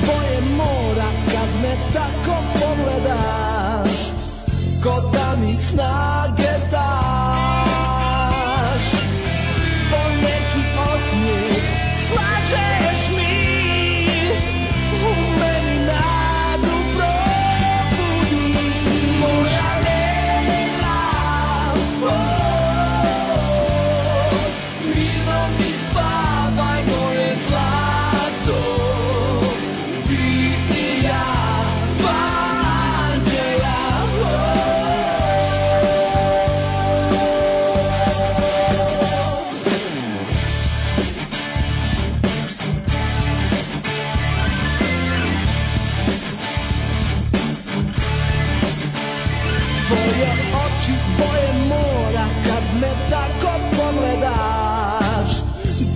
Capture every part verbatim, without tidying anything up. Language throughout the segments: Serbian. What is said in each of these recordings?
boje mora kad me tako pogledaš, ko da mi snage daš. Poneki osmijeh slažeš mi, u meni nadu probudi. Moja Lejla, oh, mirno mi spavaj moje zlato, ti i ja, dva anđela, oh. Tvoje oči, boje mora kad me tako pogledaš,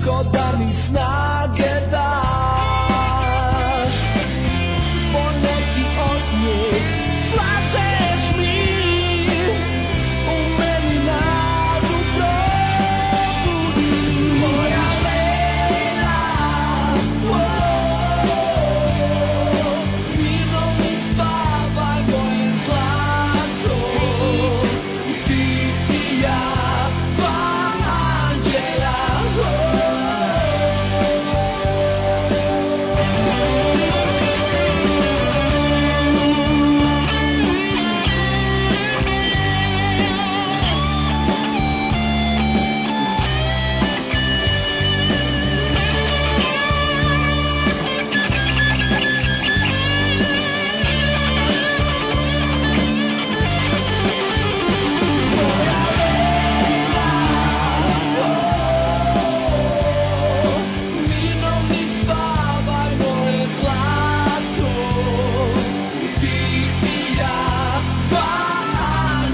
ko da mi snage daš. Poneki osmijeh slažeš mi, u meni nadu probudi. Moja Lejla, oh, mirno mi spavaj moje zlato, ti i ja, dva anđela, oh. Mirno mi spavaj moje zlato, ti i ja, dva anđela, oh.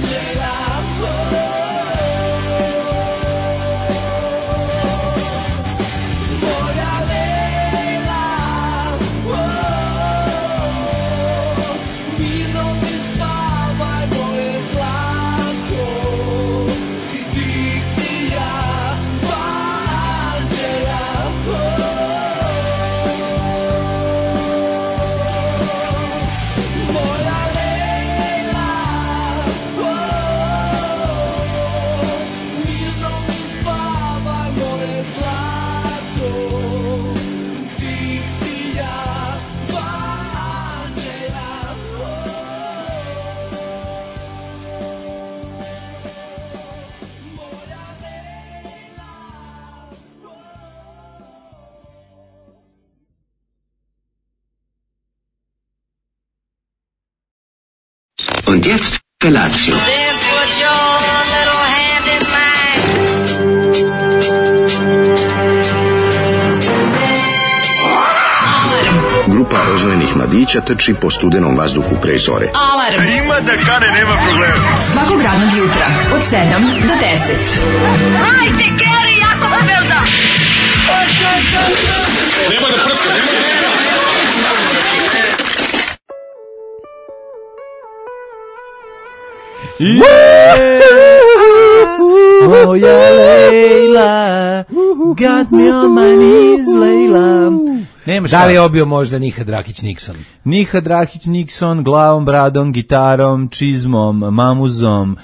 Moja Lejla, oh, mirno mi spavaj moje zlato, ti i ja, dva anđela, oh. Moja Lejla, oh, mirno mi spavaj moje zlato, ti i ja, dva anđela, oh. Moja Lejla, Und jetzt Felatio. Then put your little hand in mine. Grupa rozvojenih mladića trči po studenom vazduhu pre zore. Alarm. Ima da kane, nema problema. Svakog radnog jutra od sedam do deset. Hajde, Geri, jako se velda. Nema da prska, nema da prska. Moja Lejla, got me on my knees, Lejla. Nema šta. Da li je obio možda Nihad Rakić-Nixon? Nihad Rakić-Nixon, glavom, bradom, gitarom, čizmom, mamuzom,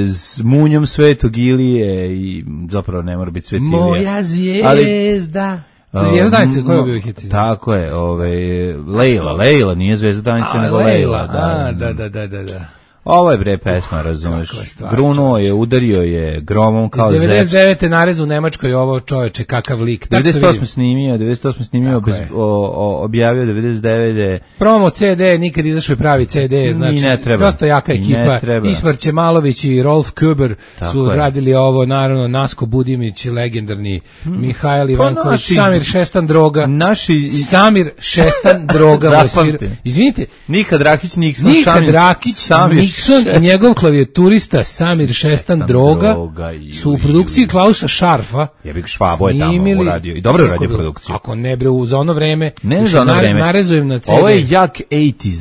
s munjom Svetog Ilije i zapravo ne mora biti Svet Ilija. Moja zvijezda. Ali, Zvijezda Danica, koja je obio hit? Tako je, ovaj, Lejla, Lejla, nije Zvezda Danica, nego Lejla. Da, da, da, da, da, da. Ovo je bre pesma, razumeš. Grunuo je, udario je gromom kao Zeps. devedeset devete narez u Nemačkoj, ovo čoveče, kakav lik. devedeset osme snimio, devedeset osme snimio, bez, o, o, objavio devedeset devete Promo ce de, nikad izašao je pravi ce de, znači, ne treba. dosta jaka ekipa. Ismar Ćemalović i Rolf Kuber su je. radili ovo, naravno, Nasko Budimić, legendarni hmm. Mihajl Ivanković, pa naši, Samir Šestan Droga. Naši... Samir Šestan Droga. Izvinite. Nihad Rakić-Nixon. Nihad Rakić-Nixon i njegov klavijaturista Samir Šestan Droga su u produkciji Klausa Šarfa. Jebik Švabo je tamo uradio. I dobro uradio produkciju. Ako ne bre, za ono vreme. Ne za ono vreme. Narezujem na ce de. Ovo je jak osamdesetih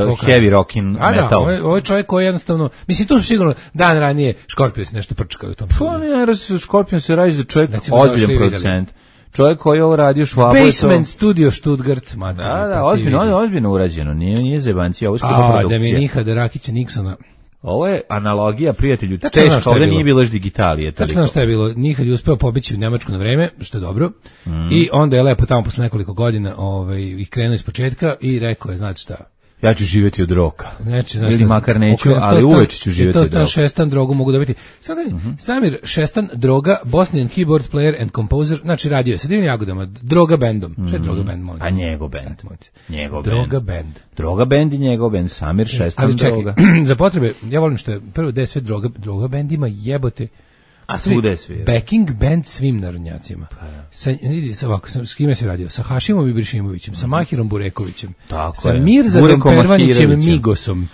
uh, heavy rock in A metal. Da, ovo je, ovo je čovjek koji jednostavno, mislim, tu su sigurno dan ranije Scorpions nešto prčkali u tom. Pa ne, Scorpions se radi da čovjek ozbiljan producent. čovjek koji je ovo radio švabo je to... Basement Studio Stuttgart. Mater, da, da, ozbiljno, ozbiljno urađeno, nije, nije zebancija, ovo je skupa produkcija. A, da mi je Nihada Rakića Nixona. Ovo je analogija, prijatelju, teško, ovdje nije bilo još digitalije. Tačno znam šta je bilo, Nihad je uspeo pobići u Njemačku na vreme, što je dobro, mm. i onda je lepo tamo posle nekoliko godina ovaj, ih krenuo iz početka i rekao je, znate šta, ja ću živjeti od roka. Znači, znači, ili makar neću, ali uveč ću živjeti od roka. To stan Šestan drogu mogu dobiti. Sada, mm-hmm. Samir Šestan droga, Bosnian keyboard player and composer, znači radio je sa divnim jagodama, droga bandom. Mm-hmm. Šta je droga band, molim? A njegov band. Njegov droga band. Droga band i njegov band, Samir Šestan ali čekaj, droga. Za potrebe, ja volim što je prvo da je sve droga, droga band ima jebote. A svuda je svira. Backing band svim narodnjacima. Pa, ja. Sa, vidi, sa ovako, sa, s kime se radio? Sa Hašimom Ibrišimovićem, sa Mahirom Burekovićem, tako sa je. Mirzadom Pervanićem Migosom.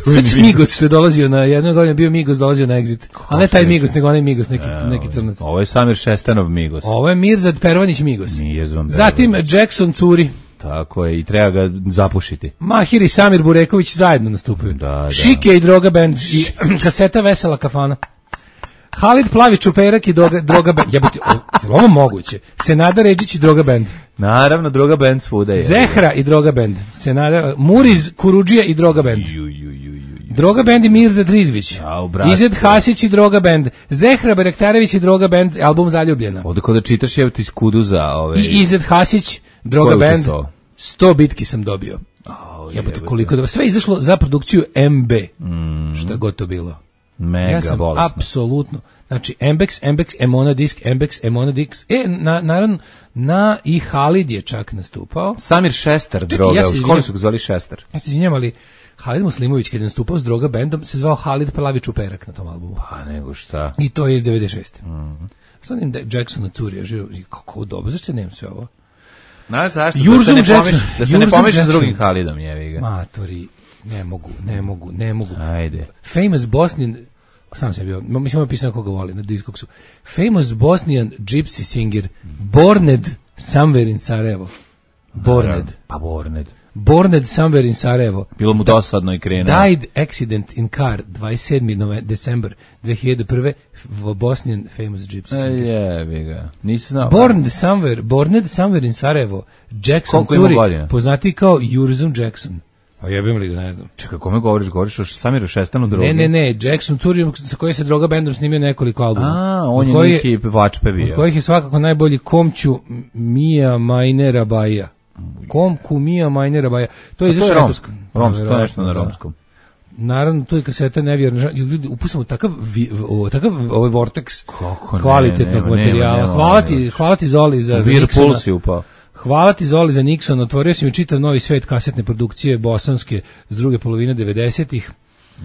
Sad Migos se dolazio na, jednog godina bio Migos, dolazio na Exit. A ne taj Migos, nego onaj Migos, neki, e, neki crnac. Ovo je Samir Šestanov Migos. Ovo je Mirzad Pervanić Migos. Mirzom Zatim Jackson curi. Tako je, i treba ga zapušiti. Mahir i Samir Bureković zajedno nastupaju. Da, da. Šike i droga band i kaseta Vesela kafana. Halid Plavi Čuperak i droga, droga band. Jebote, je li ovo moguće? Senada Ređić i droga band. Naravno, droga band svuda je. Zehra i droga band. Senada, Muriz Kurudžija i droga band. Ju, ju, ju, ju. Droga band i Mirzad Rizvić. Ized Hasić i droga band. Zehra Berektarević i droga band, album Zaljubljena. Ovdje kod da čitaš je ti skudu za ove... I Ized Hasić, droga band. sto bitki sam dobio. Oh, jebote, koliko dobro. Sve je izašlo za produkciju M B. Mm. Šta god to bilo. Mega ja sam bolesno. Apsolutno. Znači, Ambex, Ambex, Emona Disk, Ambex, Emona Disk. E, na, naravno, na i Halid je čak nastupao. Samir Šestar, droga. Ja u školi su ga zvali Šestar. Ja se izvinjam, ali Halid Muslimović, kada je nastupao s droga bandom, se zvao Halid Plavi Čuperak na tom albumu. Pa nego šta. I to je iz devedeset šeste. Mm-hmm. Sad im Jacksona Curija, živo, kako dobro, zašto nemam sve ovo? Na, zašto? Jurzum da se ne Jackson. Pomeš, da se ne pomeš s drugim Halidom, jevi ga. Matori, ne mogu, ne mogu, ne mogu. Ajde. Famous Bosnian, sam sam bio, mislim ovo pisano koga voli na Discogsu. Famous Bosnian gypsy singer, Borned somewhere in Sarajevo. Borned. Pa Borned. Borned somewhere in Sarajevo. Bilo mu dosadno i krenuo. Died accident in car dvadeset sedmog decembra dve hiljade prve. Bosnian famous gypsy singer. Jebi ga. Nisi znao. Borned somewhere, Borned somewhere in Sarajevo. Jackson Curi, poznati kao Jurzum Jackson. A jebim li ga, ne znam. Čekaj, kome govoriš? Govoriš o Samiru Šestanu drogi? Ne, ne, ne, Jackson Curi, sa koji se droga bandom snimio nekoliko albuma. A, on je neki vačpe bio. Od kojih je svakako najbolji Komću Mija Majnera Baja. Komku Mija Majnera Baja. To je izašao romsko. Romsko, to je nešto na romskom. Naravno, to je kaseta nevjerna. Ljudi, upustimo takav, takav ovaj Vortex kako kvalitetnog ne, materijala. nema, nema, hvala, ti, hvala ti Zoli za Whirlpool si upao. Hvala ti Zoli za Nixon, otvorio si mi čitav novi svet kasetne produkcije bosanske s druge polovine devedesetih.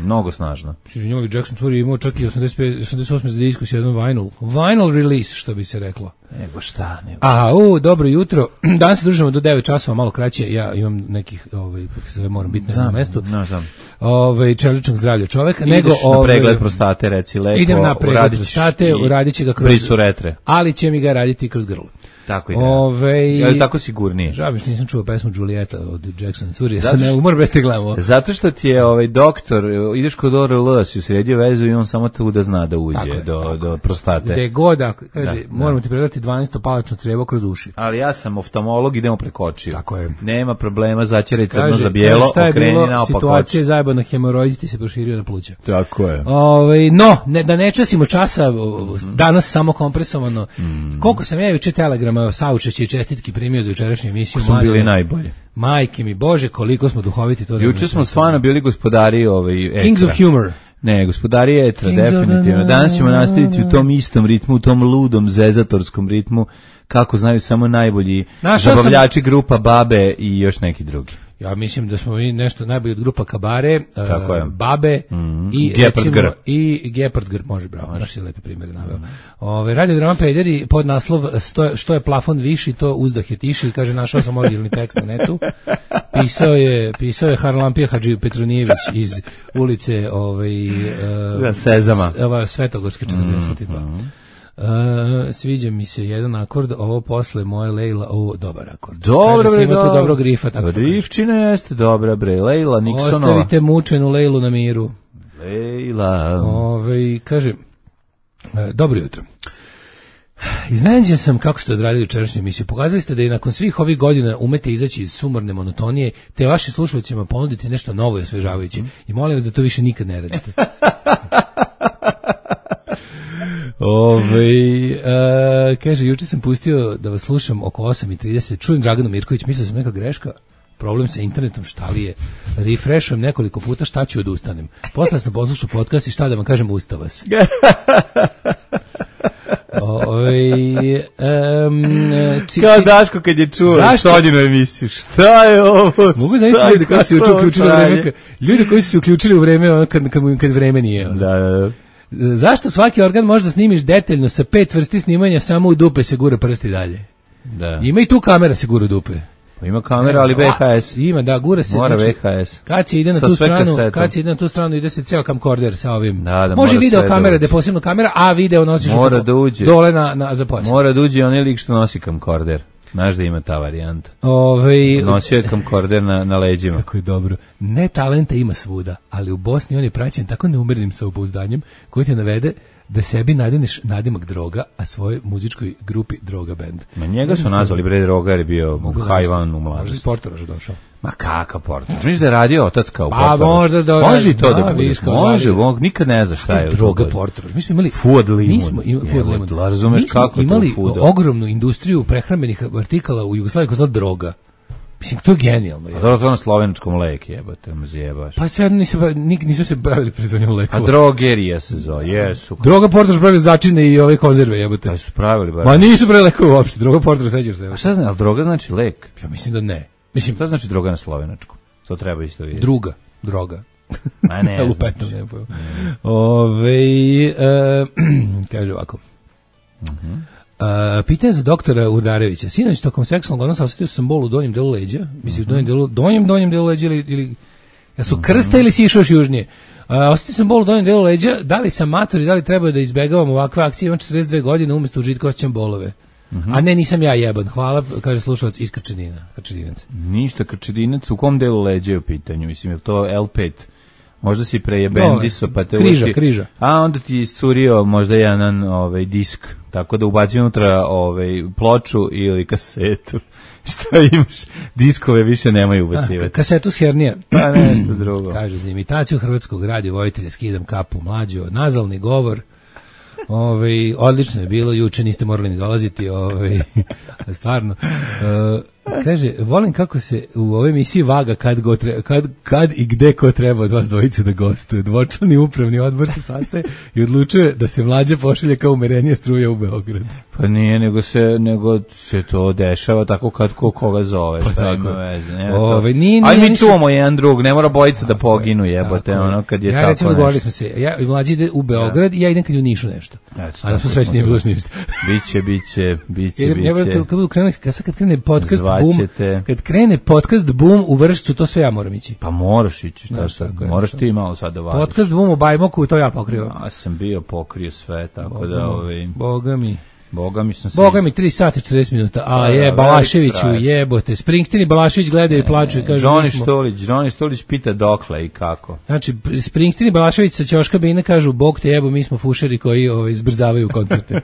Mnogo snažno. Njemavi Jackson Tour je imao čak i osamdeset pet, osamdeset osam za diskus jedan vinyl. Vinyl release, što bi se reklo. Nego šta, nego šta. Aha, u, dobro jutro. Danas se družimo do devet časova, malo kraće. Ja imam nekih, ovaj, kako se zove, moram biti na mestu. No, znam. Ovaj, čeličnog zdravlja čoveka. Ideš nego, na ovaj, pregled prostate, reci lepo. Idem na pregled prostate, uradit će ga kroz... Brisu retre. Ali će mi ga raditi kroz grlo. Tako ide. Ove, ja tako sigurnije. Žao mi što nisam čuo pesmu Julieta od Jacksona Curija. Sad ne umor bez te gledamo. Zato što ti je ovaj doktor, ideš kod O R L, si sredio vezu i on samo tu da zna da uđe je, do, tako. do prostate. Gde god, kaže, da, moramo da. ti predati dvanaesto palačno crevo kroz uši. Ali ja sam oftalmolog, idemo preko očiju. Tako je. Nema problema, začeraj crno za bijelo, okreni naopak oči. Situacija je zajebana, hemoroid ti se proširio na pluća. Tako je. Ove, no, ne, da ne časimo časa, danas samo kompresovano. Mm. Koliko sam ja juče telegrama saučešće i čestitki primio za jučerašnju emisiju. Smo bili najbolji. Majke mi, Bože, koliko smo duhoviti. To juče smo stvarno bili gospodari ovaj, etra. Kings of Humor. Ne, gospodari etra, Kings definitivno. Danas ćemo nastaviti u tom istom ritmu, u tom ludom, zezatorskom ritmu, kako znaju samo najbolji Našao zabavljači sam... grupa Babe i još neki drugi. Ja mislim da smo mi nešto najbolji od grupa Kabare, uh, Babe mm-hmm. i Gepard Gr. I Gepard Gr, može, bravo, naši lepe primjere naveo. Ove, Radio Drama Pederi, pod naslov sto, što je plafon viši, to uzdah je tiši, kaže, našao sam originalni tekst na netu. Pisao je, pisao je Harlampija Hadži Petronijević iz ulice ovaj, uh, da, Sezama. Ova, Svetogorske četrdeset dva. Mm-hmm. Uh, sviđa mi se jedan akord, ovo posle moje Lejla, ovo dobar akord. Dobro, bre, do... dobro grifa. Tako Grifčina jeste dobra, bre, Lejla Nixonova. Ostavite mučenu Lejlu na miru. Lejla. Ove, kaže, uh, dobro jutro. Iznenađen sam kako ste odradili jučerašnju emisiju. Pokazali ste da i nakon svih ovih godina umete izaći iz sumorne monotonije, te vašim slušalcima ponuditi nešto novo i osvežavajuće. I molim vas da to više nikad ne radite. Ove, uh, kaže, juče sam pustio da vas slušam oko osam i trideset. Čujem Draganu Mirković, mislio sam neka greška. Problem sa internetom, šta li je? Refreshujem nekoliko puta, šta ću odustanem. Posle sam poslušao podcast i šta da vam kažem, usta vas. Ove, um, či, kao Daško kad je čuo Sonjinu emisiju, šta je ovo? Mogu zamisliti ljudi koji su se uključili u vreme, ljudi koji su se uključili u vreme kad, kad, kad vreme nije. Da, da, da. Zašto svaki organ možda snimiš detaljno sa pet vrsti snimanja, samo u dupe se gura prsti dalje? Da. Ima i tu kamera se gura u dupe. Pa ima kamera, ali V H S. Ima, da, gura se. Mora znači, V H S. Kad se ide na sa tu stranu, kasetom. kad se ide na tu stranu, ide se ceo camcorder sa ovim. Da, da, može video kamera, da je posebno kamera, a video nosiš mora da uđe. Dole na, na za pojas. Mora da uđe onaj lik što nosi camcorder. Znaš da ima ta varijanta. Ove, nosio je camcorder na, na leđima. Kako je dobro. Ne talenta ima svuda, ali u Bosni on je praćen tako neumerenim samopouzdanjem koji te navede da sebi nadineš nadimak Droga, a svojoj muzičkoj grupi Droga Band. Ma njega su nazvali bre Droga jer je bio hajvan u mladosti. Možda iz Portoroža došao. Ma kakav Portorož? Misliš da je radio otac kao pa, Portorož? Možda da, može i to da, da bude. Može, on nikad ne zna šta je. Droga Portorož. Mi smo imali Fuad Limun. Mi smo imali Fuad Limun. Razumeš kako je to imali Fuad? ogromnu industriju prehrambenih artikala u Jugoslaviji koja zvala Droga. Mislim, to je genijalno. A dobro, to na slovenačkom lek jebate, mu zjebaš. Pa sve nisu, nisu se bavili proizvodnjom lekova. A drogerija se zove, jesu. Droga Portorož pravi začine i ove konzerve jebate. Pa su pravili bar. Ma nisu pravili lekove uopšte, Droga Portorož, sećaš se. A šta znači, ali droga znači lek? Ja mislim da ne. Mislim, šta znači droga na slovenačkom? To treba isto vidjeti. Druga, droga. Ma ne, lupetom, ne pojmo. Ove, e, kaže ovako. Mhm. Uh, pitanje za doktora Udarevića. Sinoć tokom seksualnog odnosa osetio sam bol u donjem delu leđa. Mislim, mm -hmm. donjem delu, donjem, donjem delu leđa ili, ili ja su krsta ili si išao još južnije. Uh, osetio sam bol u donjem delu leđa. Da li sam mator i da li treba da izbegavam ovakve akcije? Imam četrdeset dve godine, umjesto užitka osjećam bolove. Mm -hmm. A ne, nisam ja jeban. Hvala, kaže slušalac iz Krčedina. Krčedinac. Ništa, Krčedinac. U kom delu leđa je u pitanju? Mislim, je to L pet? Možda si prejebendiso, pa te križa, uši, križa. A onda ti iscurio možda jedan ovaj disk, tako da ubaci unutra ovaj ploču ili kasetu. Šta imaš? Diskove više nemaju ubacivati. A, kasetu s hernija. Pa nešto drugo. Kaže, za imitaciju hrvatskog radiovojitelja skidam kapu, mlađo, nazalni govor. Ovaj odlično je bilo, juče niste morali ni dolaziti, ovaj stvarno. Uh, kaže, volim kako se u ovoj emisiji vaga kad, go tre, kad, kad i gde ko treba od vas dvojice da gostuje. Dvočlani upravni odbor se sastaje i odlučuje da se Mlađa pošalje kao umerenije struje u Beograd. Pa nije, nego se, nego se to dešava tako kad ko koga zove. Pa šta ima veze. Ove, nije, Aj mi nije, čuvamo jedan drug, ne mora bojica da poginu, jebote, ono kad je ja, tako. Ja recimo govorili smo se, ja i Mlađi ide u Beograd ja. i ja idem kad u Nišu nešto. Eto, a da smo srećni nije bilo ništa. Biće, biće, biće, biće. Ja, kad budu krenuli, kad krene podcast Boom, kad krene podcast Boom u Vršcu, to sve ja moram ići. Pa moraš ići, šta sad, moraš ti malo sad da vadiš. Podcast Boom u Bajmoku, to ja pokrio. Ja sam bio pokrio sve, tako da ovaj... Boga mi... Boga mi sam se... Boga mi tri sata i četrdeset minuta, a je, Balaševiću, jebote, Springsteen i Balašević gledaju i plaču i kažu... Johnny Stolić, Johnny Stolić pita dokle i kako. Znači, Springsteen i Balašević sa Ćoška Bine kažu, Bog te jebo, mi smo fušeri koji ovaj, izbrzavaju koncerte.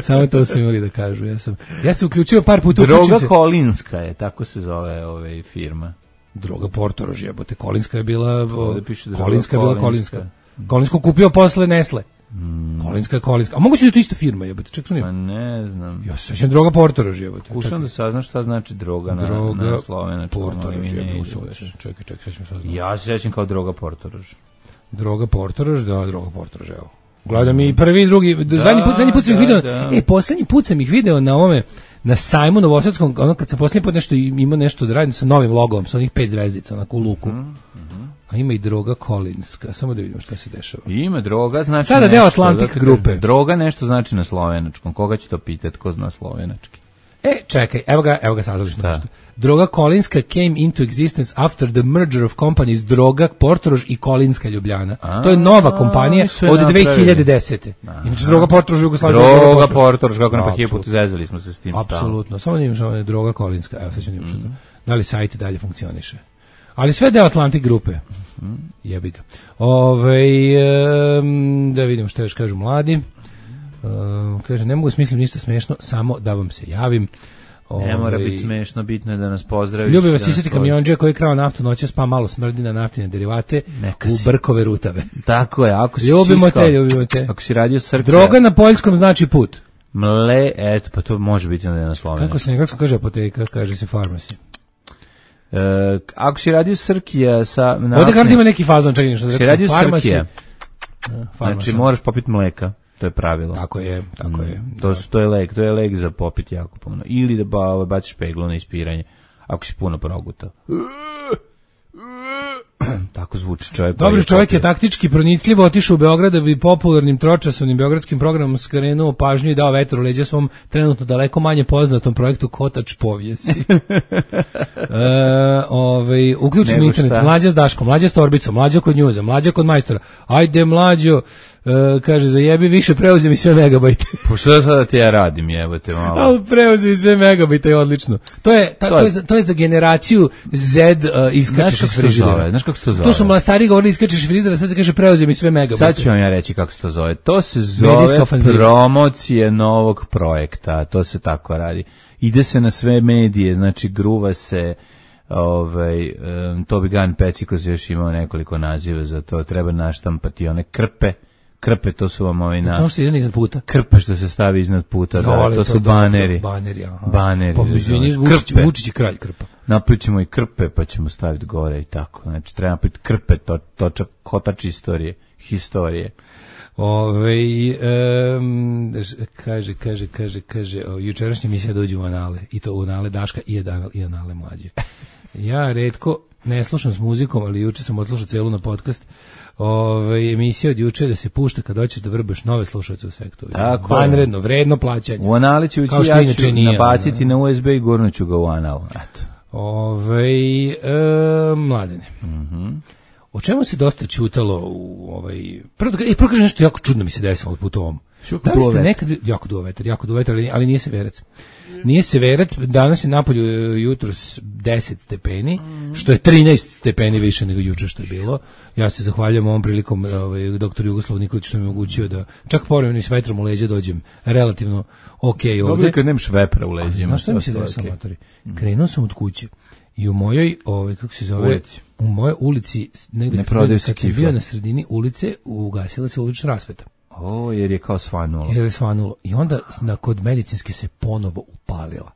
Samo to su imali da kažu. Ja sam, ja sam uključio par puta... Droga se... Kolinska je, tako se zove ovaj firma. Droga Portorož, jebote, Kolinska je bila... O, piše Kolinska je bila Kolinska. Kolinsko kupio posle Nesle. Mm. Kolinska je Kolinska. A moguće da je to ista firma, jebote. Čekaj, sam pa ne znam. Ja se sećam Droga Portorož, jebote. Kušam da saznaš šta znači droga na, droga na slovenačkom. Portorož, jebote. Čekaj, čekaj, sećam se. Ja se sećam kao Droga Portorož. Droga Portorož, da, Droga Portorož, evo. Gledam i prvi i drugi, da, zadnji put, zadnji put sam ih video, da. E, poslednji put sam ih video na ovome, na sajmu Novosadskom, ono kad sam poslednji put nešto ima nešto da radim sa novim logom, sa onih pet zvezdica, onako u luku. Mm -hmm. A ima i Droga Kolinska, samo da vidimo šta se dešava. Ima Droga, znači sada deo Atlantik da, grupe. Droga nešto znači na slovenačkom, koga će to pitati, ko zna slovenački? E, čekaj, evo ga, evo ga saznali smo nešto. Droga Kolinska came into existence after the merger of companies Droga Portorož i Kolinska Ljubljana. A, to je nova kompanija od dve hiljade desete. Inače Droga Portorož u Jugoslaviji. Droga Portorož, kako na pa put zezali smo se s tim. Apsolutno, samo da imamo Droga Kolinska, evo sad ću nimati mm. da li sajt dalje funkcioniše. Ali sve deo Atlantik grupe. Jebi ga. Ove, um, da vidimo što još kažu mladi. Uh, kaže, ne mogu smisliti ništa smešno, samo da vam se javim. Ove, ne mora biti smešno, bitno je da nas pozdraviš. Ljubi vas isjeti kamionđe koji je krao naftu noćas, pa malo smrdi na naftine derivate u Brkove rutave. Tako je, ako si ljubimo siskao, te, ljubimo te. Ako si radio srke. Droga na poljskom znači put. Mle, eto, pa to može biti na slovenskom. Kako se nekako kaže apoteka, kaže se farmasi. Uh, ako si radio Srkija sa... Ovdje kada ima neki fazon, čekaj nešto. Si radio Srkija, uh, znači moraš popiti mleka. To je pravilo. Tako je, tako je. Mm, to, to je lek, to je lek za popit jako puno. Ili da ba, baciš peglu na ispiranje, ako si puno progutao. Tako zvuči čovjek. Dobri čovjek je taktički pronicljivo otišao u Beograd da bi popularnim tročasovnim beogradskim programom skrenuo pažnju i dao vetru u leđa svom trenutno daleko manje poznatom projektu Kotač povijesti. e, ovaj, uključimo internet, šta? Mlađa s Daškom, mlađa s Torbicom, mlađa kod njuza, mlađa kod majstora. Ajde mlađo, e, kaže, zajebi više, preuzem i sve megabajte. Po što sada ti ja radim, jebote malo. Ali preuzem i sve megabajte, je odlično. To je, ta, to, je, to, je za, to je za generaciju Z uh, iskačeš iz frižidera. Znaš kako se to zove? To su mla stari govorili iskačeš iz frižidera, sad se kaže preuzem i sve megabajte. Sad ću vam ja reći kako se to zove. To se zove promocije novog projekta, to se tako radi. Ide se na sve medije, znači gruva se, ovaj, um, Tobi Gun Pecikos još imao nekoliko naziva za to, treba naštampati one krpe. Krpe, to su vam ovi na... To što ide iznad puta. Krpe što se stavi iznad puta, da, Dole, to, to su da, baneri. Baneri, aha. Baneri. Pa Vučić, Vučić je kralj krpa. Naplićemo i krpe, pa ćemo staviti gore i tako. Znači, treba napraviti krpe, to, točak, kotač istorije, historije. Ove, um, kaže, kaže, kaže, kaže, o, jučerašnja misija dođu u anale, i to u anale Daška i, anale, i anale mlađe. Ja redko ne slušam s muzikom, ali juče sam odslušao celu na podcast. Ove, emisija od juče da se pušta kad hoćeš da vrbaš nove slušalce u sektoru. Vanredno, vredno plaćanje. U anali ću ući, ja ću nabaciti na U S B i gurnuću ga u anal. Eto. Ove, e, mladene. Mhm. O čemu se dosta čutalo u ovaj... Prvo da e, prvo kažem nešto jako čudno mi se desilo od put ovom. Da li ste nekad... Jako duo vetar, jako duo vetar, ali, ali nije severac. Nije severac, danas je napolju jutros deset stepeni, što je trinaest stepeni više nego juče što je bilo. Ja se zahvaljujem ovom prilikom ovaj, doktoru Jugoslavu Nikoliću što mi je omogućio da čak povremeno s vetrom u leđa dođem relativno okej okay ovde. Dobro kad nemaš vepra u leđima. Znaš što mi se desilo, matori? Krenuo sam od kuće i u mojoj, ovaj, kako se zove, ulici. U mojoj ulici, negde ne kad sam bio na sredini ulice, ugasila se ulična rasveta. O, jer je kao svanulo. Jer je svanulo. I onda na, kod medicinske se ponovo upalila.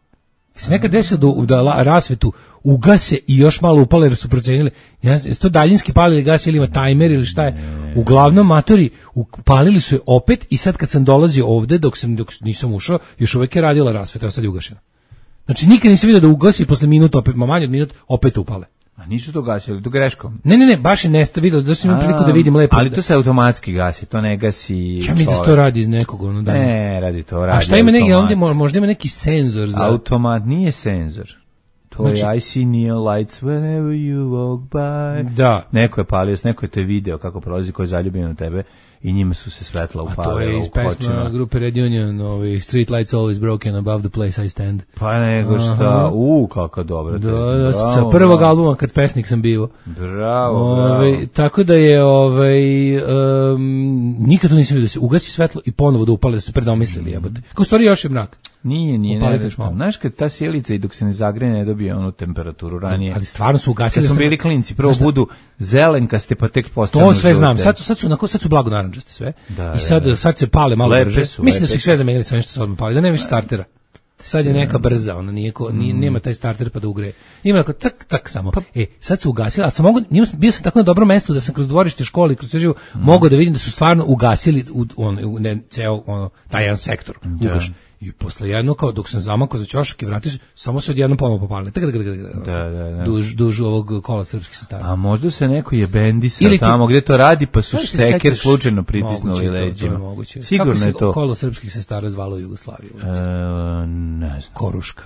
Se nekad desilo da, da rasvetu ugase i još malo upale jer su procenili. Ja, to daljinski palili gas ili ima tajmer ili šta je. Uglavnom matori upalili su je opet i sad kad sam dolazio ovde, dok, sam, dok nisam ušao, još uvek je radila rasveta, a sad je ugašena. Znači nikad nisam vidio da ugasi posle minuta, opet, ma manje od minut, opet upale. A nisu to gasili, to greškom? Ne, ne, ne, baš je nesta vidio, da sam imao priliku da vidim lepo. Ali to se automatski gasi, to ne gasi. Ja mislim da to radi iz nekog ono danas. Ne, radi to, radi. A šta ima neki, ovdje možda ima neki senzor za... Automat nije senzor. To znači, je I see neon lights whenever you walk by. Da. Neko je palio, neko je te video kako prolazi, ko je zaljubljen u tebe i njima su se svetla upalila. A to je iz pesma grupe Red Union, ovaj, Street lights always broken above the place I stand. Pa nego šta, u, kako dobro. Da, da, sa prvog albuma kad pesnik sam bio. Bravo, ovaj, bravo. Tako da je, ovaj, um, nikad to nisam vidio da se ugasi svetlo i ponovo da upale, da se predomislili, jebote. Kao stvari još je mrak. Nije, nije, ne, znaš kad ta sjelica i dok se ne zagreje ne dobije onu temperaturu ranije. Ali stvarno su ugasili. Kad smo bili klinci, prvo budu zelenkaste pa tek postanu to sve žute. Znam, sad su, sad su, onako, sad su blago naranđaste sve. Da, i sad, da, da. sad se pale malo lepe brže. Su, mislim da su ih sve zamenili sve nešto se odmah pali, da nema više startera. Sad je neka brza, ona nije, ko, nije nema taj starter pa da ugreje. Ima tako cak cak samo. Pa, e, sad su ugasili, a sam mogu, bio sam tako na dobrom mestu da sam kroz dvorište škole, kroz sve živo, mm. mogao da vidim da su stvarno ugasili u, on, u ne, ceo ono, taj jedan sektor. Ugaš. I posle jedno, kao dok sam zamakao za ćošak i vratio se, samo se odjedno ponovo popalili. Da, da, da. Duž, duž ovog kola srpskih sestara. A možda se neko je bendisa tamo gdje to radi, pa su šteker slučajno pritisnuli leđima. To je moguće. Sigurno kako je to. Kako se kolo srpskih sestara zvalo u Jugoslaviji? E, ne znam. Koruška.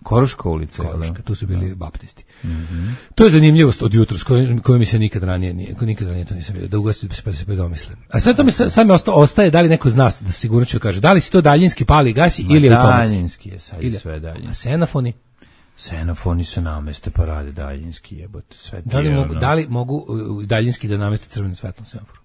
Koruška ulica. Koruška, tu su bili baptisti. Mm-hmm. To je zanimljivost od jutros, koju, koju mi se nikad ranije nije, nikad ranije to nisam vidio, da ugasi pa se predomisle. A sad to mi sad mi ostaje, da li neko zna, da sigurno ću kaže, da li si to daljinski pali gasi Ma ili je automatski? Daljinski je sad ili, sve daljinski. A senafoni? Senafoni se nameste pa rade daljinski, jebote, sve da li, mogu, da li mogu daljinski da nameste crveno svetlo semaforu?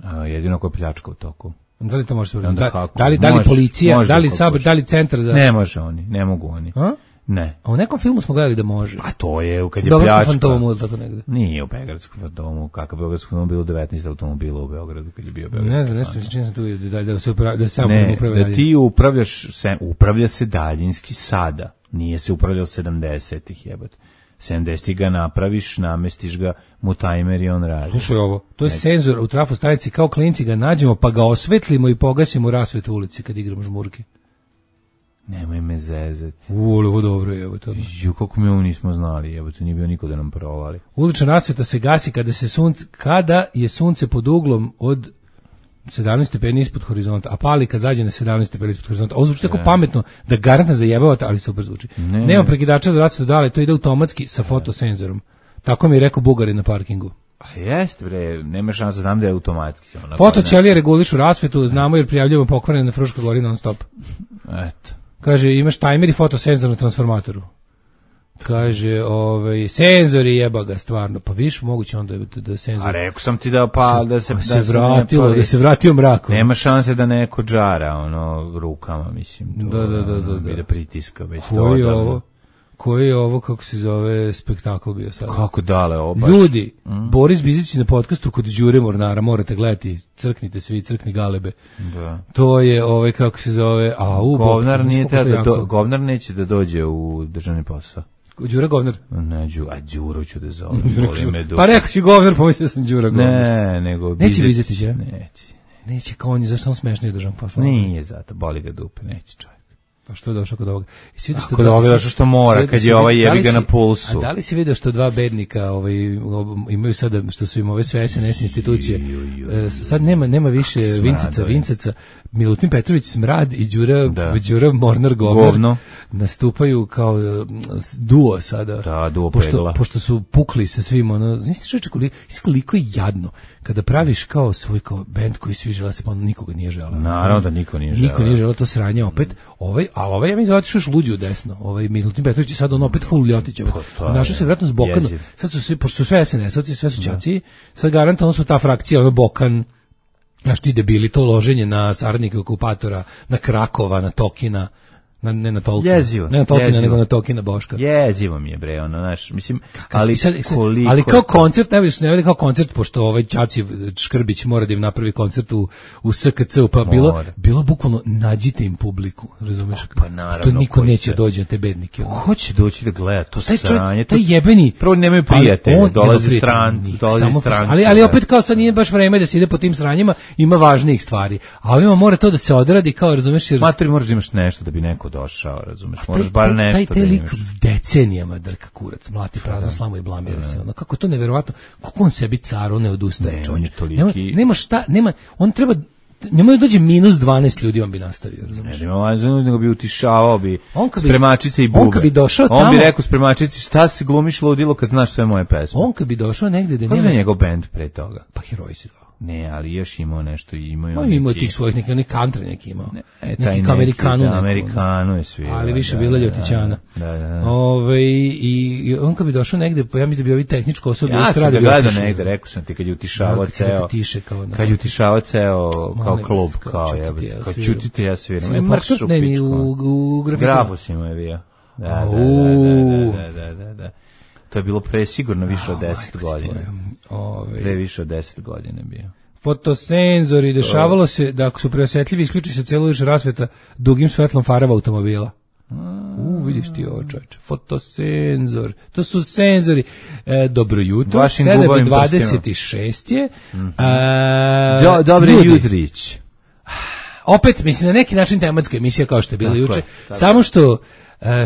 A, jedino ko pljačka u toku. Da li to može se uraditi? Onda Da, kako? da li, da li Može, policija, može da li kako sabor, hoće. da li centar za... Ne može oni, ne mogu oni. A? Ne. A u nekom filmu smo gledali da može. A to je kad je Beogradskom pljačka. fantomu ili tako negde. Nije u Beogradskom fantomu, kakav Beogradski fantom bilo devetnaest automobila u Beogradu kad je bio Beogradski. Ne znam, nešto čini se tu da, da, se upravlja, da se samo Ne, upravlja. da ti upravljaš, se, upravlja se daljinski sada. Nije se upravljao sedamdesetih jebate. sedamdesetih ga napraviš, namestiš ga, mu tajmer i on radi. Slušaj ovo, to je senzor u trafostanici, kao klinci ga nađemo pa ga osvetlimo i pogasimo rasvet u ulici kad igramo žmurke. Nemoj me zezati. U, ovo dobro je, evo to. Ju, kako mi ovo nismo znali, evo to nije bio niko da nam provali. Ulična rasveta se gasi kada se sunce, kada je sunce pod uglom od sedamnaest stepeni ispod horizonta, a pali kad zađe na sedamnaest stepeni ispod horizonta. Ovo zvuči tako pametno da garantno zajebavate, ali super zvuči. Ne. Nema prekidača za rasvetu dale, to ide automatski sa fotosenzorom. Tako mi je rekao Bugarin na parkingu. A jeste bre, nema šanse, znam da je automatski. Fotoćelije regulišu rasvetu, znamo jer prijavljujemo pokvarene na Fruškoj gori non stop. Eto. Kaže, imaš tajmer i fotosenzor na transformatoru. Kaže, ovaj, senzori jeba ga stvarno. Pa viš, moguće onda da, da senzor... A rekao sam ti da, pa, da se... Da da se vratilo, da se vratio mrak. Nema šanse da neko džara, ono, rukama, mislim. To, da, da, da, da. Da, da pritiska već. Koji je ovo? Koji je ovo, kako se zove, spektakl bio sad? Kako dale, ovo baš. Ljudi, mm. Boris Bizić na podcastu kod Đure Mornara, morate gledati, crknite svi, crkni galebe. Da. To je, ovaj, kako se zove, a u... Govnar, nije te da do, govnar neće da dođe u državni posao. Đura Govnar? Ne, Đu, a Đuro ću da zovem. Pa rekao ću Govnar, pomislio sam Đura Govnar. Ne, nego... Neće Bizić, ja? Neće. Neće, kao on je, zašto on smešnije državni posao? Nije zato, boli ga dupe, neće čovjek. Pa što je došao kod ovoga? I si vidio što kod ovoga došao što mora, kad je ovaj jebi ga na pulsu. A da li si vidio što dva bednika ovaj, imaju sada, što su im ove sve S N S institucije, sad nema, nema više Vinceca, Vinceca, Milutin Petrović Smrad i Đura, Đura Mornar Govnar nastupaju kao duo sada. Da, duo pošto, pegla. Pošto su pukli sa svim, ono, znaš ti čovječe koliko, koliko je jadno kada praviš kao svoj kao bend koji svi žele se, pa nikoga nije želeo. Naravno da niko nije želeo. Niko nije želeo to sranje opet. Ovaj, ali ovaj ja mi zovatiš još luđi u desno. Ovaj Milutin Petrović je sad on opet full Ljotićevac. Našao se vjerojatno s Bokanom. Sad su svi, pošto su sve S N S-ovci, sve su đaci, sad garantovano su ta frakcija, ono Bokan, znaš ti debili, to loženje na saradnike okupatora, na Krakova, na Tokina, na, ne na Tolkina, jezivo, ne na Tolkina, jezivo. nego na Tokina Boška. Jezivo mi je bre, ono, znaš, mislim, ali, sad, koliko... ali kao koncert, ne vidiš, ne vidi kao koncert, pošto ovaj Ćaci Škrbić mora da im napravi koncert u, u S K C-u, pa bilo, mora. bilo bukvalno nađite im publiku, razumeš? Pa naravno. Što niko neće dođe na te bednike. Ono. Ko će doći da gleda to taj sranje? Taj jebeni... Prvo nemaju prijatelje, dolazi stran, dolazi stran. Ali, ali opet kao sad nije baš vreme da se ide po tim sranjima, ima važnijih stvari. A ovima mora to da se odradi, kao razumeš? Jer... Matri, moraš da imaš nešto da bi neko došao, razumeš? Moraš bar nešto taj, taj da lik imaš. Decenijama drka kurac, mlati prazno slamu i blamira se. Ono, kako je to neverovatno, kako on sebi caru ne odustaje. Ne, on je toliki... nema, nema šta, nema, on treba, nema da dođe minus dvanaest ljudi, on bi nastavio, razumiješ? Ne, nema vazinu, nego bi utišavao bi bi, spremačice i bube. On kad bi došao tamo... On bi rekao spremačici, šta si glumiš ludilo kad znaš sve moje pesme? On kad bi došao negde da nema... Kako je njegov band pre toga? Pa Heroji si dao. Ne, ali još imao nešto, imao no, neki... Imao tih svojih, neki, neki country neki imao. Ne, e, neki kao Amerikanu. Da, Amerikanu je svirao. Ali više da, bila Ljotićana. Da, da, da. Ove, i, I on kad bi došao negde, pa ja mislim da bi ovi tehničko osoblje... Ja sam ga gledao negde, rekao sam ti, kad je utišavao da, ceo... Tiše, kao, kad je utišavao ceo kao klub, kao jebe. Kao čutite, ja sviram. E, mrš u pičku. U grafitu. Grafusima je bio. Da, da, da, da, da. To je bilo pre sigurno više od deset godina. Pre više od deset godina bio. Fotosenzori, dešavalo se da ako su preosjetljivi isključi se cijelo još rasveta dugim svetlom farava automobila. U, vidiš ti ovo, čovječe. Fotosenzor. To su senzori. E, dobro jutro. sedam dvadeset šest je. Mm-hmm. A, Dobre jutrić. Opet, mislim, na neki način tematska emisija kao što je bila juče. Samo što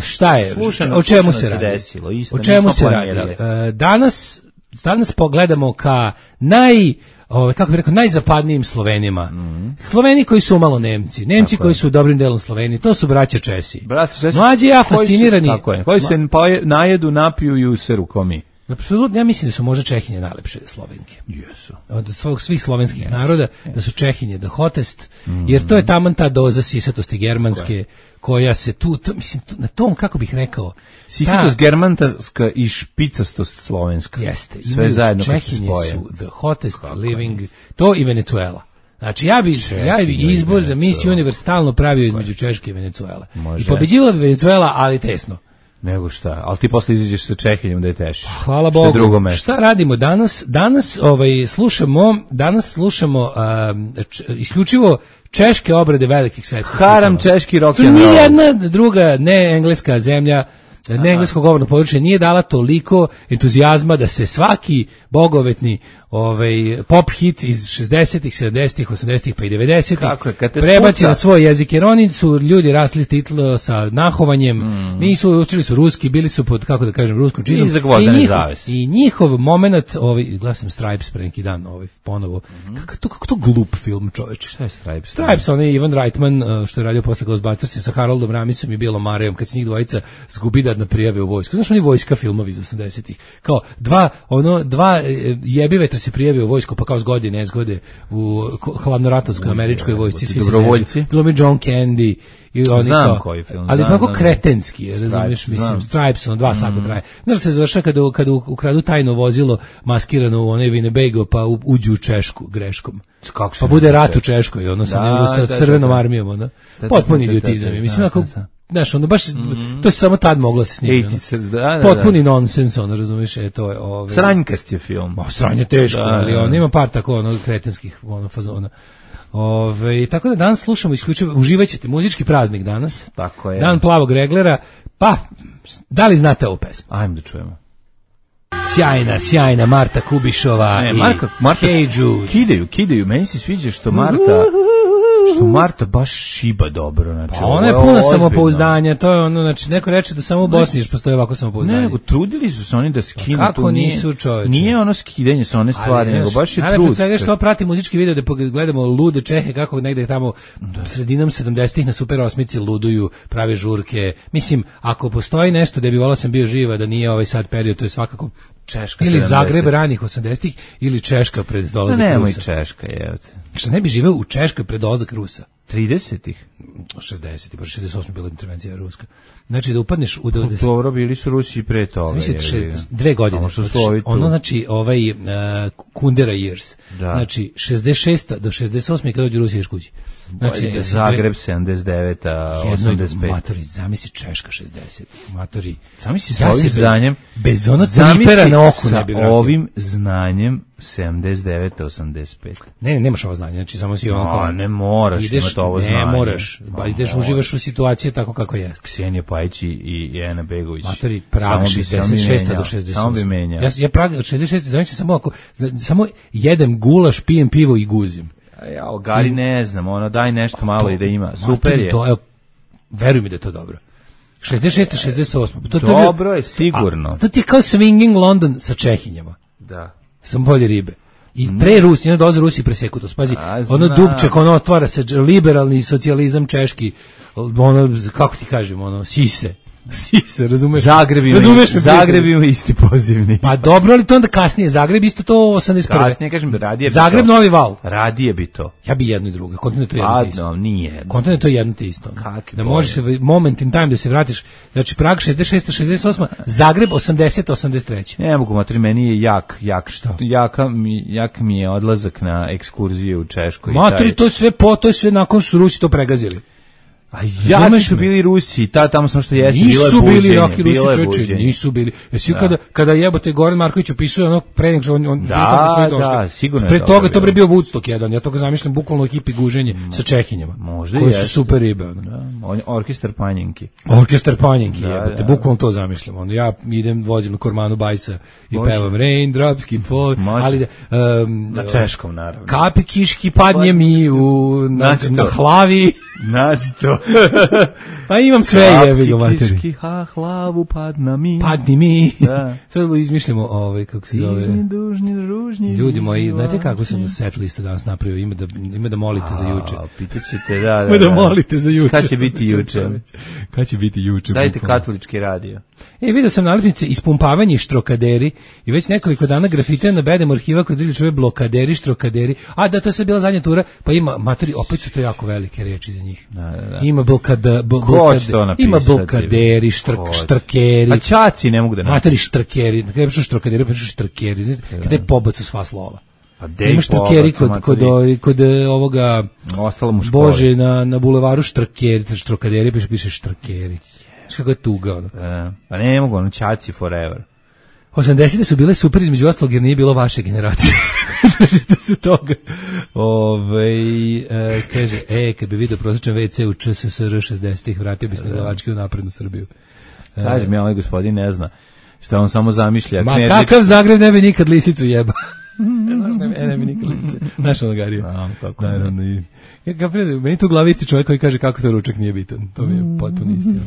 šta je? Slušano, o čemu se radi? Desilo, isto, o čemu se radi? Danas, danas pogledamo ka naj... Ove, kako bih rekao, najzapadnijim Slovenima. Mm. Sloveni koji su umalo Nemci. Nemci tako koji je. Su dobrim delom Sloveniji. To su braća Česi. Česi. Mlađi ja fascinirani. Koji, su, tako je, koji se najedu, napiju i useru komi. Apsolutno, ja mislim da su možda Čehinje najlepše Slovenke. Jesu. Od svog, svih slovenskih yes. naroda, yes. da su Čehinje the hottest, mm. jer to je taman ta doza sisatosti germanske, koja se tu, to, mislim, tu, na tom, kako bih rekao... Sisatost ta, germanska i špicastost slovenska. Jeste. Sve zajedno kad se Čehinje spoje. su the hottest kako living, je. To i Venezuela. Znači ja bi, ja bi izbor za Miss Universe stalno pravio između Češke i Venecuele. I pobeđivala bi Venecuela, ali tesno. Nego šta, ali ti posle izađeš sa Čehinjom da je tešiš. Hvala Bogu. Šta radimo danas? Danas ovaj, slušamo, danas slušamo um, č, isključivo češke obrade velikih svetskih. Haram češki rock and roll. Nijedna druga ne engleska zemlja, ne engleskog govorno područje nije dala toliko entuzijazma da se svaki bogovetni ovaj pop hit iz šezdesetih, sedamdesetih, osamdesetih pa i devedesetih prebaci na svoj jezik, jer oni su ljudi rasli titl sa nahovanjem, mm. nisu učili su ruski, bili su pod, kako da kažem, ruskom čizom i, i, njihov, i njihov moment, ovaj, gledam Stripes pre neki dan, ovaj, ponovo, mm. kako, to, kako to glup film, čoveče. Šta je Stripes? Stripes, onaj Ivan Reitman, što je radio posle Ghostbusters sa Haroldom Ramisom i Bilom Marejom, kad se njih dvojica zgubida na prijave u vojsku. Znaš, oni vojska filmovi iz osamdesetih, kao dva, ono, dva jebive se prijavio u vojsku, pa kao zgode, nezgode u hladnoratovskoj američkoj vojsci, svi dobrovoljci. Glumi John Candy i oni znam kao, koji film, ali znam, mnogo znam, kretenski je, razumiješ, mislim, Stripes, ono, dva sata mm. traje. Znaš se završa kada, kada ukradu tajno vozilo maskirano u onaj Winnebago, pa u, uđu u Češku greškom. Kako pa bude rat u Češkoj, ono, sa, da, sa da, crvenom da, da. armijom, ono. Potpuni idiotizam. Mislim, ako, znaš, ono, baš, mm. to se samo tad moglo se snimiti. Ono. Da, da, potpuni da. nonsens, ono, razumiješ, je to je... Ove, sranjkast je film. O, sranje teško, da, ali on ima par tako, ono, kretenskih, ono, fazona. Ove, tako da danas slušamo isključivo, uživaćete, muzički praznik danas. Tako je. Dan plavog reglera, pa, da li znate ovu pesmu? Ajmo da čujemo. Sjajna, sjajna Marta Kubišova ne, i Marka, Marta, Hey Jude. Kidaju, kidaju, meni se sviđa što Marta... što Marta baš šiba dobro, znači. Pa ona je puna samopouzdanja, to je ono, znači neko reče da samo u Bosni još postoji ovako samopouzdanje. Ne, nego trudili su se oni da skinu pa kako tu, nisu, čoveče. Nije ono skidanje sa one stvari, ali, nego baš je trud. Ali što prati muzički video da gledamo lude Čehe kako negde tamo da. sredinom sedamdesetih na Super osmici luduju, prave žurke. Mislim, ako postoji nešto da bi volao sam bio živa, da nije ovaj sad period, to je svakako Češka ili Zagreb ranih osamdesetih ili Češka pred dolazak Rusa. Nemoj Češka, jevate. Šta ne bi živeo u Češkoj pred dolazak Rusa? tridesetih šezdesetih, pa šezdeset osam bila intervencija ruska. Znači da upadneš u... Da, dobro, bili su Rusi i pre toga. Dve godine. Ono, znači, ovaj uh, Kundera years. Da. Znači, šezdeset šesta do šezdeset osme kada dođe Rusi ješ kući. Znači, da Zagreb sedamdeset deveta, osamdeset pet. Matori, zamisli Češka šezdeset. Matori. Zamisli sa ovim znanjem. Bez ono tripera na oku ne bi vratio. Ovim znanjem sedamdeset deveta, osamdeset pet. Ne, ne, nemaš ovo znanje, znači samo si ono kao... A, ne moraš ideš, imati ovo znanje. Ne moraš, ba, ideš, uživaš u situaciji tako kako je. Ksenija Pajić i Ena Begović. Matori, Prag šezdeset šesta do šezdeset osme. Samo bi menjao. Ja, ja Prag od šezdeset šeste, znači samo ako, samo jedem gulaš, pijem pivo i guzim. Ja, o Gari ne znam, ono, daj nešto malo to, i da ima. Super je. To je, veruj mi da je to dobro. šezdeset šesta, šezdeset osma. To, dobro to je, je sigurno. A, to ti je kao swinging London sa Čehinjama. Da. Sam bolje ribe. I pre Rusi, ne doze Rusi preseku to. Spazi, a, ono dubček, ono otvara se liberalni socijalizam češki, ono, kako ti kažem, ono, sise. Sise, razumeš? Zagreb ima, razumeš Zagreb ima isti pozivni. Pa dobro, ali to onda kasnije. Zagreb isto to osamdeset prve. Kasnije, kažem, radije bi Zagreb, to. Novi Val. Radije bi to. Ja bi jedno i drugo. Kontinent to jedno te isto. Adno, nije. Kontinent to jedno te isto. Kakvi da možeš se moment in time da se vratiš. Znači Prag šezdeset šesta, šezdeset osma, Zagreb osamdeset, osamdeset treća. Ne mogu, matri, meni je jak, jak, što? Jaka mi, jak mi je odlazak na ekskurzije u Češkoj. Matri, to sve po, to sve nakon što Rusi to pregazili. A ja su bili Rusi, ta tamo samo što jeste, bilo je buđenje. Nisu bili Roki Rusi, čeče, nisu bili. Jesi da. kada, kada jebote Goran Marković opisuje ono pre nego što on, on da, da, sigurno pre toga to bre bio Woodstock jedan, ja to ga zamišljam bukvalno hipi guženje mm. sa Čehinjama. Možda koji su super ribe. Ono. Da, on, orkestar Panjenki. Orkestar Panjenki, da, jebote, da. bukvalno to zamišljam. Ono, ja idem, vozim na Kormanu Bajsa i Bože. pevam Raindrops keep falling, ali da, um, na češkom, naravno. Kapi kiški padnje mi u, na, na hlavi. Nađi to. Pa imam sve jebi ga materi. Kiški ha hlavu padna mi. Padni mi. Da. Sad izmišljamo ovaj kako se zove. Dužni, dužni, ružni. Ljudi moji, znate kako sam set listu danas napravio? Ima da ima da molite A, za juče. Pitaćete, da, da. Ima da molite za juče. Kad će biti juče? Kad će biti juče? Dajte katolički radio. E, vidio sam nalepnice ispumpavanje štrokaderi i već nekoliko dana grafite na bedem arhiva kod drili čove blokaderi, štrokaderi. A da, to je sad bila zadnja tura, pa ima, materi, opet su to jako velike riječi za njih. Da, da, da. Ima blokada, blokade, ima blokaderi, štrk, štrkeri. A čaci ne mogu da napisati. Materi, štrkeri, kada je štrokaderi, pa štrkeri, kada je pobacu sva slova. Ima štrkeri kod, kod, kod, kod ovoga ostalo mu školi. Bože, na, na bulevaru štrkeri, štrokaderi, piše, piše štrkeri. Znaš kako je tuga, ono. E, pa ne mogu, ono, Čaci forever. osamdesete su bile super između ostalog jer nije bilo vaše generacije. Držite se toga. Ove, e, kaže, e, kad bi vidio prosječan ve ce u Č S S R šezdesetih, vratio bi se na glavački u naprednu Srbiju. E, Kaži mi, ovaj gospodin ne zna šta on samo zamišlja. Ma Knerdić... kakav Zagreb ne bi nikad lisicu jeba. ne, ne bi nikad lisicu. Znaš ono Gariju. Tako naravno i... Ja kapiram, meni tu u glavi isti čovjek koji kaže kako to ručak nije bitan. To mi je potpuno istina.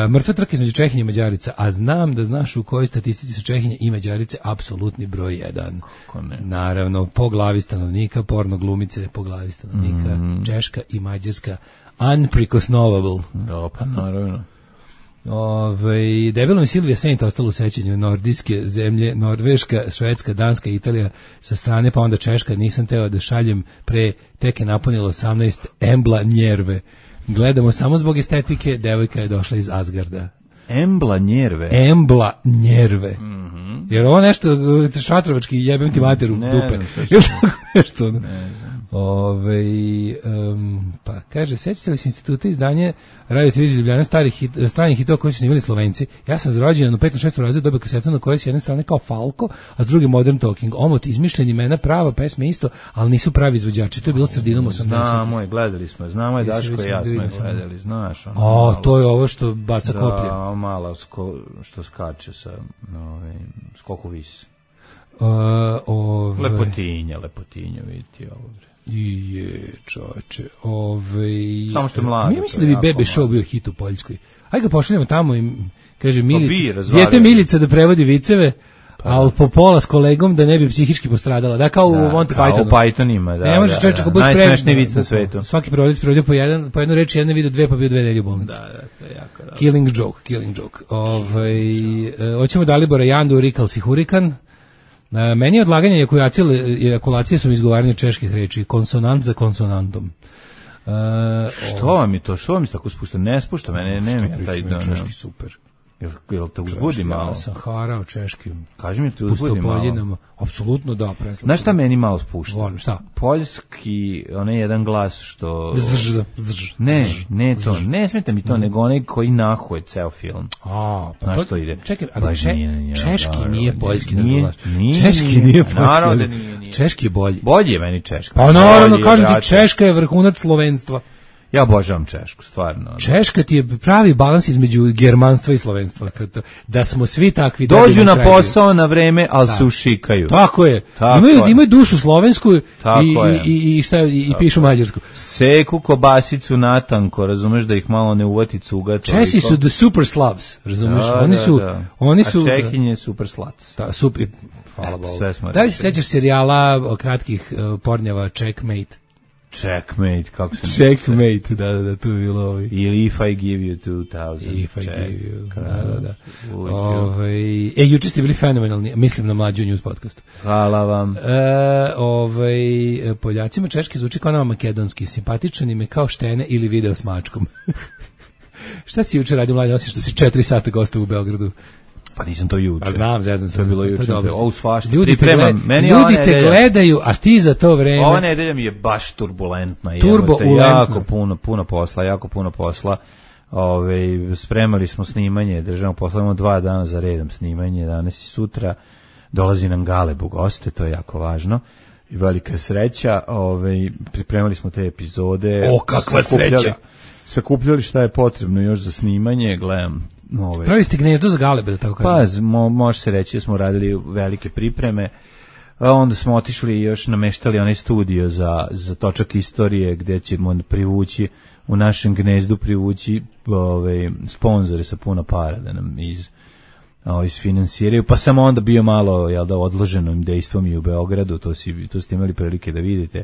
Uh, mrtva trka između Čehinje i Mađarica, a znam da znaš u kojoj statistici su Čehinje i Mađarice apsolutni broj jedan. Kako ne? Naravno, po glavi stanovnika, porno glumice po glavi stanovnika, mm. Češka i Mađarska unprekosnovable. Da, pa naravno. Ove, debelom Silvija Saint ostalo u sećanju nordijske zemlje, Norveška, Švedska, Danska, Italija sa strane, pa onda Češka, nisam teo da šaljem pre, tek je napunilo osamnaest Embla Njerve. Gledamo samo zbog estetike, devojka je došla iz Asgarda. Embla Njerve? Embla Njerve. Mm-hmm. Jer ovo nešto šatrovački jebem ti materu ne dupe. Znam, još nešto. Ne znam. Ove, um, pa kaže, sećate li se instituta izdanje Radio televizije Ljubljana starih hit, stranih hitova koji su snimali Slovenci? Ja sam zrođen u petom šestom razredu dobio kasetu na kojoj s jedne strane kao Falko, a s druge Modern Talking. Omot, izmišljeni imena, prava pesme isto, ali nisu pravi izvođači. To je bilo sredinom osamdesetih. Znamo je, gledali smo, znamo je Daško i ja smo je gledali, znaš. Ono, o, malo, to je ovo što baca da, koplje. Da, malo sko, što skače sa ovaj, skoku vis. Uh, ove... Lepotinja, lepotinja, vidite ovo. I je, čoče, ovaj... Samo što je mlado. Ja mislim da bi Bebe Show bio hit u Poljskoj. Ajde ga pošaljemo tamo i kaže Milica, bi, djete Milica da prevodi viceve, pa, ali po pola s kolegom da ne bi psihički postradala. Da, kao da, u Monty Pythonu. Kao u Pythonima, da. Ne može da, čovječe, da, ako najsmešniji vic na svetu. Svaki prevodic prevodio po, jedan, po jednu reč, jedna video dve, pa bio dve nedelje u bolnici. Da, da, to je jako dobro. Killing joke, killing joke. Ovaj, e, hoćemo Dalibora Jandu, Rikalsi Hurikan. Uh, meni je odlaganje ejakulacije, ejakulacije su izgovaranje čeških reči, konsonant za konsonantom. Uh, što vam je to? Što vam je tako spušta? Ne spušta mene, ne mi taj dan. Češki super. Jel, jel te uzbudi malo? Ja sam harao češkim. Kaži mi, te uzbudi malo? Apsolutno da, preslatno. Znaš šta meni malo spušta? Volim, šta? Poljski, onaj jedan glas što... Zrž, zrž. Ne, ne to, ne smeta mi to, mm. nego onaj koji nahuje ceo film. A, pa znaš to, što ide? Čekaj, ali če, nije, češki naravno, nije poljski, ne nije, znaš. Nije, češki nije, nije poljski. Naravno da nije, nije. Češki je bolji. Bolji je meni češki. Pa naravno, kažem ti, Češka je vrhunac slovenstva. Ja obožavam Češku, stvarno. Češka ti je pravi balans između germanstva i slovenstva. Da smo svi takvi... Dođu na posao na vreme, ali se ušikaju. Tako je. Tako imaju, je. imaju dušu slovensku i, je. i, i, šta, i, i pišu mađarsku. Seku kobasicu natanko, razumeš da ih malo ne uvati cuga. Česi su the super Slavs, razumeš? Da, oni su... Da, da. Oni su, a Čehinje super slac. Da, super, hvala Bogu. Sve da li se sećaš serijala kratkih uh, pornjava Checkmate? Checkmate, kako se Checkmate, da, da, da, tu je bilo ovi. Ili If I Give You two thousand. If I Give You, da, da, da. Ove, e, juče ste bili fenomenalni, mislim na Mlađu News podcastu. Hvala vam. E, ove, Poljacima češki zvuči kao nama makedonski, simpatičan im je kao štene ili video s mačkom. Šta si juče radio, Mlađe, osim što si četiri sata gostao u Beogradu? Pa nisam to juče. A znam, zezam se. To je bilo juče. Ovo svašta. Ljudi, te, gled, Meni ljudi te gledaju, a ti za to vreme... Ova nedelja mi je baš turbulentna. Turbulentna. Jako puno, puno posla, jako puno posla. Ove, spremali smo snimanje, državno posla, imamo dva dana za redom snimanje, danas i sutra. Dolazi nam Galeb u goste, to je jako važno. I velika je sreća. Ove, pripremali smo te epizode. O, kakva sreća! Sakupljali šta je potrebno još za snimanje, gledam. Ove. Pravi ste gnezdo za Galebe, da tako kažem. Pa, mo, može se reći da smo radili velike pripreme, a onda smo otišli i još nameštali onaj studio za, za točak istorije, gde ćemo privući, u našem gnezdu privući ove, sponzore sa puno para da nam iz, o, isfinansiraju, pa sam onda bio malo jel da, odloženim dejstvom i u Beogradu, to, si, to ste imali prilike da vidite,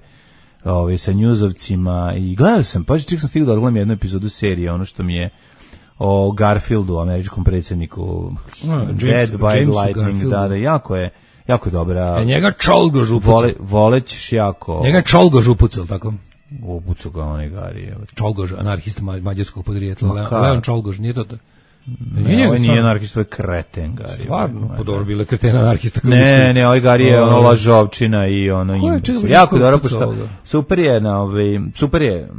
ove, sa njuzovcima i gledao sam, pa ček sam stigao da odgledam jednu epizodu serije, ono što mi je o Garfieldu, američkom predsjedniku, no, Dead by Lightning, da, da, jako je, jako je dobra. E, njega Čolgo župucu. Vole, volećeš jako. Njega Čolgo župucu, ili tako? Upucu ga onaj Gari. Čolgož, anarhista mađarskog podrijetla. Le, Leon Čolgož, nije to to? Ne, ovo nije anarhista, ovo je kreten, Gari. Stvarno, po dobro bile kretena anarhista. Ne, ne, ovaj Gari je ono lažovčina i ono imbecil. Jako dobro, pošto super je, na ovaj, super je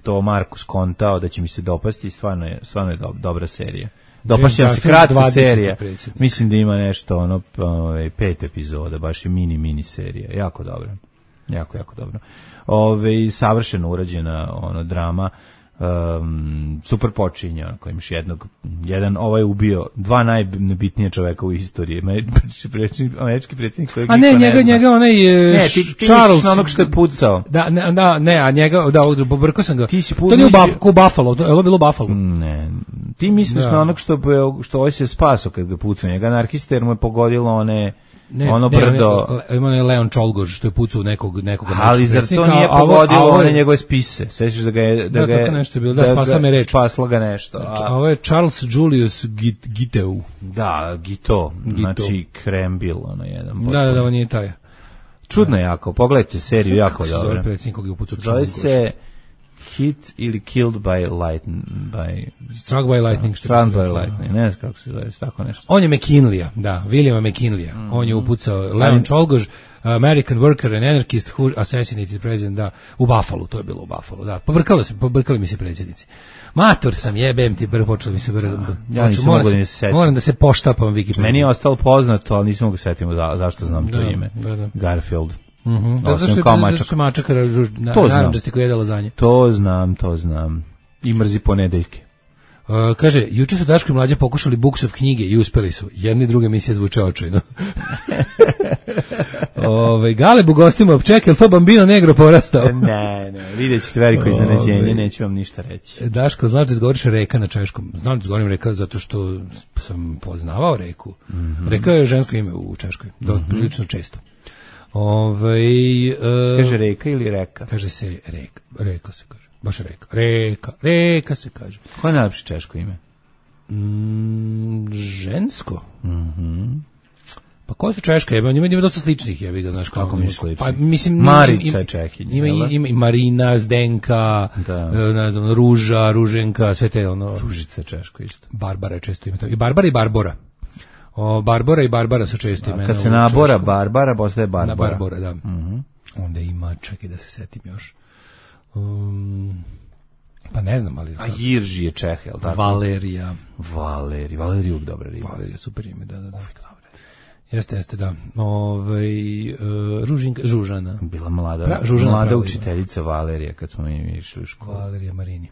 to Markus kontao da će mi se dopasti, stvarno je, stvarno je do, dobra serija. Dopašća se kratka serija, mislim da ima nešto, ono, ovaj, pet epizoda, baš je mini, mini serija, jako dobro, jako, jako dobro. Ove, savršeno urađena ono, drama, um, super počinje, ako imaš jednog, jedan, ovaj ubio dva najbitnije čoveka u istoriji, američki predsjednik kojeg a ne, njega, ne njega onaj ne, ti, ti Charles, na onog što je pucao. Da, ne, da, ne, a njega, da, pobrkao sam ga. Ti si to nije u Buff, Buffalo, to je bilo u Buffalo. Ne, ti misliš da. Na onog što, što ovaj se spaso kad ga pucao, njega anarhista jer mu je pogodilo one... Ne, ono ne, brdo. Ima ne, Leon Čolgoš što je pucao nekog nekog ali zar to nije pogodilo one njegove spise? Sećaš da ga je da, da ga je nešto bilo, da spasla me reč. Spasla ga nešto. A ovo je Charles Julius Git, Giteu. Da, Gito, Gito. Znači Krembil, ono jedan. Da, da, da, on je taj. Čudno jako, pogledajte seriju, jako dobro. Zove predsjednik kog je upucao Čolgoš. Zove se Hit ili Killed by Lightning, by Struck by Lightning, što Struck by Lightning, ne znam kako se zove, tako nešto. On je McKinleya, da, Williama McKinleya. Mm. On je upucao Leon Čolgoš, American worker and anarchist who assassinated president, da, u Buffalo, to je bilo u Buffalo, da. Pobrkali se, pobrkali mi se predsjednici. Mator sam, jebem ti, brzo počeli mi se brzo. Ja nisam mogu da se setim. Moram da se poštapam Wikipedia. Meni je ostalo poznato, ali nisam mogu setiti za, zašto znam da, to ime. Da, da. Garfield. Mhm. Da, zašto je kao mačak. Zašto mačak naranđasti koji jede lazanje. To znam, to znam. I mrzi ponedeljke. Uh, kaže, juče su Daško i Mlađa pokušali Buksov knjige i uspeli su. Jedna i druga emisija zvuče očajno. Ove, Galeb u gostima čekaj, je li to Bambino Negro porastao? Ne, ne, vidjet ćete veliko iznenađenje, neću vam ništa reći. Daško, znaš da izgovoriš reka na češkom? Znam da izgovorim reka zato što sam poznavao reku. Mm-hmm. Reka je žensko ime u Češkoj, do, mm-hmm. prilično često. Ove, uh, kaže reka ili reka? Kaže se reka, reka se kaže. Baš reka, reka, reka se kaže. Koje je najlepše češko ime? Mm, žensko. Mhm. Pa koje su češka jebe? Ima, ima dosta sličnih jebi ga, znaš kako. Kako mi slični? Pa, mislim, Marica je Čehinja. Ima, ima, ima i Marina, Zdenka, da. Ne znam, Ruža, Ruženka, sve te ono. Ružica je češko isto. Barbara je često ime. I Barbara i Barbora. O, Barbara i Barbara su često imena. Kad se nabora Barbara, postaje Barbara. Na Barbora, da. Mm-hmm. Onda ima, čekaj da se setim još. Um, pa ne znam, ali... A Jirži je Čeh, jel tako? Valerija. Valerija, Valerija uvijek dobra riba. Valerija, super ime, da, da, da. Uvijek dobra. Jeste, jeste, da. Ove, uh, Ružinka, Žužana. Bila mlada, pra, Žužana mlada pravi, učiteljica Valerija, kad smo mi išli u školu. Valerija Marini.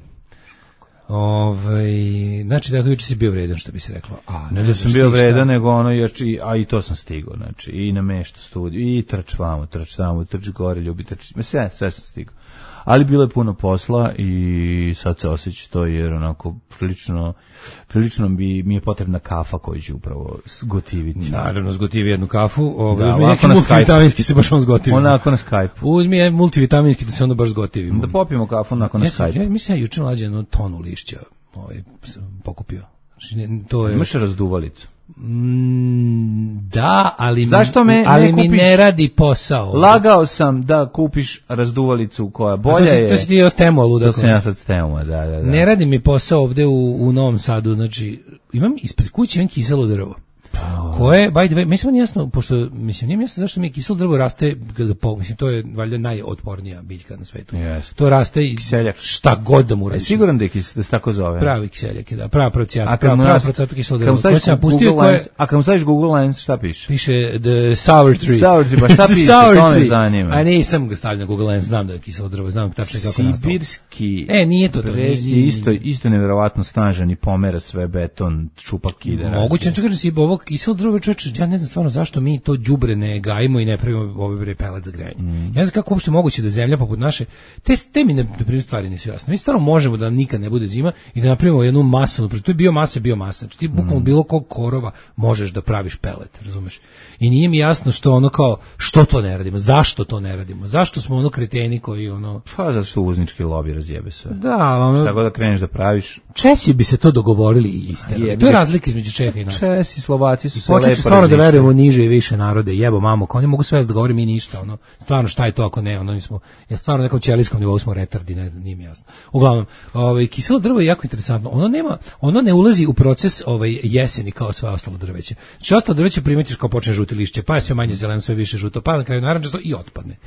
Ove, znači, da, juče si bio vredan, što bi se reklo. A, ne, ne da sam bio vredan, nego ono, još, i, a i to sam stigao, znači, i na meštu studiju, i trč vamo, trč tamo, trč gore, ljubi, trč, sve, sve sam stigao. Ali bilo je puno posla i sad se osjeća to jer onako prilično, prilično bi, mi je potrebna kafa koju ću upravo zgotiviti. Naravno, zgotivi jednu kafu, ovaj, uzmi neki multivitaminski se baš on zgotivi. Onako na Skype. Uzmi multivitaminski da se onda baš zgotivi. Da popijemo kafu onako na ja Skype. Ja, mislim, ja juče mlađe jednu tonu lišća ovaj, pokupio. Znači, to je... Imaš razduvalicu? Mm, da, ali, zašto me ali ne kupiš, mi ne radi posao. Lagao sam da kupiš razduvalicu koja bolja to si, je. To si ti od Stemu, luda. To sam ja sad Stemu, da, da, da. Ne radi mi posao ovde u, u Novom Sadu, znači, imam ispred kuće imam kiselo drvo. Oh. Koje, by the way, mislim nije jasno, pošto, mislim, nije jasno zašto mi kiselo drvo raste, mislim, to je valjda najotpornija biljka na svetu. Yes. To raste i kiseljak. Šta god da mu radi. Siguran da, je kis, da se tako zove? Pravi kiseljak je, da, prava procijata, prava, prava procijata kiselo drvo. Koje sam pustio, koje... A kad mu staviš Google Lens, šta piše? Piše The Sour Tree. Sour Tree, pa šta piše, to me zanima. A nisam ga stavio na Google Lens, znam da je kiselo drvo, znam tačno kako nastalo. Sibirski e, nije to to. Nije, nije, isto, isto nevjerovatno snažan i pomera sve beton, čupa kide. Moguće, čekaj, si ovo kiselo drvo, čoveče, ja ne znam stvarno zašto mi to đubre ne gajimo i ne pravimo ove bre pelet za grejanje. Mm. Ja ne znam kako uopšte moguće da zemlja poput naše, te, te mi ne, na primjer stvari nisu jasne. Mi stvarno možemo da nikad ne bude zima i da napravimo jednu masovnu, to je biomasa, biomasa. Znači ti bukvalno mm. bilo kog korova možeš da praviš pelet, razumeš? I nije mi jasno što ono kao, što to ne radimo, zašto to ne radimo, zašto smo ono kreteni koji ono... Pa zato što uvoznički lobi razjebe sve. Da, ono... Šta god da kreneš da praviš... Česi bi se to dogovorili i istero. To je razlika između Čeha i nas. Česi, Slovaci Slovaci su se lepo počet ću stvarno da verujemo niže i više narode, jebo mamo, oni mogu sve da govore mi ništa, ono, stvarno šta je to ako ne, ono, mi smo, ja stvarno na nekom ćelijskom nivou smo retardi, ne znam, nije mi jasno. Uglavnom, ovaj, kiselo drvo je jako interesantno, ono nema, ono ne ulazi u proces ovaj, jeseni kao sve ostalo drveće. Znači, ostalo drveće primetiš kao počne žuti lišće, pa je sve manje zeleno, sve više žuto, pa na kraju narančasto i otpadne.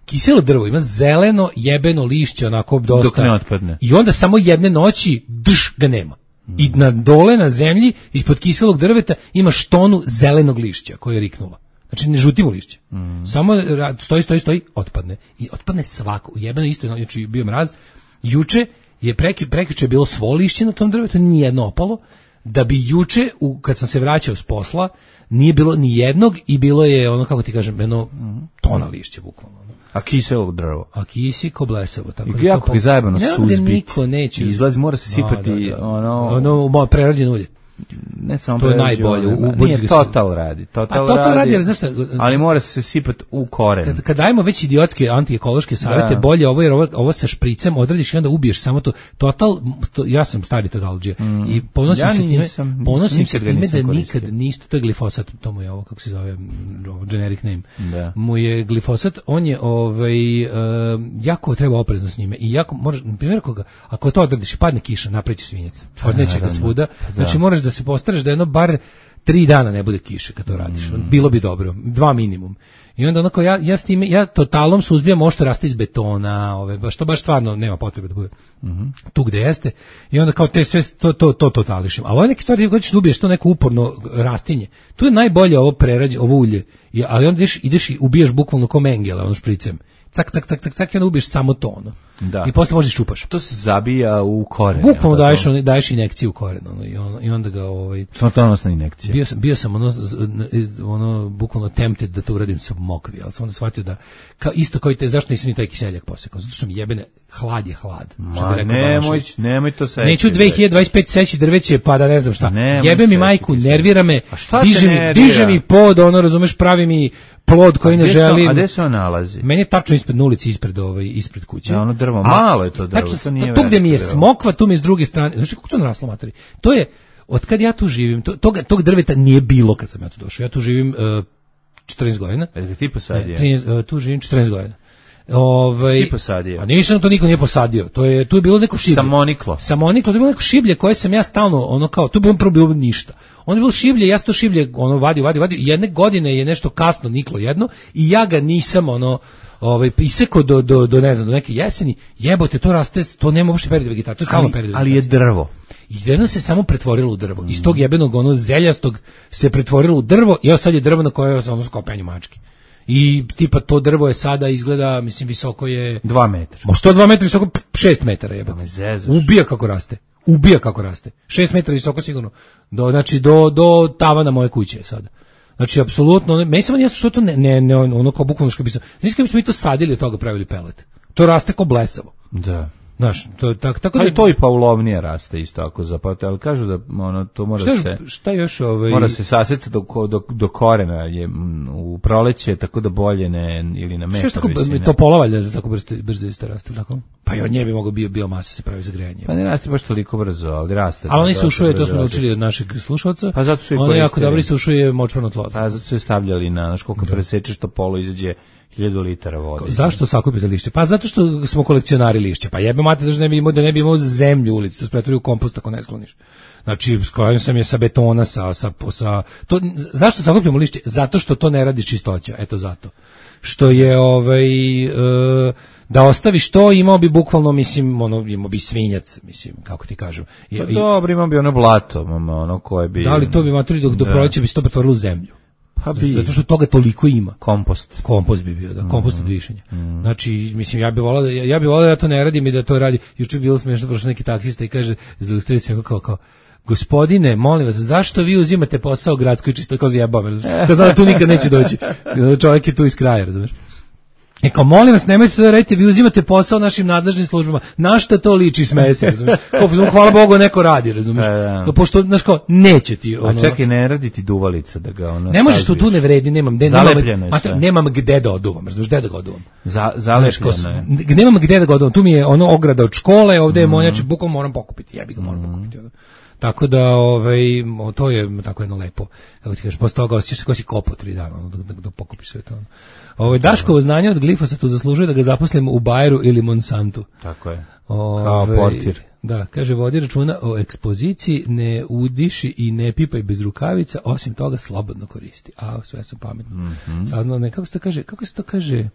Kiselo drvo ima zeleno jebeno lišće, onako dosta. Dok ne otpadne. I onda samo jedne noći drž ga nema. I na dole na zemlji ispod kiselog drveta ima štonu zelenog lišća koje je riknula. Znači ne žutimo lišće. Mm. Samo stoji, stoji, stoji, otpadne. I otpadne svako. Jebeno isto, znači bio mraz. Juče je preki, prekjuče je bilo svo lišće na tom drvetu, nije jedno opalo. Da bi juče, u, kad sam se vraćao s posla, nije bilo ni jednog i bilo je ono, kako ti kažem, jedno tona lišća bukvalno. A kiselo drvo. A kisi ko blesavo. Tako I jako bi zajebano suzbiti. Niko neće. Izlazi, mora se sipati da, da, da. ono... Ono, prerađeno ulje. Ne samo to je najbolje. U, u nije Total radi. Total, A Total radi, radi, ali znaš šta? Ali mora se sipati u koren. Kad, kad dajemo već idiotske antiekološke savjete, da. Bolje ovo jer ovo, ovo sa špricem odradiš i onda ubiješ samo to. Total, to, ja sam stari totalđija mm. i ponosim ja se time, nisam, ponosim nisam, se time da nikad ništa, to je glifosat, to mu je ovo, kako se zove, generic name. Da. Mu je glifosat, on je ovaj, uh, jako treba oprezno s njime i jako, moraš, na primjer, koga, ako to odradiš i padne kiša, napreći svinjac, odneće ga svuda, znači moraš da se postaraš da jedno bar tri dana ne bude kiše kad to radiš. Mm. Bilo bi dobro, dva minimum. I onda onako ja ja s time ja totalom suzbijam ovo što raste iz betona, ove baš to baš stvarno nema potrebe da bude. Mm-hmm. Tu gde jeste. I onda kao te sve to to to totališem. Ali ove neke stvari koje ćeš da ubiješ to neko uporno rastinje. Tu je najbolje ovo prerađe, ovo ulje. I, ali onda ideš ideš i ubijaš bukvalno ko mengele, ono špricem. Cak cak cak cak cak i onda ubiješ samo to ono. Da. I posle možeš čupaš. To se zabija u koren. Bukvalno daješ, daješ injekciju u koren, ono, i, ono, i onda ga ovaj smrtonosna injekcija. Bio sam bio sam ono ono bukvalno tempted da to uradim sa mokvi, al sam onda shvatio da kao isto kao i te zašto nisam ni taj kiseljak posekao, zato što mi jebene hlad je hlad. Što bi rekao, nemoj, nemoj to seći. Neću dve hiljade dvadeset pete seći drveće pa da ne znam šta. Jebe mi majku, nervira me. Diže mi, diže mi pod, ono razumeš, pravi mi plod koji ne želim. A gde se on nalazi? Meni je tačno ispred ulice, ispred ovaj ispred kuće. Ja, ono drvo, malo je to drvo, tačno, to nije. Tu gde mi je smokva, tu mi je s druge strane. Znači kako to naraslo, materi? To je od kad ja tu živim, to, tog, tog drveta nije bilo kad sam ja tu došao. Ja tu živim uh, četrnaest godina. E da ti posadio? Ne, uh, tu živim četrnaest godina. Ovaj, ti posadio? A nisam, to niko nije posadio. To je tu je bilo neko šiblje. Samoniklo. Samoniklo, to je bilo neko šiblje koje sam ja stalno ono kao, tu bi prvo bilo ništa. Ono je bilo šiblje, ja sam to šiblje ono vadio, vadio, vadio. Jedne godine je nešto kasno niklo jedno i ja ga nisam ono ovaj isekao do do do ne znam do neke jeseni. Jebote, to raste, to nema uopšte period vegetacije, to je stalno period. Ali je drvo. I jedno se samo pretvorilo u drvo. Mm. Iz tog jebenog ono zeljastog se pretvorilo u drvo i evo sad je drvo na koje je ono kao penju mački. I tipa to drvo je sada izgleda, mislim, visoko je dva metra. Možda to dva metra visoko, šest metara jebote. Ubija kako raste. Ubija kako raste. šest metara visoko sigurno. Do znači do do tavana moje kuće sada. Znači apsolutno, meni samo nije što to ne ne, ne ono kao bukvalno što bi se. Znači kad bismo mi to sadili od toga pravili pelet. To raste kao blesavo. Da. Znaš, to tak tako da to i paulovnije raste isto tako zapravo, ali kažu da ono to mora šta, se šta još ovaj mora se sasecati do, do do korena je u proleće tako da bolje ne ili na metar. Šta tako to polovalja da tako brzo brzo isto raste tako? Pa i od nje bi mogao bio biomasa se pravi za grejanje. Pa ne raste baš toliko brzo, ali raste. Ali oni sušuje, to smo naučili od našeg slušaoca. Pa zato su i oni jako dobro sušuje močvarno tlo. Pa zato su stavljali na, znaš koliko presečeš to polo izađe hiljadu litara vode. Zašto sakupite lišće? Pa zato što smo kolekcionari lišća. Pa jebe mate zašto ne bi imao da ne bi imao zemlju u ulici, to se pretvori u kompost ako ne skloniš. Znači, sklonio sam je sa betona, sa, sa, sa to, zašto sakupljamo lišće? Zato što to ne radi čistoća, eto zato. Što je, ovaj, e, da ostaviš to, imao bi bukvalno, mislim, ono, imao bi svinjac, mislim, kako ti kažem. I, pa dobro, imao bi ono blato, ono koje bi... Da li to bi materi dok do proleća bi se to pretvorilo u zemlju? Pa bi. Zato što toga toliko ima. Kompost. Kompost bi bio, da, kompost od višenja. Mm. Znači, mislim, ja bih volao da, ja bih volao da ja to ne radim i da to radi. Juče bilo smiješno, prošao neki taksista i kaže, zaustavi se kao, kao, gospodine, molim vas, zašto vi uzimate posao gradskoj čisto, kao zjebave, razumiješ? Kao da tu nikad neće doći. Čovjek je tu iz kraja, razumiješ? E kao, molim vas, nemojte to da radite, vi uzimate posao našim nadležnim službama. Na šta to liči, smeje se, razumiješ? Kao, hvala Bogu, neko radi, razumiješ? No, pošto, znaš kao, neće ti ono... A čekaj, ne radi ti duvalica da ga ono... Ne možeš, to tu ne vredi, nemam gde... Zalepljeno je sve. Nemam gde da oduvam, razumiješ, gde da ga oduvam. Za, zalepljeno je. Nemam gde da ga oduvam, tu mi je ono ograda od škole, ovde je monjač, bukom moram pokupiti, ja bih ga moram pokupiti, ono. Tako da, ovaj, to je tako jedno lepo, kako ti kažeš, posle toga osjećaš se ko si kopo tri dana, ono, dok, dok, dok pokupiš sve to. Ono. Ovaj, Daškovo znanje od glifosatu zaslužuje da ga zaposlimo u Bayeru ili Monsantu. Tako je, Ove, kao portir. Da, kaže, vodi računa o ekspoziciji, ne udiši i ne pipaj bez rukavica, osim toga slobodno koristi. A, sve sam pametno. Mm-hmm. Saznao ne, kako se to kaže, kako se to kaže,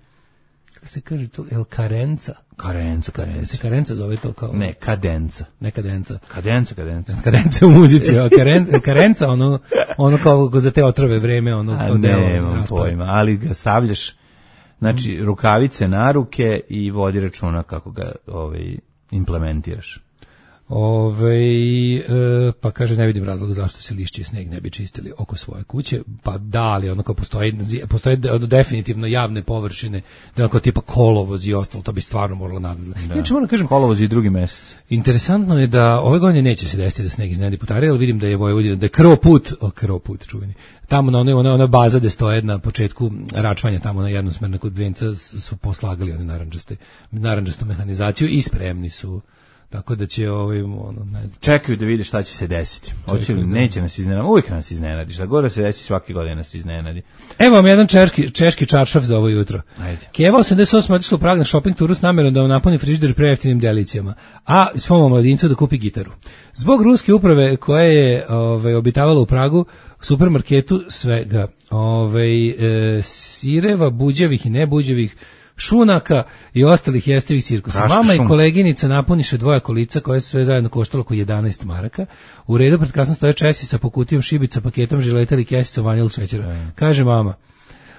kako se kaže to, el karenca? Karenca, karenca. Se karenca zove to kao... Ne, kadenca. Ne kadenca. Kadenca, kadenca. Kadenca u muzici, a karen, karenca, ono, ono kao za te otrove vreme, ono kao delo. Ne, nemam pojma, ali ga stavljaš, znači, mm. rukavice na ruke i vodi računa kako ga ovaj, implementiraš. Ove, e, pa kaže, ne vidim razloga zašto se lišće i sneg ne bi čistili oko svoje kuće, pa da, ali ono kao postoji, postoje definitivno javne površine, da ono kao tipa kolovoz i ostalo, to bi stvarno moralo nadati. Da. Znači, moram kažem, kolovoz i drugi mesec. Interesantno je da ove godine neće se desiti da sneg iznenadi putare, ali vidim da je Vojvodina, da je krvoput, o krvoput čuveni, tamo na onoj, ona, ona baza gde stoje na početku račvanja, tamo na jednosmerna kod Venca su poslagali one naranđaste, naranđastu mehanizaciju i spremni su. Tako da će ovaj ono ne znam. Čekaju da vide šta će se desiti. Hoće li, neće nas iznenaditi. Uvijek nas iznenadi. Šta god da se desi, svake godine nas iznenadi. Evo vam jedan češki, češki čaršaf za ovo jutro. Ajde. Keva osamdeset osam otišla u Prag na shopping turu s namjerom da vam napuni frižider prejeftinim delicijama, a svom mladincu da kupi gitaru. Zbog ruske uprave koja je ovaj, obitavala u Pragu, u supermarketu svega, ovaj, e, sireva, buđevih i nebuđevih, šunaka i ostalih jestivih cirkusa. Raška Mama šum. i koleginica napuniše dvoja kolica koje su sve zajedno koštalo oko jedanaest maraka. U redu pred kasno stoje Česi sa pokutijom šibica, paketom žileta ili kesicom vanil šećera. Mm. Kaže mama,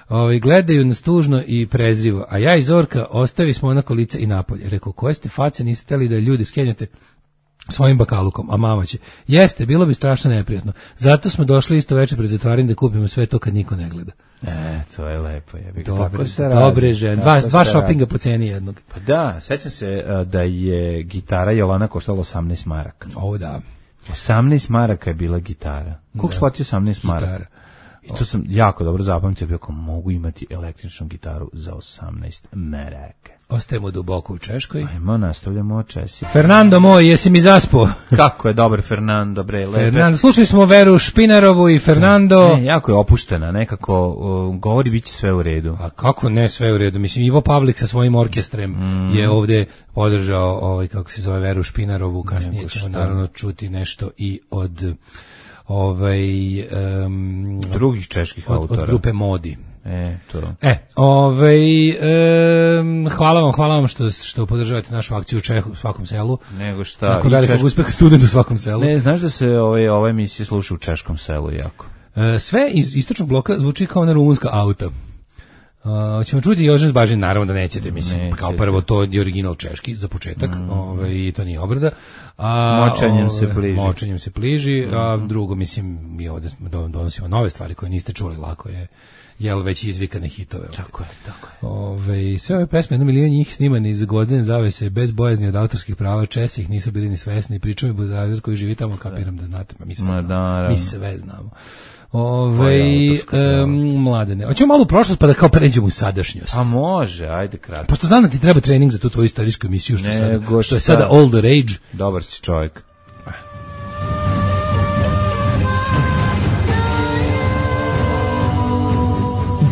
ovaj, gledaju nas tužno i prezrivo, a ja i Zorka ostavi smo ona kolica i napolje. Rekao, koje ste face, niste teli da ljudi skenjate svojim bakalukom, a mama će, jeste, bilo bi strašno neprijatno. Zato smo došli isto večer pred zatvaranjem da kupimo sve to kad niko ne gleda. E, to je lepo. Je. Dobre, dobre žene. Dva, dva šopinga po ceni jednog. Pa da, sećam se uh, da je gitara Jolana koštala osamnaest maraka. O, da. osamnaest maraka je bila gitara. Koliko shvatio osamnaest maraka? I to sam jako dobro zapamtio, kako mogu imati električnu gitaru za osamnaest maraka. Ostajemo duboko u Češkoj. Ajmo, nastavljamo o Česi. Fernando moj, jesi mi zaspo? Kako je dobar Fernando, bre, lepe. Fernando, slušali smo Veru Špinarovu i Fernando. Ne, jako je opuštena, nekako uh, govori bit će sve u redu. A kako ne sve u redu? Mislim, Ivo Pavlik sa svojim orkestrem mm. je ovde podržao, ovaj, kako se zove, Veru Špinarovu. Kasnije ćemo naravno čuti nešto i od ovaj, um, drugih čeških od, autora. Od grupe Modi. E, to. E, ovaj, e, hvala vam, hvala vam što, što podržavate našu akciju u Čehu u svakom selu. Nego šta. Nakon velikog češ... uspeha student u svakom selu. Ne, znaš da se ovaj, ova emisija sluša u češkom selu jako. E, sve iz istočnog bloka zvuči kao na rumunska auta. Uh, ćemo čuti Jožen Zbažin, naravno da nećete, mislim, nećete. Kao prvo to je original češki za početak, mm. ovaj, to nije obrada. A, močanjem ove, se bliži. Močanjem se bliži, mm. a drugo, mislim, mi ovdje donosimo nove stvari koje niste čuli, lako je, jel već izvikane hitove. Ovdje. Tako je, tako je. Ove, sve ove pesme, jedno milion njih snimane iz Gvozdene zavese, bez bojazni od autorskih prava, Česi ih nisu bili ni svesni, pričam i budazer koji živi tamo, kapiram da znate, ma mi sve Ma, znamo. Da, Mi sve znamo. Ove, um, mladene. Hoćemo malo u prošlost pa da kao pređemo u sadašnjost. A može, ajde kratko. Pošto znam da ti treba trening za tu tvoju istorijsku emisiju, što, sada, što je sada all the rage. Dobar si čovjek.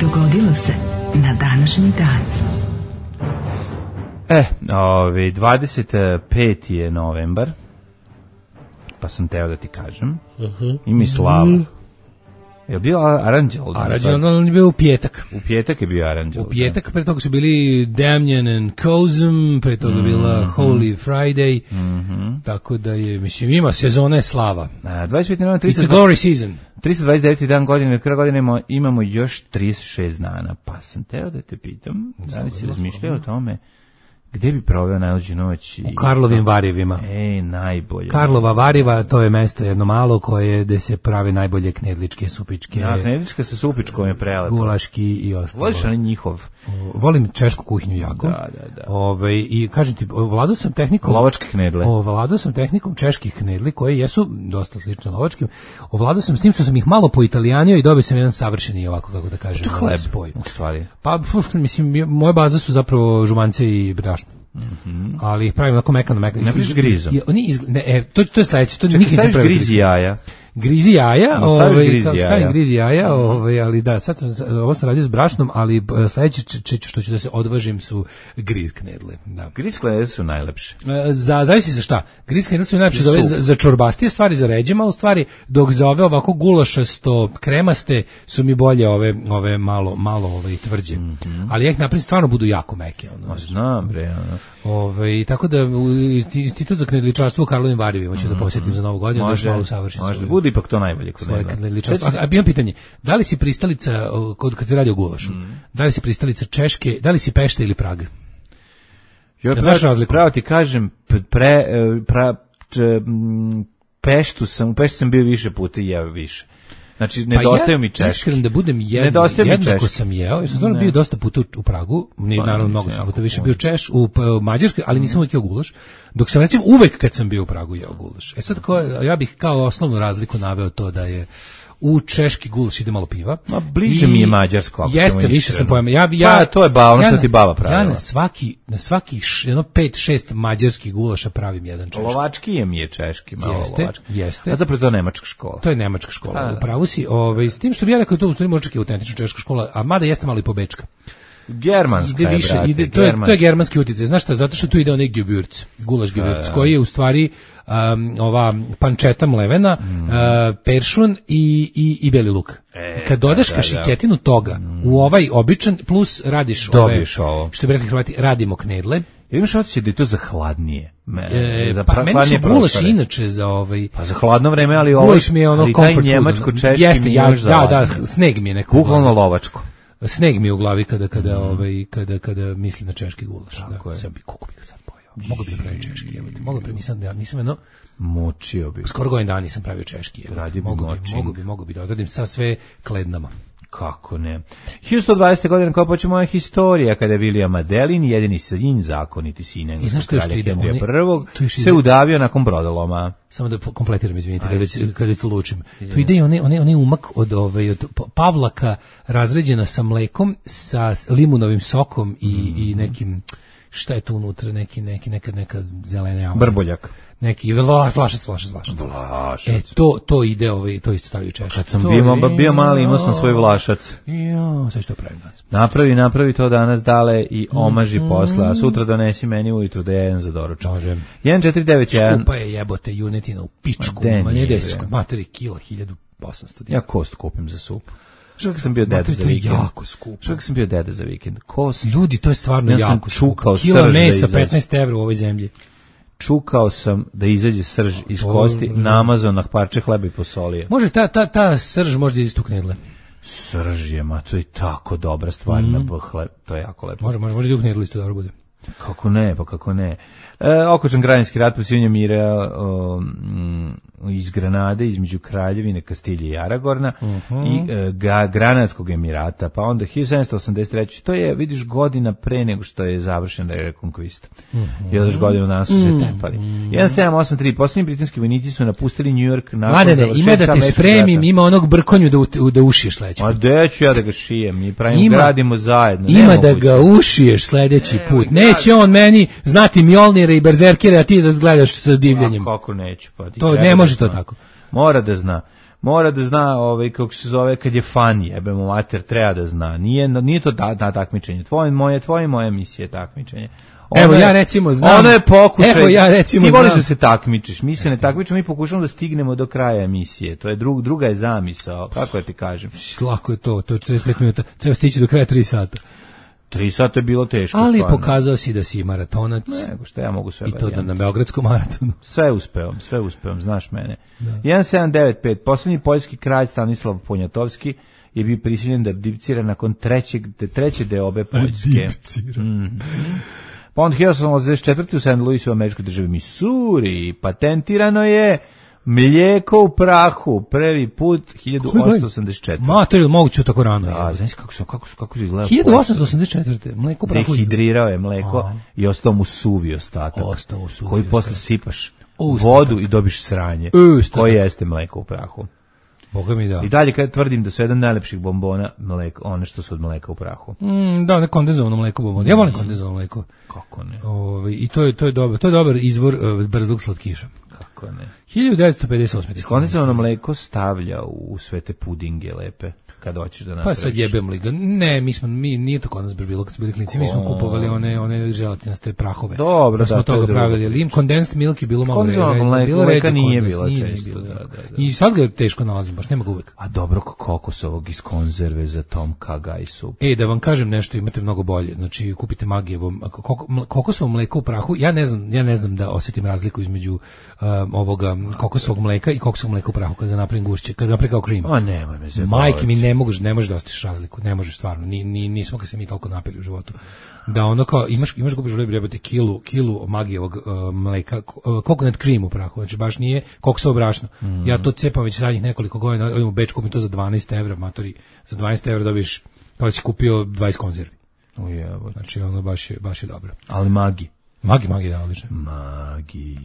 Dogodilo se na današnji dan. E, ovi, dvadeset peti je novembar, pa sam teo da ti kažem. Uh-huh. Imi slava. Je li bio Aranđel? Aranđel, on je bio u pjetak. U pjetak je bio Aranđel. U pjetak, pre toga su bili Damnjen and Kozum, pre toga mm-hmm. bila Holy Friday, mm-hmm. tako da je, mislim, ima sezone slava. A, dvadeset peti novembar, It's a glory season. trista dvadeset deveti dan godine, kraj godine imamo, imamo još trideset šest dana, pa sam teo da te pitam, da li si razmišljao o tome, gde bi proveo najluđu noć? U Karlovim Varjevima. Ej, najbolje. Karlova Varjeva, to je mesto jedno malo koje gde se prave najbolje knedličke, supičke. Ja, knedlička sa supičkom je prelepo. Gulaški i ostalo. Voliš ali njihov? Volim češku kuhinju jako. Da, da, da. Ove, i kažem ti, vladao sam tehnikom... Lovačke knedle. Ovladao sam tehnikom čeških knedli, koje jesu dosta slične lovačkim. Ovladao sam s tim što sam ih malo poitalijanio i dobio sam jedan savršeni, ovako kako da kažem, to hleb, spoj. U stvari. Pa, puf, mislim, moje baze su zapravo žumance i brašno. Mm-hmm. Ali ih pravim onako mekano, mekano. Ne piš grizom. Oni iz, ne, e, to, to je sledeće. To Čekaj, nikad nisam pravio. grizi jaja. Grizi jaja, No, ovaj, grizi kao, jaja. stavim grizi jaja, ovaj, ali da, sad sam, ovo sam radio s brašnom, ali sledeće č, č, što ću da se odvažim su griz knedle. Da. Griz knedle su najlepše. Za, zavisi za šta. Griz knedle su najlepše za, za, za čorbastije stvari, za ređe malo stvari, dok za ove ovako gulašasto kremaste su mi bolje ove, ove malo, malo ove, tvrđe. Mm-hmm. Ali ja ih napravim stvarno budu jako meke. Ono, Ma znam, bre. Ono. Ove, tako da Institut za knedličarstvo u Karlovim Varivima ću mm-hmm. da posjetim za Novu godinu, može, da još malo usavršim. Može, bude ipak to najbolje kod svoje knedličarstvo. A, a imam pitanje, da li si pristalica, kod, kad se radi o gulašu, mm. da li si pristalica Češke, da li si Pešta ili Praga? Ja pravo, pravo ti kažem, pre, pra, če, Peštu sam, u Peštu sam bio više puta i jeo više. Znači, nedostaju pa mi češki. Iskren da budem jedno, jednako sam jeo, ja sam stvarno bio dosta puta u, u Pragu, ni pa, naravno mnogo sam puta više bio Češ, u, u Mađarskoj, ali nisam uvijek jeo gulaš, dok sam recimo uvek kad sam bio u Pragu jeo gulaš. E sad, ko, ja bih kao osnovnu razliku naveo to da je u češki gulaš ide malo piva. Ma bliže I mi je mađarsko. Jeste, više sam pojma. Ja, ja, pa, to je ba, ono ja što ti baba pravila. Ja na svaki, na svaki jedno pet šest mađarskih gulaša pravim jedan češki. Lovački je mi je češki, malo jeste, lovački. Jeste. A zapravo to je nemačka škola. To je nemačka škola. Upravo si, ovaj, s tim što bi ja rekao to u stvari možda je autentična češka škola, a mada jeste malo i pobečka. Germanska ide više, je, brate, ide, to, je, to je germanski utjecaj. Znaš šta? Zato što tu ide onaj gewürz, gulaš gewürz, koji je u stvari um, ova pančeta mlevena, mm. uh, peršun i, i, i beli luk. E, kad dodaš da, kašiketinu da. toga mm. u ovaj običan, plus radiš Dobiš ove, ovo. što bi rekli Hrvati, radimo knedle. Ja imaš osjećaj da je to za hladnije. Me, e, za pa meni su gulaš inače za ovaj... Pa za hladno vreme, ali ovo... Gulaš mi je ono comfort food. Njemačko-češki jeste, mi ja, još za da, da, sneg mi je neko... Bukvalno lovačko. Sneg mi je u glavi kada kada mm. ovaj kada kada mislim na češki gulaš, da. Sad bi kako bi ga sad pojeo. Mogu bi praviti češki, evo ti. Mogu bi nisam ja nisam jedno mučio bi. Skoro godinu dana nisam pravio češki, evo. Mogu bi, mogu bi, mogu bi da odradim sa sve klednama. Kako ne. hiljadu sto dvadesete godine kao počne moja historija kada je William Madelin, jedini sin, zakoniti sin engleskog kralja Henrija prvog, se udavio nakon brodoloma. Samo da kompletiram, izvinite, kada već, kada već lučim. Tu ide i onaj one, one umak od, ovaj, od pavlaka razređena sa mlekom, sa limunovim sokom i, mm. i nekim, šta je tu unutra, neki, neki, neka, neka zelena... Brboljak. Neki flašac, flašac, flašac. Vlašac. E, to, to ide, ovaj, to isto stavio češki. Kad sam bio, je, bio mali, imao sam svoj vlašac. Jo, sve što pravim danas. Napravi, napravi to danas dale i omaži mm, posle, a sutra donesi meni ujutru da jedem za doručak. Možem. jedan četiri devet jedan. Skupa je jebote junetina u pičku, ma ne desko, materi kila, hiljadu osamsto dinara. Ja kost kupim za supu. Što kad sam bio deda za vikend? Jako skupo. Što kad sam bio deda za vikend? Kost. Ljudi, to je stvarno ja jako skupo. Kila mesa petnaest evra u ovoj zemlji. Čukao sam da izađe srž iz kosti, namazao na parče hleba i posolije. Može ta, ta, ta srž možda iz tu knedle. Srž je, ma to je tako dobra stvar mm. na hleb, to je jako lepo. Može, može, može da u knedle isto dobro bude. Kako ne, pa kako ne. E, okočan građanski rat posivanje mira o, m, iz Granade, između Kraljevine, Kastilje i Aragorna uh-huh. i e, ga, Granadskog emirata, pa onda hiljadu sedamsto osamdeset treće to je, vidiš, godina pre nego što je završena rekonkvista. Uh-huh. I odaš godinu danas su se tepali. Uh-huh. jedan sedam osam tri, posljednji britanski vojnici su napustili New York nakon Mladene, završetka ima da te spremim, ima onog brkonju da, u, da ušiješ sledeći put. A gde ću ja da ga šijem? Mi pravimo, ima, gradimo zajedno. Ima da ga ušiješ sledeći ne, put. Neće on meni znati Mjolnire i Berzerkere, a ti da gledaš sa divljenjem. A kako neću? Pa to ne može to tako. Mora da zna. Mora da zna, ovaj, kako se zove, kad je fan, jebemo mater, treba da zna. Nije, nije to da, da takmičenje. Tvoje, moje, tvoje, moje misije takmičenje. Ono evo je, ja recimo znam. Ono je pokušaj. Evo ja recimo ti voliš znam. Da se takmičiš. Mi se ne takmičimo, mi pokušamo da stignemo do kraja emisije. To je drug, druga je zamisao. Kako ja ti kažem? Lako je to, to je četrdeset pet minuta. Treba stići do kraja tri sata. Tri sata je bilo teško. Ali stvarno. Pokazao si da si maratonac. Nego što ja mogu sve. I to da na Beogradskom maratonu. Sve uspevam, sve uspevam, znaš mene. Da. jedan sedam devet pet, poslednji poljski kralj Stanislav Poniatovski je bio prisiljen da abdicira nakon trećeg, treće deobe Poljske. Mm. Pa onda hiljadu osamsto osamdeset četvrte u Saint Louisu u američkoj državi Missouri patentirano je mlijeko u prahu, prvi put hiljadu osamsto osamdeset četvrte. Mater, moguće tako rano. Da, znaš kako su, kako su, kako su izgledali. hiljadu osamsto osamdeset četvrte. Mlijeko u prahu. Dehidrirao je mlijeko a. i ostao mu suvi ostatak. Ostao mu suvi. Koji posle sipaš u vodu i dobiš sranje. Ustatak. Koji jeste mlijeko u prahu. Boga mi da. I dalje kad tvrdim da su jedan najlepših bombona mleko, one što su od mleka u prahu. Mm, da, ne kondenzovano mleko bombon. Ja volim kondenzovano mleko. Kako ne? Ove, i to je to je dobro. To je dobar izvor uh, brzog slatkiša. Kako ne? hiljadu devetsto pedeset osme. Kondenzovano mleko stavlja u sve te pudinge lepe. Kad hoćeš da napraviš. Pa sad jebem li ga. Ne, mi smo, mi, nije to kod nas baš bilo kad smo bili klinici, mi smo kupovali one, one želatinaste prahove. Dobro, da. smo da, toga pravili, ali im condensed milk je bilo malo ređe. Bilo ređe, nije bila često. Da, da, da. I sad ga teško nalazim, baš nema ga uvek. A dobro, kokosovog iz konzerve za Tom Kagaj sup. E, da vam kažem nešto, imate mnogo bolje. Znači, kupite Magijevo, kokosovo mleko u prahu. Ja ne znam, ja ne znam da osjetim razliku između um, ovoga kokosovog mleka i kokosovog mleka u prahu kad ga napravim gušće, kad ga napravim kao krim. A nemoj me se. Majke mi ne možeš, ne možeš da ostiš razliku, ne možeš stvarno. Ni, ni nismo kad se mi toliko napili u životu. Da ono kao imaš imaš gubiš jebote kilu kilu Magijevog uh, mleka, uh, coconut cream u prahu, znači baš nije kokosovo brašno. Mm. Ja to cepam već zadnjih nekoliko godina, odem u Beč, kupim to za dvanaest evra, matori, za dvanaest evra dobiješ kao si kupio dvadeset konzervi. Ujebote. Znači ono baš je baš je dobro. Ali Magi Magi, Magi, da, odlično. Magi.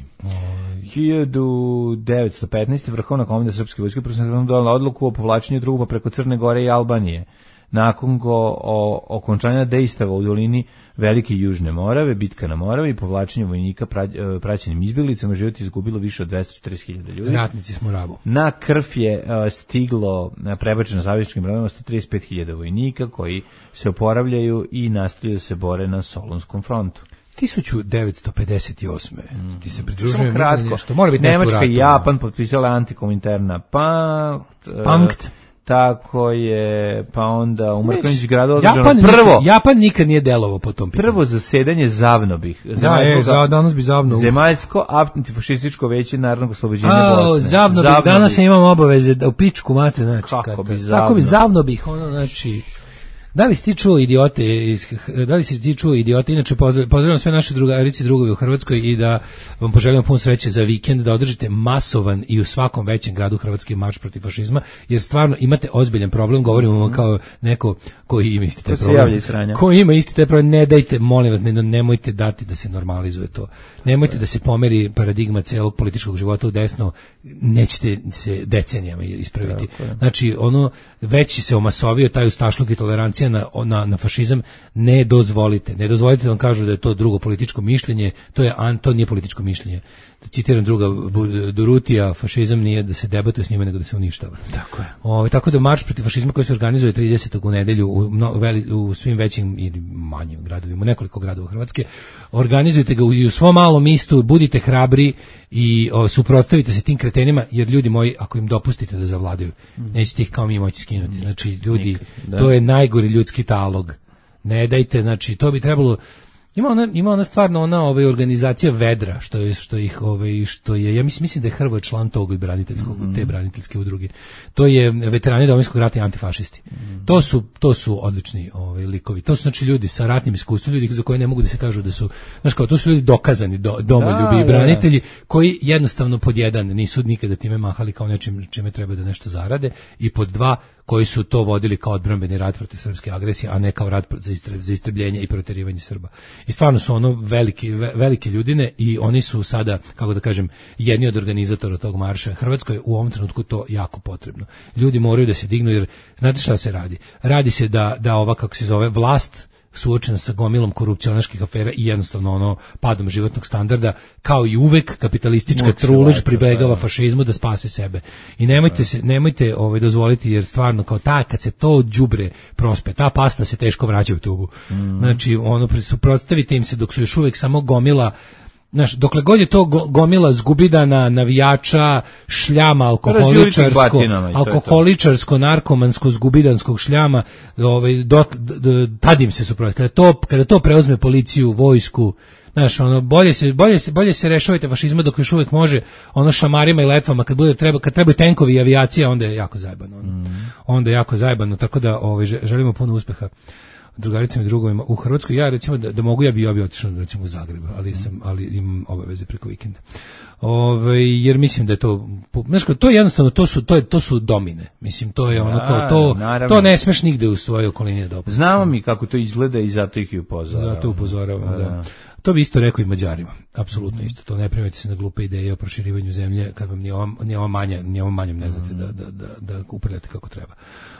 hiljadu devetsto petnaeste. Vrhovna komanda Srpske vojske donela odluku o povlačenju trupa preko Crne Gore i Albanije. Nakon go, o okončanja dejstava u dolini Velike Južne Morave, bitka na Moravi i povlačenju vojnika pra, praćenim izbjeglicama, život izgubilo više od dvesta četrdeset hiljada ljudi. Ratnici smo Rabu. Na krv je uh, stiglo prebačeno savezničkim brodovima sto trideset pet hiljada vojnika koji se oporavljaju i nastavljaju se bore na Solunskom frontu. hiljadu devetsto pedeset osme. Mm. Ti se Samo pridružujem kratko. Nešto. Mora biti Nemačka i Japan potpisala antikomiterna pakt. Pakt. Tako je, pa onda u Mrkonjić gradu održano Japan prvo. Nikad, Japan nikad nije delovao po tom pitanju. Prvo zasedanje Zavnobih. Da, je, za, danas bi Zavno. Zemaljsko antifašističko veće narodnog oslobođenja Bosne. Zavnobih, Zavnobih. Danas imam obaveze da u pičku mate, znači. Kako bi Zavno. Tako bi Zavnobih, ono, znači. Da li si ti čuo idiote, iz, da li si ti čuo idiote, inače pozdrav, pozdravljam sve naše drugarice i drugovi u Hrvatskoj i da vam poželim puno sreće za vikend, da održite masovan i u svakom većem gradu Hrvatski marš protiv fašizma, jer stvarno imate ozbiljan problem, govorimo vam kao neko koji ima isti taj problem. Koji ima isti taj problem, ne dajte, molim vas, ne, nemojte dati da se normalizuje to. Nemojte da se pomeri paradigma celog političkog života u desno, nećete se decenijama ispraviti. Znači, ono, već se omasovio taj ustašluk i tolerancija Na, na, na fašizam, ne dozvolite. Ne dozvolite da vam kažu da je to drugo političko mišljenje, to je an, to nije političko mišljenje. Da citiram druga Durutija, fašizam nije da se debatuje s njima, nego da se uništava. Tako je. O, tako da marš protiv fašizma koji se organizuje tridesetog u nedelju u, no, veli, u svim većim ili manjim gradovima, u nekoliko gradova Hrvatske, organizujte ga u, u svom malom istu, budite hrabri i o, suprotstavite se tim kretenima, jer ljudi moji, ako im dopustite da zavladaju, mm. nećete ih kao mi moći skinuti. Znači, ljudi, to je najgori ljudski talog. Ne dajte, znači, to bi trebalo. Ima ona, ima ona stvarno ona ovaj organizacija Vedra, što je što ih ovaj što je ja mislim mislim da je Hrvoje član tog i braniteljskog mm. te braniteljske udruge. To je veterani Domovinskog rata i antifašisti. Mm. To su to su odlični ovaj likovi. To su znači ljudi sa ratnim iskustvom, ljudi za koje ne mogu da se kažu da su, znači kao to su ljudi dokazani do, domoljubi i branitelji koji jednostavno pod jedan nisu nikada time mahali kao nečim čime treba da nešto zarade i pod dva koji su to vodili kao odbrambeni rat protiv srpske agresije, a ne kao rat za, istre, za istrebljenje i proterivanje Srba. I stvarno su ono veliki, velike ljudine i oni su sada, kako da kažem, jedni od organizatora tog marša. Hrvatskoj u ovom trenutku to jako potrebno. Ljudi moraju da se dignu, jer znate šta se radi? Radi se da, da ova, kako se zove, vlast suočena sa gomilom korupcionaških afera i jednostavno ono padom životnog standarda, kao i uvek kapitalistička trulež pribegava fašizmu da spase sebe. I nemojte se nemojte ovaj dozvoliti, jer stvarno kao ta kad se to đubre prospe, ta pasta se teško vraća u tubu. Mm. Znači ono suprotstavite im se dok su još uvek samo gomila. Znaš, dokle god je to gomila zgubidana, navijača, šljama, alkoholičarsko, alkoholičarsko, narkomansko, zgubidanskog šljama, ovaj, do, do, tad im se suprotno. Kada to, kada to preuzme policiju, vojsku, znaš, ono, bolje se, bolje se, bolje se rešavajte fašizma dok još uvijek može, ono šamarima i letvama, kad bude treba, kad trebaju tenkovi i avijacija, onda je jako zajebano. Ono. Mm. Onda je jako zajebano, tako da ovaj, želimo puno uspeha drugaricama i drugovima u Hrvatskoj. Ja recimo da, da mogu ja bi ja bi otišao recimo u Zagreb, ali sam ali imam obaveze preko vikenda. Ovaj jer mislim da je to znači to je jednostavno to su to je to su domine. Mislim to je ono kao to naravno. To ne smeš nigde u svojoj okolini da. Znamo mi kako to izgleda i zato ih i upozoravamo. Zato upozoravamo, da. da. To bi isto rekao i Mađarima. Apsolutno isto. To ne primete se na glupe ideje o proširivanju zemlje kad vam ni ova, ni ova manja, ni ova manjom ne znate da, da, da, da upravljate kako treba.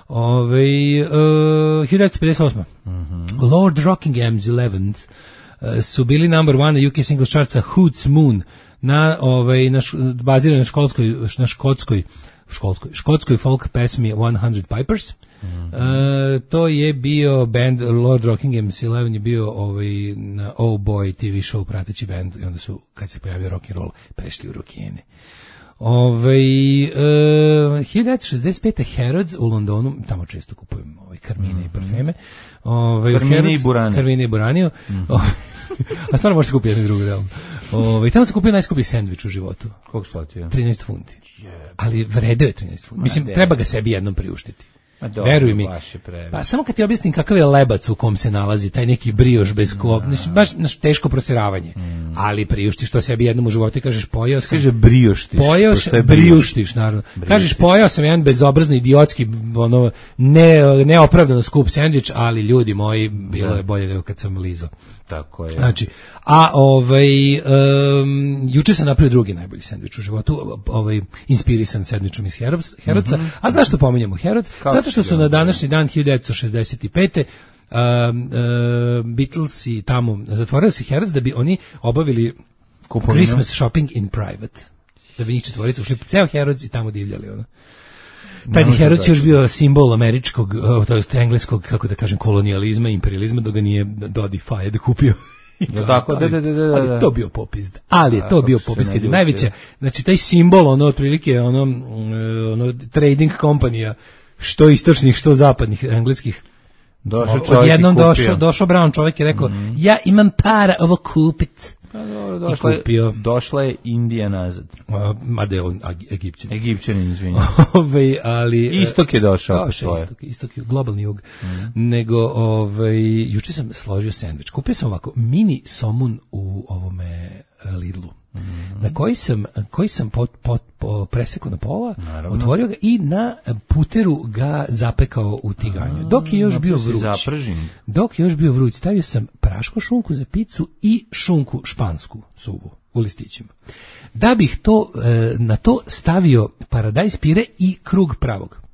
Ove, uh, hiljadu devetsto pedeset osma Mm-hmm. Lord Rockingham's Eleventh uh, su bili number one na U K singles chartsa Hoots Moon na, ovaj, na š, bazirano na školskoj, na škotskoj, školskoj, škotskoj folk pesmi one hundred Pipers. Mm-hmm. Uh, to je bio band Lord Rockingham's Eleven je bio ovaj, na Oh Boy T V show prateći band i onda su, kad se pojavio rock and roll, prešli u rockijene. Ove, uh, hiljadu devetsto šezdeset pete Harrods u Londonu, tamo često kupujem ovaj, karmine mm-hmm. i parfeme. Ove, karmine Harrods, i burane. Karmine i buraniju. Mm-hmm. A stvarno može se kupiti jedno drugo, realno. Ove, tamo se kupio najskuplji sendvič u životu. Koliko splatio? trinaest funti. Ali vredeo je trinaest funti. Mislim, de. treba ga sebi jednom priuštiti. Dobro, veruj mi. Pa samo kad ti objasnim kakav je lebac u kom se nalazi, taj neki brioš bez kop, baš naš teško prosiravanje. Mm. Ali priuštiš to sebi jednom u životu i kažeš pojeo sam. Kaže brioštiš. Pojeo sam, briuštiš, naravno. Briuštiš. Kažeš pojeo sam jedan bezobrazni, idiotski, ono, ne, neopravdano skup sendvič, ali ljudi moji, bilo da. je bolje nego kad sam lizao. Tako je. Znači, a ovaj, um, juče sam napravio drugi najbolji sendvič u životu, ovaj, inspirisan sendvičom iz Harrodsa. Mm-hmm. A znaš što pominjemo Harrods? Zato što su na današnji dan hiljadu devetsto šezdeset pete Uh, uh, Beatlesi tamo zatvorili se Harrods da bi oni obavili Kupovinu. Christmas shopping in private, da bi njih četvorica ušli po ceo Harrods i tamo divljali ono. Taj Harrods je još bio simbol američkog, to jest engleskog, kako da kažem, kolonijalizma, imperializma, dok ga nije Dodi Fayed kupio. Da, tako, da, da, da, da, ali to bio popis. Ali je to bio popis kad je najveća, znači taj simbol, ono otprilike ono, ono trading kompanija, što istočnih, što zapadnih engleskih. Došao čovjek odjednom došao, došao Brown čovjek i rekao, mm-hmm. ja imam para ovo kupit. Pa dobro, došla je, došla je Indija nazad. A, mada je on Egipćan. Egipćanin, izvinjam. Ove, ali, istok je došao. došao istok, istok je globalni jug. Mm-hmm. Nego, ovaj, juče sam složio sendvič. Kupio sam ovako mini somun u ovome Lidlu. Mm-hmm. Na koji sam, koji sam pot, pot, pot, presekao na pola, naravno. Otvorio ga i na puteru ga zapekao u tiganju. Dok je još bio vruć, dok je još bio vruć, stavio sam prašku šunku za picu i šunku špansku suvu u listićima. Da bih to, na to stavio paradajz pire i krug pravog.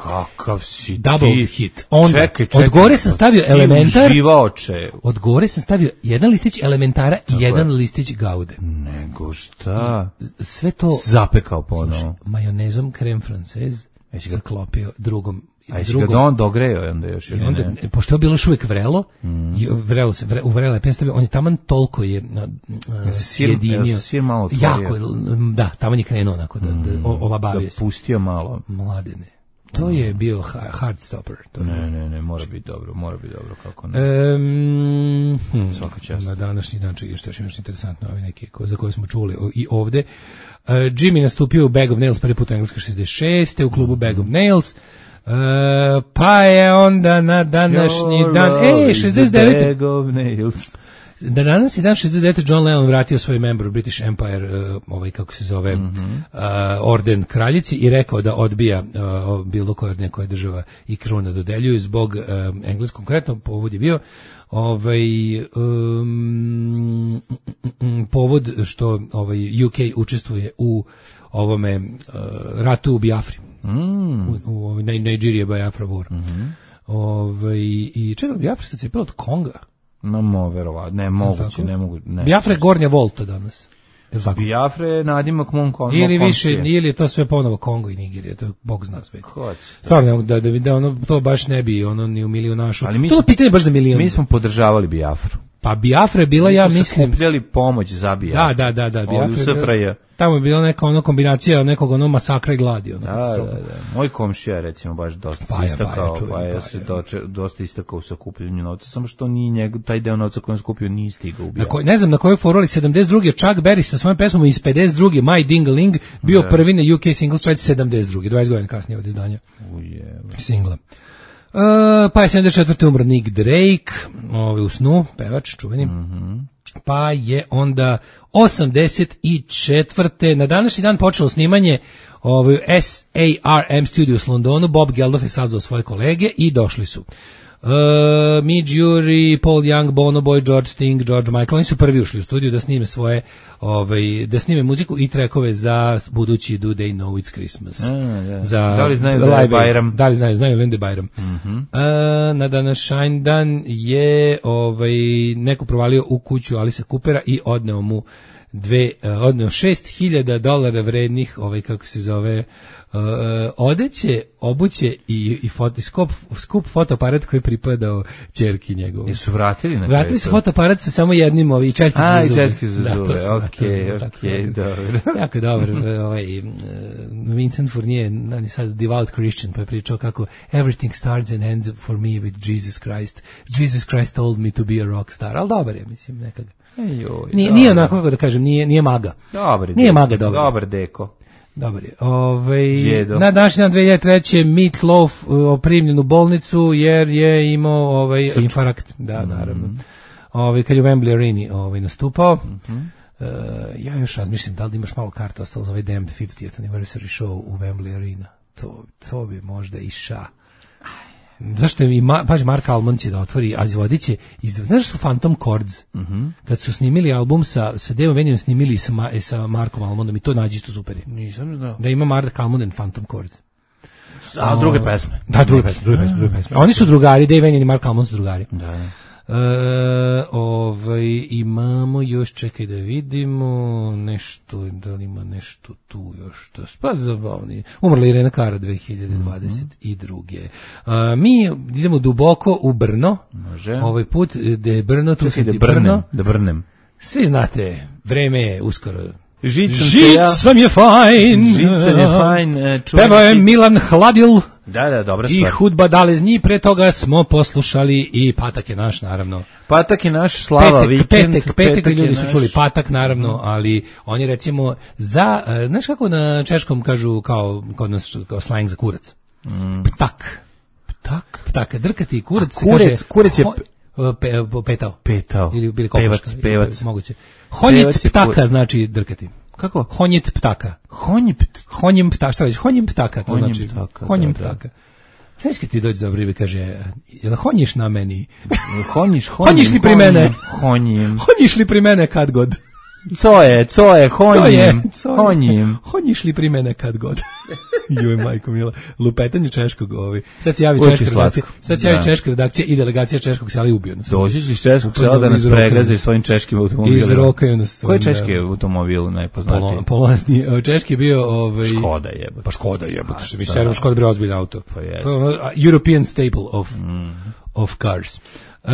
Kakav si double ti. Hit. Onda, čekaj, čekaj. Od gore sam stavio elementar. Uživaoče. Od gore sam stavio jedan listić elementara i jedan listić gaude. Nego šta? Sve to zapekao ponovo. Majonezom krem francez zaklopio drugom. A jesi ga on dogreo onda još ili onda, ne? Pošto je bilo još uvijek vrelo, mm. i vrelo se, vre, u vrele penstavio, on je taman toliko je uh, sjedinio. Sir malo otvorio. Jako, da, taman je krenuo onako, da, da, da olabavio da pustio malo. Mladene. To je bio hard stopper. To ne, je. ne, ne, mora biti dobro, mora biti dobro, kako ne. Um, hm, Svaka čast. Na današnji dan, čekaj, što je još interesantno, ovi neki ko, za koje smo čuli i ovde. Uh, Jimmy nastupio u Bag of Nails prvi put u Engleskoj šezdeset šeste u klubu Bag of Nails. Uh, pa je onda na današnji Your dan, ej, šezdeset devete Bag of Nails. Da danas je dan šezdeset devete John Lennon vratio svoj member British Empire, uh, ovaj kako se zove, mm-hmm. uh, orden kraljici i rekao da odbija uh, bilo koje od nekoje država i kruna dodeljuju zbog uh, engleskog, konkretno povod je bio ovaj um, povod što ovaj U K učestvuje u ovome uh, ratu u Biafri. Mm. U, u, u Nigeria Biafra war. Mm-hmm. Ovaj i čekaj, Biafra se cepila od Konga. No, mo, verovatno, ne, moguće, ne mogu, ne. Biafra je gornja volta danas. Biafra je nadimak mom Kongo. Ili više, ili je to sve ponovo Kongo i Nigerija, to Bog zna sve. Stvarno, da, da, da ono, to baš ne bi ono ni u milionašu. Ali mi to smo, pitanje baš za milion. Mi smo podržavali Biafru. Pa Biafra je bila, mi ja mislim... Mi smo skupljali pomoć za Biafru. Da, da, da, da. Biafra je... Tamo je bila neka ono kombinacija nekog ono masakra i gladi. Ono, da, da, da. Moj komšija recimo baš dosta paja, istakao, paja, pa je se doče, dosta istakao u sakupljanju novca, samo što ni njegov, taj deo novca koji on skupio nije stigao u Biafru. Ne znam na kojoj foroli sedamdeset druge Chuck Berry sa svojom pesmom iz pedeset druge My Ding-a-Ling bio da. Prvi na U K singles chart sedamdeset druge dvadeset godina kasnije od izdanja Uje, singla. Uh, pa je sedamdeset četvrte umro Nick Drake, ovaj u snu, pevač čuveni. Mhm. Pa je onda osamdeset četvrte na današnji dan počelo snimanje ovaj S A R M Studios u Londonu. Bob Geldof je sazvao svoje kolege i došli su. Uh, Midge Ure, Paul Young, Bono Boy, George Sting, George Michael, oni su prvi ušli u studiju da snime svoje, ovaj, da snime muziku i trekove za budući Do They Know It's Christmas. A, da. Za da li znaju da je Bajram? Da li znaju, znaju li da je Bajram. Mm-hmm. Uh, na današnji dan je ovaj, neko provalio u kuću Alisa Coopera i odneo mu dve, uh, odneo šest hiljada dolara vrednih, ovaj, kako se zove, Uh, odeće, obuće i, i fotoskop, skup fotoaparat koji pripadao ćerki njegovu. Jesu vratili na Vratili su fotoaparat sa samo jednim ovi četki za zube. A, i četki za zube, okej, okej, dobro. Jako dobro, ovaj, Vincent Fournier, on je sad devout Christian, pa je pričao kako everything starts and ends for me with Jesus Christ. Jesus Christ told me to be a rock star, ali dobar je, mislim, nekada. Ejoj, nije, nije onako, kako da kažem, nije, nije maga. Dobar nije deko, maga, dobar. Dobar deko. Dobar je. Ove, na današnji dan dve hiljade treće. Meat Loaf oprimljen u bolnicu jer je imao ovaj, infarkt. Da, mm-hmm. naravno. Ove, kad je u Wembley Areni ovaj, nastupao. Mm-hmm. Uh, ja još razmišljam da li imaš malo karta ostalo za ovaj Damned fiftieth anniversary show u Wembley Arena. To, to bi možda i ša. Zašto je i ma, paži, Mark Almond će da otvori, a izvodit će, iz, znaš su Phantom Chords, mm-hmm. kad su snimili album sa, sa Dave Vanijem, snimili sa, ma, sa Markom Almondom i to nađi isto super je. Nisam znao. Da ima Mark Almond and Phantom Chords. A, druge pesme. Da, druge pesme, druge pesme, druge pesme. Oni su drugari, Dave Vanijem i Mark Almond su drugari. Da, da. E, ovaj, imamo još, čekaj da vidimo nešto, da li ima nešto tu još, to pa zabavni. Umrla Irena Kara dve hiljade dvadeset druge. Mm-hmm. A, mi idemo duboko u Brno. Može. Ovaj put da je Brno, tu čekaj, da brnem, Brno. Da brnem. Svi znate, vreme je uskoro. Žicam Žicam je fajn. Žicam je fajn. Peva je Milan Hladil. Da, da, dobra stvar. I Hudba Dalezni, pre toga smo poslušali i Patak je naš, naravno. Patak je naš, Slava petek, vikend. Petek, petek, petek ljudi naš. Su čuli Patak, naravno, ali oni recimo za, uh, znaš kako na češkom kažu kao, kod nas kao slang za kurac? Mm. Ptak. Ptak? Ptak, drkati kurac. A kurec, kaže, kurec je... Ho, pe, petao. Petao. Ili bili pevac, pevac. Moguće. Honjit ptaka znači drkati. Kako? Honjit ptaka. Honjit ptaka. Honjim ptaka, šta reći? Honjim ptaka, to honjim znači. Ptaka, honjim da, ptaka. Znaš kad ti dođe za obrive, kaže, jel honjiš na meni? Honjiš, honjim. Honjiš li pri mene? Honjim. Honjiš li pri mene kad god? Co je, co je, honjim. Honjim. Honjiš li pri mene kad god? Joj, majko mila. Lupetanje češkog, ovi. Sad se javi Uči češka redakcija. slatko. Sad se javi češka redakcija i delegacija češkog sela i ubio nas. Dođeš iz češkog sela da nas pregaze svojim češkim automobilima. Izrokaju nas. Koji je češki automobil najpoznatiji? Polonski. Češki je bio... Ovaj, Škoda jebote. Pa Škoda jebote. Što mi servo Škoda bre ozbiljan auto. Pa je. To je European staple of, mm. of cars. Uh,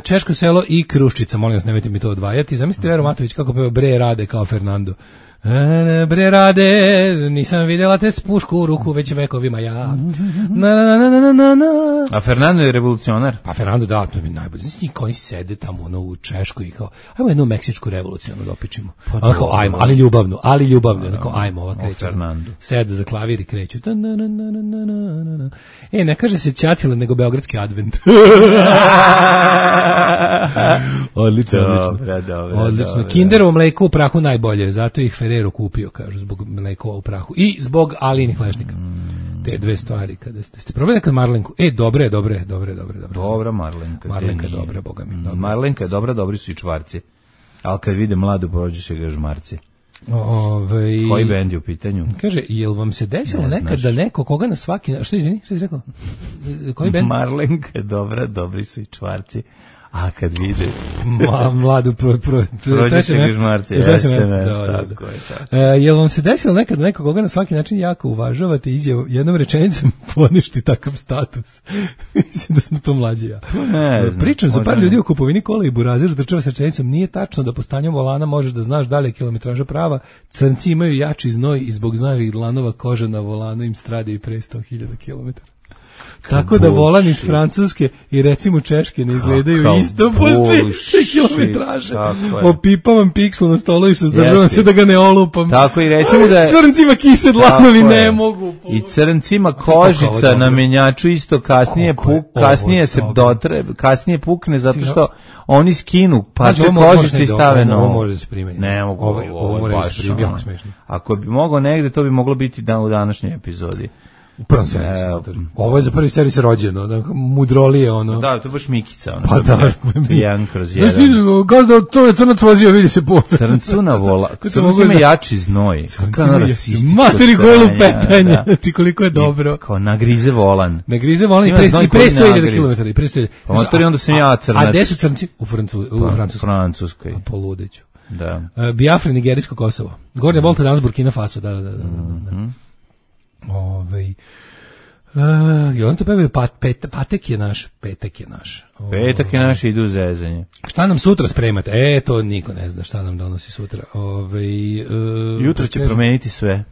Češko selo i Kruščica, molim vas, nemojte mi to odvajati. Zamislite Vero Matović kako peva Bre rade kao Fernando. E, bre rade, nisam vidjela te s pušku u ruku već vekovima ja. Na, na, na, na, na, na. A Fernando je revolucionar? Pa Fernando, da, to mi najbolje. Znači, oni sede tamo ono, u Češkoj i kao, ajmo jednu meksičku revoluciju ono, dopičimo. Pa ali, kao, ajmo, ali ljubavno, ali ljubavno. Ono, kao, ajmo, ova kreće. Sede za klavir i kreću. Na, na, na, na, na, na, na. E, ne kaže se Ćatile, nego Beogradski advent. Odlično, dobra, dobra, odlično. Dobra. Kinderovo mleko u prahu najbolje, zato ih Ferrero kupio, kažu, zbog mlekova u prahu. I zbog alinih lešnika. Mm. Te dve stvari. Kada ste, ste probali nekad Marlenku? E, dobre, dobre, dobre, dobre. dobre. Dobra Marlenka. Marlenka je dobra, boga mi. Dobra. Marlenka je dobra, dobri su i čvarci. Ali kad vide mladu, prođe se ga žmarci. Ove, koji bend je u pitanju? Kaže, jel vam se desilo ne nekad da neko koga na svaki... Što izvini, što si rekao? Koji bend? Marlenka je dobra, dobri su i čvarci. A kad vide Ma, mladu pro, pro, prođe se ga žmarci. Tako je. E, jel vam se desilo nekad neko koga na svaki način jako uvažavate izjavu jednom rečenicom poništi takav status? Mislim da smo to mlađi ja. Ne znam. Pričam za par ljudi o kupovini kola i burazir trčava sa rečenicom. Nije tačno da po stanju volana možeš da znaš da li je kilometraža prava. Crnci imaju jači znoj i zbog znojevih dlanova koža na volanu im strade i pre sto hiljada kilometara. Tako da volan iz Francuske i recimo Češke ne izgledaju Kaka isto posle kilometraže. Opipavam piksel na stolu i suzdržavam se da ga ne olupam. Tako i recimo da je... Crncima kise dlanovi ne mogu. I crncima kožica na menjaču isto kasnije puk, kasnije se dotre, kasnije pukne zato što oni skinu pače kožice i stave na ovo. Može da se primeni. Ne mogu. Ovo može da se primeni, jako smešno. Ako bi moglo negde, to bi moglo biti dan u današnjoj epizodi. U prvom servisu. Ovo je za prvi servis rođeno, ono, mudrolije, ono. Da, to je baš Mikica, ono. Pa da. Jedan kroz jedan. Gazda, to je crnac vozio, vidi se po. Crncuna vola. Crnac ima jači znoj. Kako rasističko sranje. Materi golu petanje. Znači koliko je dobro. Kao nagrize volan. Nagrize volan i pre sto hiljada kilometara. I pre sto hiljada. Pa motori onda sam ja crnac. A gde su crnci? U Francuskoj. Francuskoj. Poludeću. Da. Biafra, nigerijsko Kosovo. Gornja Volta, danas Burkina Faso, da, da, da. Ovej... Uh, I on to pevaju, pat, pet, patek je naš, petak je naš. O, petak je naš, idu zezanje. Šta nam sutra spremate? E, to niko ne zna šta nam donosi sutra. Ove, uh, Jutro će promeniti sve.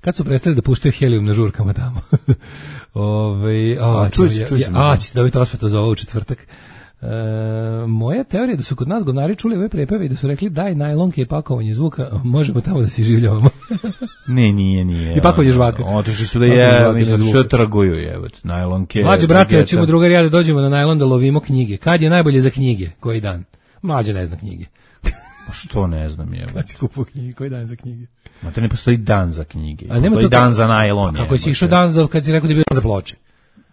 Kad su prestali da puštaju helijum na žurkama tamo? Ove, a, a, čuj se, čuj se. A, ćete dobiti osvetu za ovo u četvrtak. E, moja teorija je da su kod nas gonari čuli ove prepeve i da su rekli daj najlonke i pakovanje zvuka, možemo tamo da se življavamo. Ne, nije, nije. I pakovanje žvaka. Otišli su da je, mislim, što traguju jebot, najlonke. Mlađe, brate, ćemo drugari ja da dođemo na najlon da lovimo knjige. Kad je najbolje za knjige? Koji dan? Mlađe ne zna knjige. Pa što ne znam, jebot. Kad si kupuo knjige, koji dan za knjige? Ma to ne postoji dan za knjige. A nema postoji to dan ka... za najlon. Kako si išao dan za, kad si rekao da je bio dan za ploče?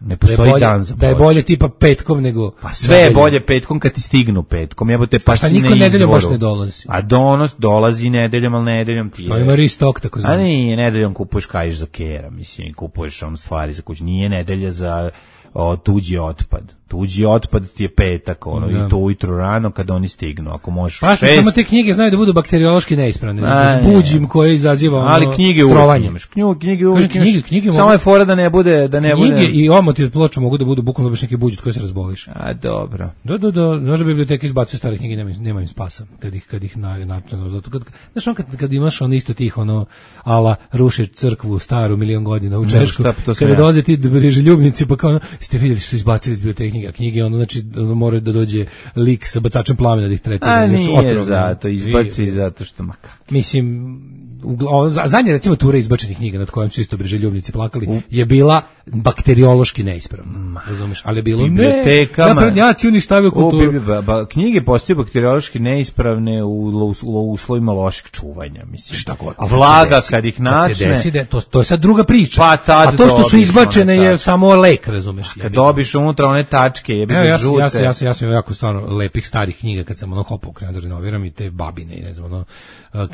Ne postoji da bolje, dan za ploče. Da je bolje tipa petkom nego... Pa sve je bolje petkom kad ti stignu petkom, jebote, pa si na izvoru. Pa niko nedeljom baš ne dolazi. A donos dolazi nedeljom, ali nedeljom ti je... Što ima ristok, tako znam. A nije, nedeljom kupuješ kaješ za kera, mislim, kupuješ on stvari za kuću. Nije nedelja za o, tuđi otpad. Tuđi otpad ti je petak, ono, da. I to ujutro rano kad oni stignu. Ako možeš pa šest... samo te knjige znaju da budu bakteriološki neispravne. S buđim koje izaziva ono, ali knjige trovanje. Knjige, knjige uvijek knjige, knjige, knjige samo je fora da ne bude... Da ne knjige bude... i omoti od ploča mogu da budu bukvalno baš neki buđ od koje se razboliš. A, dobro. Da, da, da. Znaš da biblioteka izbacuje stare knjige, nema, nema im spasa. Kad ih, kad ih na, načinu, zato kad, znaš on kad, kad imaš on isto tih, ono, ala, rušiš crkvu staru milion godina u Češku, kada dolaze ti briželjubnici, pa kao ono, ste vidjeli što su izbacili iz biblioteke knjige, knjige, ono, znači, mora da dođe lik sa bacačem plamena da ih tretira. A nije zato, izbaci I, zato što makak. Mislim, o, zadnja recimo tura izbačenih knjiga nad kojom su isto briželjubnici plakali U. je bila bakteriološki neispravna. Razumeš? Ali je bilo bibliotekama. Ne, naprednjaci uništavaju kulturu. Ba, ba, knjige postaju bakteriološki neispravne u, u, u uslovima lošeg čuvanja, mislim. Šta god. A vlaga kad ih načne. Se desi da, to, to je sad druga priča. Pa tad A to što su izbačene je samo lek, razumeš? Kad dobiš unutra one tačke, jebi ga ja, žute. Ja sam ja sam ja sam jako stvarno lepih starih knjiga kad sam ono hopao krenuo da renoviram i te babine i ne znam ono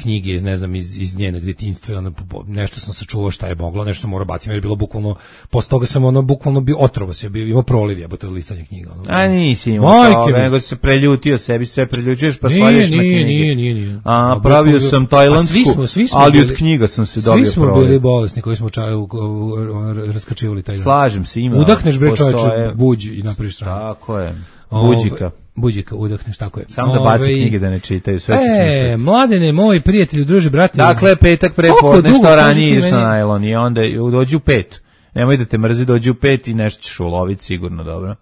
knjige iz ne znam iz iz njenog djetinjstva, ono nešto sam sačuvao šta je moglo, nešto sam morao baciti, jer je bilo bukvalno posle toga sam ono bukvalno bio otrovo se bio, imao proliv jebote od listanja knjiga ono. A nisi imao toga, nego se preljutio sebi, sve preljućuješ pa svaljuješ na knjige. Nije, nije, nije. A pravio sam tajlandsku, ali od knjiga sam se dobio proliv. Svi smo bili bolesni koji smo čaju raskačivali taj. Slažem se, ima. Udahneš bre čoveče, buđ i napraviš stranu. Tako je. Buđika. Buđika, udahneš, tako je. Samo da baci knjige da ne čitaju, sve se smisliti. E, mladene, moji prijatelji, druži, brati. Dakle, petak prepodne, što ranije ideš na najlon i onda dođi u pet. Nemoj da te mrzi, dođi u pet i nešto ćeš uloviti sigurno, dobro.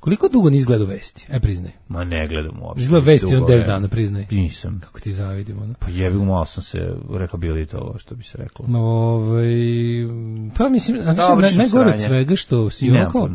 Koliko dugo nisi gledao vesti? Aj, priznaj. Ma ne gledam uopšte. Izgleda vesti on deset dana, priznaj. Nisam. Kako ti zavidim, ono. Pa jebi, malo sam se rehabilitovao, što bi se reklo. No, ovaj, pa mislim, znači, najgore od svega što si ono kao...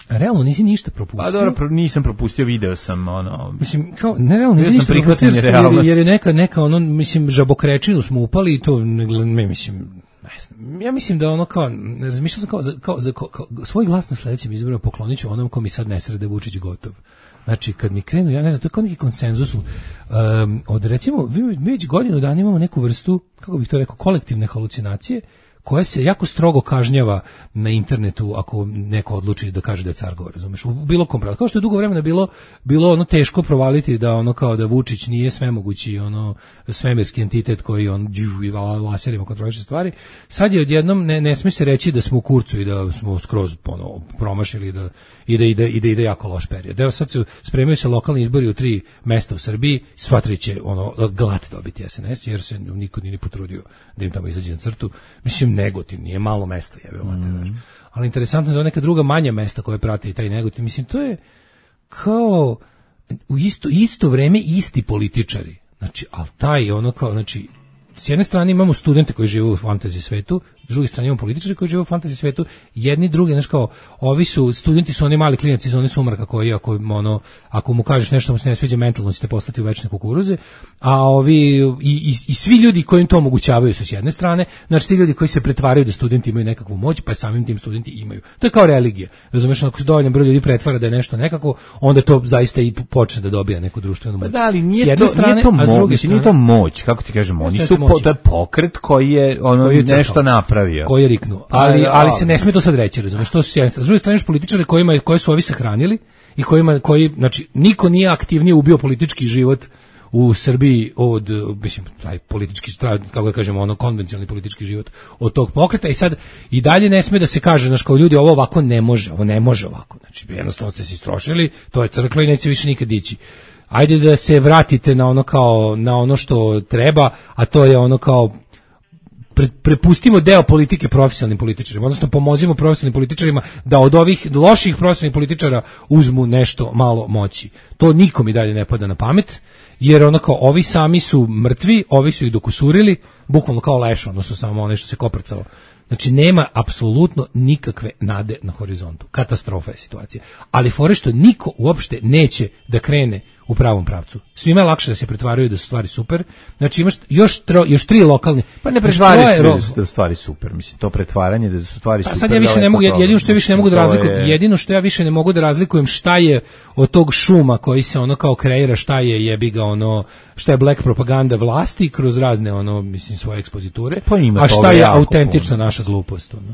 Realno nisi ništa propustio. Pa dobro, nisam propustio, video sam ono. Mislim kao ne realno nisi ništa propustio jer, jer je neka neka ono mislim žabokrečinu smo upali i to ne mislim ne znam. Ja mislim da ono kao razmišljao sam kao za, kao, za, kao, kao svoj glas na sledećem izboru pokloniću onom ko mi sad ne srede Vučić gotov. Znači kad mi krenu, ja ne znam, to je kao neki konsenzus um, od recimo mi već godinu dana imamo neku vrstu, kako bih to rekao, kolektivne halucinacije koja se jako strogo kažnjava na internetu ako neko odluči da kaže da je car gore, razumeš, u bilo kom pravu. Kao što je dugo vremena bilo bilo ono teško provaliti da ono kao da Vučić nije svemogući ono svemirski entitet koji on i laserima kontroliše stvari. Sad je odjednom ne ne sme se reći da smo u kurcu i da smo skroz ono promašili da ide ide ide ide jako loš period. Evo sad se spremaju se lokalni izbori u tri mesta u Srbiji, sva tri će ono glat dobiti S N S jer se niko nije ni potrudio da im tamo izađe na crtu. Mislim Negotin nije malo mesto, jebe mate, znaš. Ali interesantno za neka druga manja mesta koje prate i taj Negotin, mislim to je kao u isto isto vreme isti političari. Znači, al taj ono kao, znači s jedne strane imamo studente koji žive u fantasy svetu, s druge strane imamo političare koji žive u fantasy svetu, jedni drugi, znaš kao, ovi su, studenti su oni mali klinaci iz one sumraka koji, ako, ono, ako mu kažeš nešto mu se ne sviđa mentalno, ćete poslati u večne kukuruze, a ovi, i, i, i svi ljudi koji im to omogućavaju su s jedne strane, znači ti ljudi koji se pretvaraju da studenti imaju nekakvu moć, pa samim tim studenti imaju. To je kao religija, razumeš, ako se dovoljan broj ljudi pretvara da je nešto nekako, onda to zaista i počne da dobija neku društvenu moć. Pa da, ali nije to, strane, nije to, mo, mislim, nije to moć, kako ti kažemo, oni su, po, to je pokret koji je ono koji je nešto napravio. Koji je riknuo. Ali, ali se ne sme to sad reći, razumiješ, to su s jedne druge strane političari kojima, koje su ovi sahranili i kojima, koji, znači, niko nije aktivnije ubio politički život u Srbiji od, mislim, taj politički, kako da kažemo, ono, konvencionalni politički život od tog pokreta i sad i dalje ne sme da se kaže, znaš, kao ljudi, ovo ovako ne može, ovo ne može ovako, znači, jednostavno ste se istrošili, to je crklo i neće više nikad ići. Ajde da se vratite na ono kao, na ono što treba, a to je ono kao, pre, prepustimo deo politike profesionalnim političarima, odnosno pomozimo profesionalnim političarima da od ovih loših profesionalnih političara uzmu nešto malo moći. To nikom i dalje ne pada na pamet, jer ono kao, ovi sami su mrtvi, ovi su ih dokusurili, bukvalno kao leš, odnosno samo ono što se koprcalo. Znači, nema apsolutno nikakve nade na horizontu. Katastrofa je situacija. Ali fore što niko uopšte neće da krene u pravom pravcu. Svima je lakše da se pretvaraju da su stvari super. Znači, imaš još, tro, još tri lokalne... Pa ne pretvaraju da su stvari super. Mislim, to pretvaranje da su stvari pa super... Sad ja više ne mogu, jedino što ja više ne mogu da razlikujem, je... jedino što ja više ne mogu da razlikujem šta je od tog šuma koji se ono kao kreira, šta je jebi ga ono, šta je black propaganda vlasti kroz razne ono, mislim, svoje ekspoziture, pa a šta je autentična puno. Naša glupost. Ono.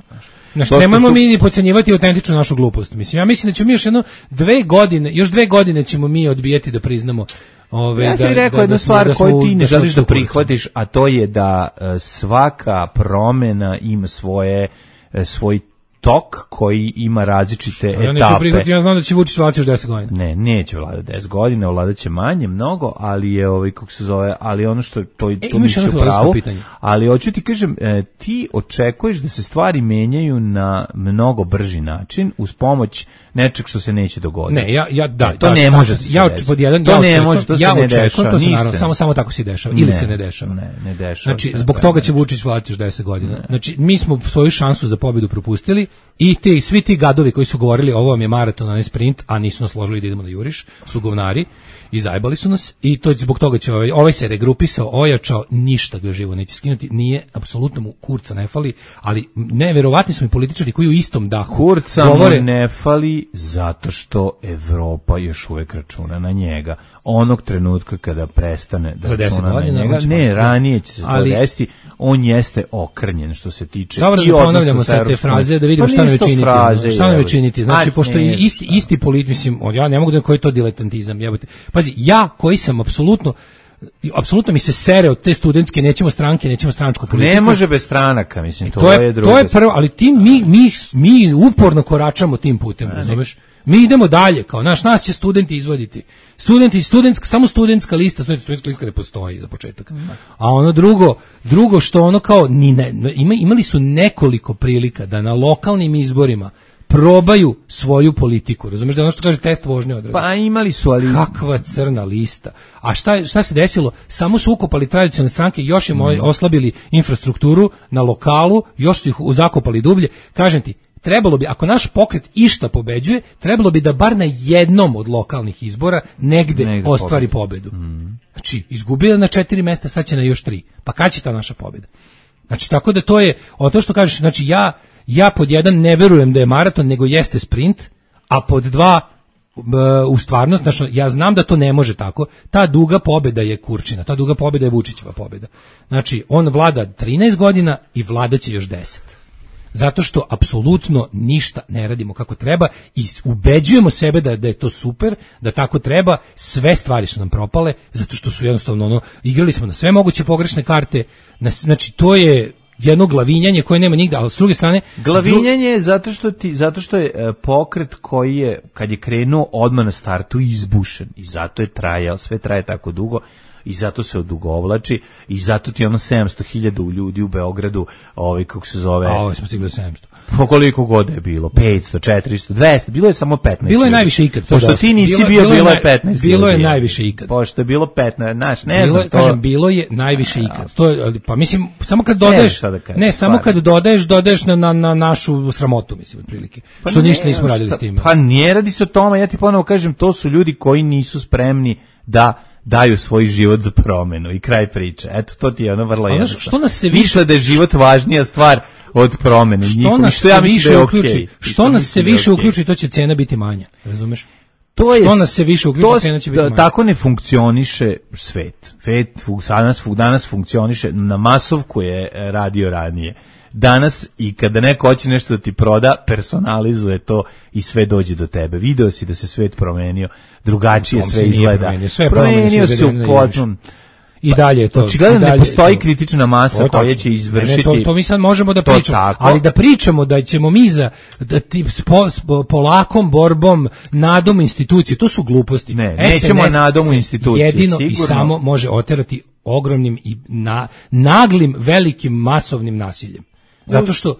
Znači, nemojmo su... mi ni podcenjivati autentičnu našu glupost. Mislim, ja mislim da ćemo mi još jedno dve godine, još dve godine ćemo mi odbijeti da priznamo. Ove, ja sam da, rekao da, jednu da stvar da koju ti ne da želiš da prihvatiš, a to je da uh, svaka promena ima svoje, uh, svoj tok koji ima različite etape. Ja neću prihvatiti, ja znam da će Vučić vladati još deset godina. Ne, neće vladati deset godina, vladat će manje, mnogo, ali je ovaj, kako se zove, ali ono što to, e, to misli u pravu, ali hoću ti kažem, e, ti očekuješ da se stvari menjaju na mnogo brži način, uz pomoć nečeg što se neće dogoditi. Ne, ja, ja, da, e, to da, ne da, može se ja, pod jedan, to ja ne očekujem, može, to se ja ne očekujem, dešava, to se ništa. naravno, samo, samo tako se dešava, ili ne, se ne dešava. Ne, ne dešava znači, se. Zbog toga će Vučić vladati još deset godina. Ne. Znači, mi smo svoju šansu za pobjedu propustili i ti, svi ti gadovi koji su govorili ovo vam je maraton, a ne sprint, a nisu nas složili da idemo na juriš, su govnari i zajebali su nas i to zbog toga će ovaj, ovaj se regrupisao, ojačao, ništa ga živo neće skinuti, nije, apsolutno mu kurca ne fali, ali neverovatni su mi političari koji u istom dahu kurca govore, mu ne fali zato što Evropa još uvek računa na njega. Onog trenutka kada prestane da računa na njega, ne, ranije će se to desiti, on jeste okrnjen što se tiče. Dobro, da ponavljamo sad te fraze da vidimo pa šta nam činiti. Fraze, šta nam činiti? Znači, a, pošto je isti, isti polit, mislim, ja ne mogu da koji je to diletantizam, jebote. Pazi, ja koji sam apsolutno apsolutno mi se sere od te studentske, nećemo stranke, nećemo stranačku politiku. Ne može bez stranaka, mislim, to, to je, je drugo. To je prvo, ali ti, mi, mi, mi uporno koračamo tim putem, razumeš? Mi idemo dalje, kao naš, nas će studenti izvoditi. Studenti, studentska, samo studentska lista, studentska lista ne postoji za početak. A ono drugo, drugo što ono kao, ni ne, ima, imali su nekoliko prilika da na lokalnim izborima probaju svoju politiku, razumeš, da ono što kaže test vožnje odradi. Pa imali su, ali... Kakva crna lista. A šta, šta se desilo? Samo su ukopali tradicionalne stranke, još im mm. oslabili infrastrukturu na lokalu, još su ih zakopali dublje. Kažem ti, trebalo bi, ako naš pokret išta pobeđuje, trebalo bi da bar na jednom od lokalnih izbora negde, negde ostvari pobedu. Mm. Znači, izgubila na četiri mesta, sad će na još tri. Pa kad će ta naša pobeda? Znači, tako da to je, o to što kažeš, znači ja Ja pod jedan ne verujem da je maraton, nego jeste sprint, a pod dva u stvarnost, znači ja znam da to ne može tako, ta duga pobeda je Kurčina, ta duga pobeda je Vučićeva pobeda. Znači, on vlada trinaest godina i vladaće još deset. Zato što apsolutno ništa ne radimo kako treba i ubeđujemo sebe da, da je to super, da tako treba, sve stvari su nam propale, zato što su jednostavno ono, igrali smo na sve moguće pogrešne karte, na, znači to je jedno glavinjanje koje nema nigde, ali s druge strane... Glavinjanje je zato što, ti, zato što je e, pokret koji je, kad je krenuo odmah na startu, izbušen i zato je trajao, sve traje tako dugo i zato se odugovlači i zato ti ono sedamsto hiljada ljudi u Beogradu, ovaj kako se zove. A ovo smo stigli do sedamsto. Po koliko god je bilo, petsto, četiristo, dvesta, bilo je samo petnaest. Bilo je ljudi. najviše ikad. Pošto ti nisi bilo, bio, bilo, bilo je je petnaest. Bilo je ljudi. najviše ikad. Pošto je bilo petnaest, znaš, ne bilo, znam to. Kažem, bilo je najviše ikad. To je, pa mislim, samo kad dodaješ, ne, da kažem, ne samo stvarno. kad dodaješ, dodaješ na, na, na našu sramotu, mislim, otprilike. Pa što ne, ništa nismo radili šta, s tim. Pa nije radi se o tome, ja ti ponovo kažem, to su ljudi koji nisu spremni da daju svoj život za promenu i kraj priče. Eto, to ti je ono vrlo jednostavno. Što nas se više... Misle da je život važnija stvar od promene. Što Njihovi, nas što se ja više da je uključi, okay. što nas se da više okay. uključi, to će cena biti manja, razumeš? To je, što nas se više uključi, cena će biti manja. Tako ne funkcioniše svet. Svet danas, danas funkcioniše na masovku je radio ranije. Danas i kada neko hoće nešto da ti proda, personalizuje to i sve dođe do tebe. Video si da se svet promenio, drugačije sve izgleda. Promenio, sve promenio se u potpuno. I dalje je to. Očigledno ne postoji to. kritična masa koja će izvršiti. Ne, to, to mi sad možemo da pričamo, tako. ali da pričamo da ćemo mi za da ti spo, spo, polakom borbom nadom institucije, to su gluposti. Ne, nećemo nadom institucije. Jedino sigurno. I samo može oterati ogromnim i na, naglim, velikim, masovnim nasiljem. Zato što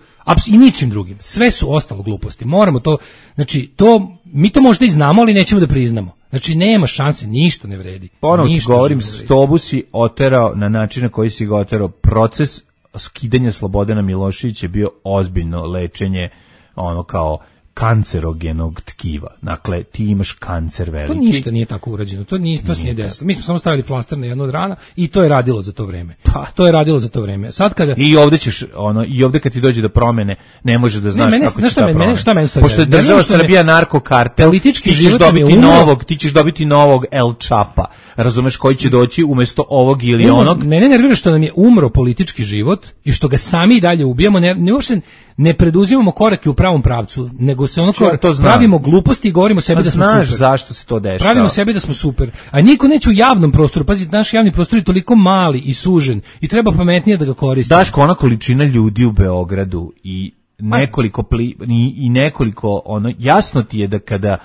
i ničim drugim. Sve su ostalo gluposti. Moramo to, znači to mi to možda i znamo, ali nećemo da priznamo. Znači nema šanse, ništa ne vredi. Ponovo ti govorim, Stobu si oterao na način na koji si ga oterao. Proces skidanja Slobodana Miloševića je bio ozbiljno lečenje, ono kao kancerogenog tkiva. Dakle, ti imaš kancer veliki. To ništa nije tako urađeno. To nije, to se nije desilo. Mi smo samo stavili flaster na jednu od rana i to je radilo za to vreme. Pa to je radilo za to vreme. Sad kada I ovde ćeš ono i ovde kad ti dođe do promene, ne možeš da znaš ne, mene, kako će ta mene, promena. Šta meni Pošto je država Srbija narkokartel, politički ti ćeš život dobiti umro, novog, ti ćeš dobiti novog El Čapa. Razumeš, koji će doći umesto ovog ili umro, onog. Mene nervira što nam je umro politički život i što ga sami dalje ubijamo, ne, ne uopšte ne preduzimamo korake u pravom pravcu, nego se ono kao pravimo gluposti i govorimo sebi pa da smo znaš super. Zašto se to dešava? Pravimo sebi da smo super. A niko neće u javnom prostoru. Pazi, naš javni prostor je toliko mali i sužen i treba pametnije da ga koristimo. Daško, ona količina ljudi u Beogradu i nekoliko pli, i, i nekoliko ono jasno ti je da kada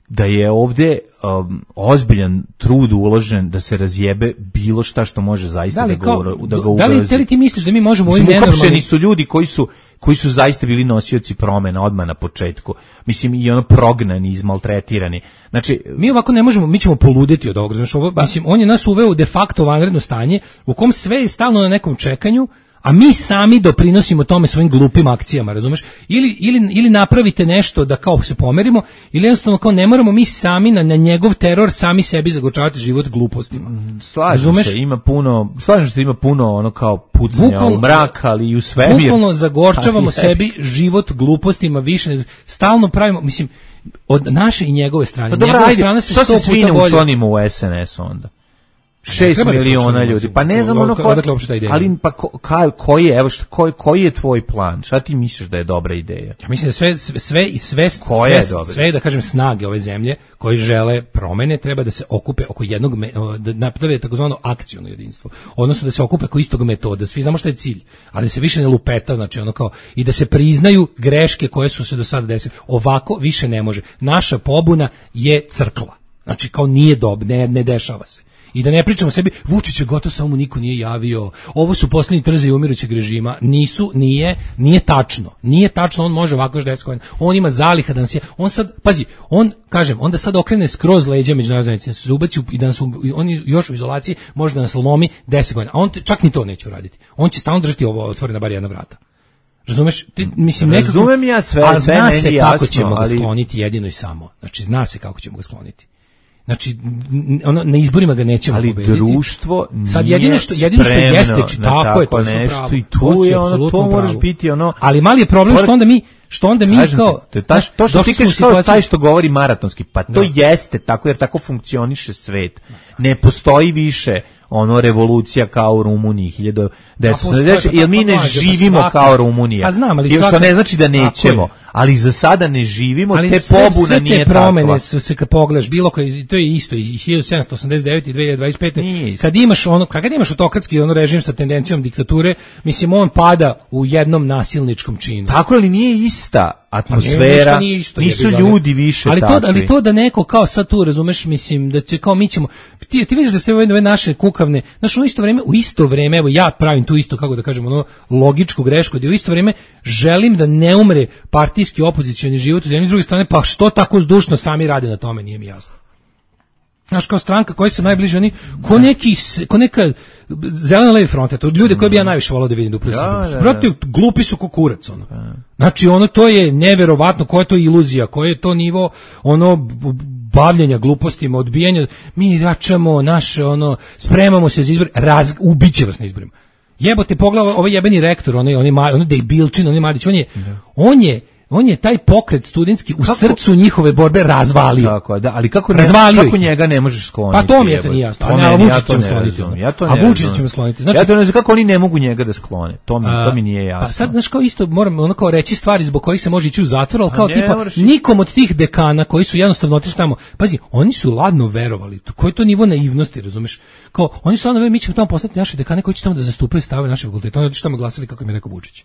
da je ovde um, ozbiljan trud uložen da se razjebe bilo šta što može zaista da, da, ga, kao, da ga ugrozi. Da li, da li ti misliš da mi možemo ovim nenormalnim... Uhapšeni su ljudi koji su koji su zaista bili nosioci promena odmah na početku. Mislim, i ono prognani, izmaltretirani. Znači, mi ovako ne možemo, mi ćemo poludeti od ovoga. Znači, ovo, ba. Mislim, on je nas uveo u de facto vanredno stanje u kom sve je stalno na nekom čekanju, a mi sami doprinosimo tome svojim glupim akcijama, razumeš? Ili, ili, ili napravite nešto da kao se pomerimo, ili jednostavno kao ne moramo mi sami na, na njegov teror sami sebi zagorčavati život glupostima. Slažem se, ima puno, slažem se, ima puno ono kao pucanja bukvalno, u mrak, ali i u svemir. Bukvalno zagorčavamo sebi život glupostima više, stalno pravimo, mislim, od naše i njegove strane. Pa dobra, ajde, što se svi ne učlanimo u S N S onda? Šest miliona ljudi, pa ne znam ono ko, ali pa ko, ka, koji je, evo što, koji, koji je tvoj plan? Šta ti misliš da je dobra ideja? Ja mislim da sve sve i sve sve, sve, sve da kažem snage ove zemlje koji žele promene treba da se okupe oko jednog da naprave takozvano akciono jedinstvo. Odnosno da se okupe oko istog metoda. Svi znamo šta je cilj, ali da se više ne lupeta, znači ono kao i da se priznaju greške koje su se do sada desile. Ovako više ne može. Naša pobuna je crkla. Znači kao nije dob, ne, ne dešava se. I da ne pričamo sebi, Vučić je gotov, samo mu niko nije javio, ovo su posljednji trzaji umirućeg režima, nisu, nije, nije tačno, nije tačno, on može ovako još deset godina, on ima zaliha da nas je, on sad, pazi, on, kažem, onda sad okrene skroz leđa međunarodne zajednice, se ubaci i da nas, on još u izolaciji može da nas lomi deset godina, a on čak ni to neće uraditi, on će stalno držati ovo otvorena bar jedna vrata. Razumeš? Ti, mislim, nekako, razumem ja sve, a sve zna se kako jasno, ćemo ali... ga skloniti jedino i samo, znači zna se kako ćemo ga skloniti. Znači, ono, na izborima ga nećemo ali pobediti. Ali društvo nije sad jedino što, jedino što jeste, či, tako je, to nešto pravo, i tu je ono, to moraš biti ono... Ali mali je problem što onda mi, što onda mi kažem kao... Te, ta, to što ti kažeš kao taj što govori maratonski, pa to no. jeste tako, jer tako funkcioniše svet. Ne postoji više ono revolucija kao u Rumuniji hiljadu devetsto sedamdeset, jer mi ne živimo pa kao Rumunija. Pa znam, ali svaka, što ne znači da nećemo, ali za sada ne živimo, ali te sve, pobuna sve te nije takva. Promene su se kad pogledaš, bilo koji, to je isto i hiljadu sedamsto osamdeset devete i dve hiljade dvadeset pete. Kad imaš ono, kad imaš autokratski ono režim sa tendencijom diktature, mislim on pada u jednom nasilničkom činu. Tako ali nije ista atmosfera, nije isto, nisu jebi ga, ljudi više ali to, takvi. ali to da neko kao sad tu, razumeš, mislim, da će kao mi ćemo, ti, ti vidiš da ste ove, ove naše kukavne, znaš, u isto vreme, u isto vreme, evo ja pravim tu isto, kako da kažem, ono, logičku grešku, da u isto vreme želim da ne umre partijski opozicioni život, s jedne i s druge strane, pa što tako zdušno sami rade na tome, nije mi jasno. Znaš, kao stranka koja se najbliže, oni, ko neki, ko neka zelena levi fronta, to ljude koje bi ja najviše volao da vidim da upravo da, se. Brate, glupi su ko kurac, ono. Znači, ono, to je neverovatno, koja je to iluzija, koji je to nivo, ono, bavljenja glupostima, odbijanja, mi račamo naše, ono, spremamo se za izbor, raz, ubiće vas na izborima. Jebote, pogledaj ovaj jebeni rektor, onaj, onaj, onaj Dejbilčin, onaj Madić, on je, on je, on je taj pokret studentski u kako? Srcu njihove borbe razvalio. Tako, da, ali kako, ne, kako njega ne možeš skloniti? Pa to mi je to nije jasno. A, a Vučić ćemo skloniti. Ja to ne a Vučić ćemo skloniti. Znači, ja to ne znam kako oni ne mogu njega da sklone. To mi, a, to mi nije jasno. Pa sad, znaš, kao isto moram ono kao reći stvari zbog kojih se može ići u zatvor, ali kao tipa moraš... nikom od tih dekana koji su jednostavno otišli tamo, pazi, oni su ladno verovali. Koji je to nivo naivnosti, razumeš? Kao, oni su ladno verovali, mi ćemo tamo poslati naše dekane koji će tamo da zastupaju stave naše fakultete. Oni otišli tamo glasali kako im je rekao Vučić.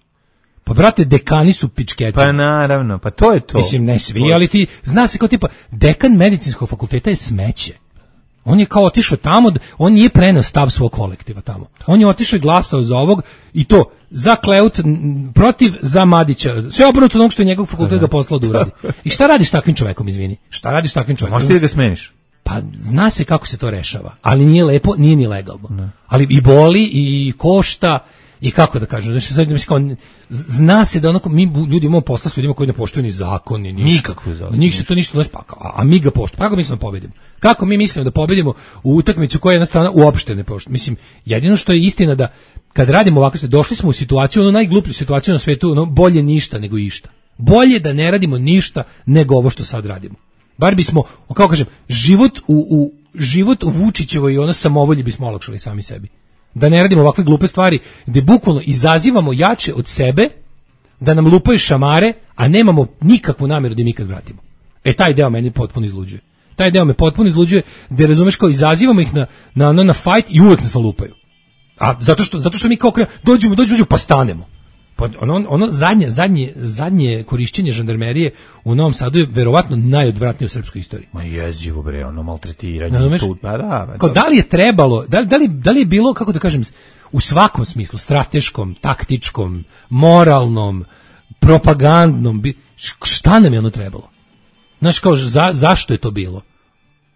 Pa brate, dekani su pičketi. Pa naravno, pa to je to. Mislim, ne svi, ali ti, zna se kao tipa, dekan medicinskog fakulteta je smeće. On je kao otišao tamo, on nije preneo stav svog kolektiva tamo. On je otišao i glasao za ovog i to, za Kleut, protiv, za Madića. Sve obrnuto od onog što je njegov fakultet ga poslao da uradi. I šta radiš s takvim čovekom, izvini? Šta radiš s takvim čovekom? Možeš ti da ga smeniš? Pa zna se kako se to rešava, ali nije lepo, nije ni legalno. Ne. Ali i boli, i košta, i kako da kažem, znači sad mislim kao zna se da onako mi ljudi imamo posla s ljudima koji ne poštuju ni zakon ni ništa. Nikakvu zakon. Njih se to ništa ne spaka, a, a mi ga poštujemo. Kako mislimo da pobedimo? Kako mi mislimo da pobedimo u utakmicu koja jedna strana uopšte ne poštuje? Mislim, jedino što je istina da kad radimo ovako, došli smo u situaciju, ono najgluplju situaciju na svetu, ono bolje ništa nego išta. Bolje da ne radimo ništa nego ovo što sad radimo. Bar bismo, kako kažem, život u, u život u Vučićevoj i ono samovolji bismo olakšali sami sebi. Da ne radimo ovakve glupe stvari, gde bukvalno izazivamo jače od sebe, da nam lupaju šamare, a nemamo nikakvu namjeru da im ikad vratimo. E, taj deo meni potpuno izluđuje. Taj deo me potpuno izluđuje, gde razumeš kao izazivamo ih na, na, na, na fight i uvek nas lupaju. A zato što, zato što mi kao krenemo, dođemo, dođemo, dođemo, pa stanemo. Pa ono, ono zadnje, zadnje, zadnje korišćenje žandarmerije u Novom Sadu je verovatno najodvratnije u srpskoj istoriji. Ma jezivo bre, ono maltretiranje. Tu, pa da, pa kao, da li je trebalo, da li, da, li, da li je bilo, kako da kažem, u svakom smislu, strateškom, taktičkom, moralnom, propagandnom, šta nam je ono trebalo? Znaš, kao, za, zašto je to bilo?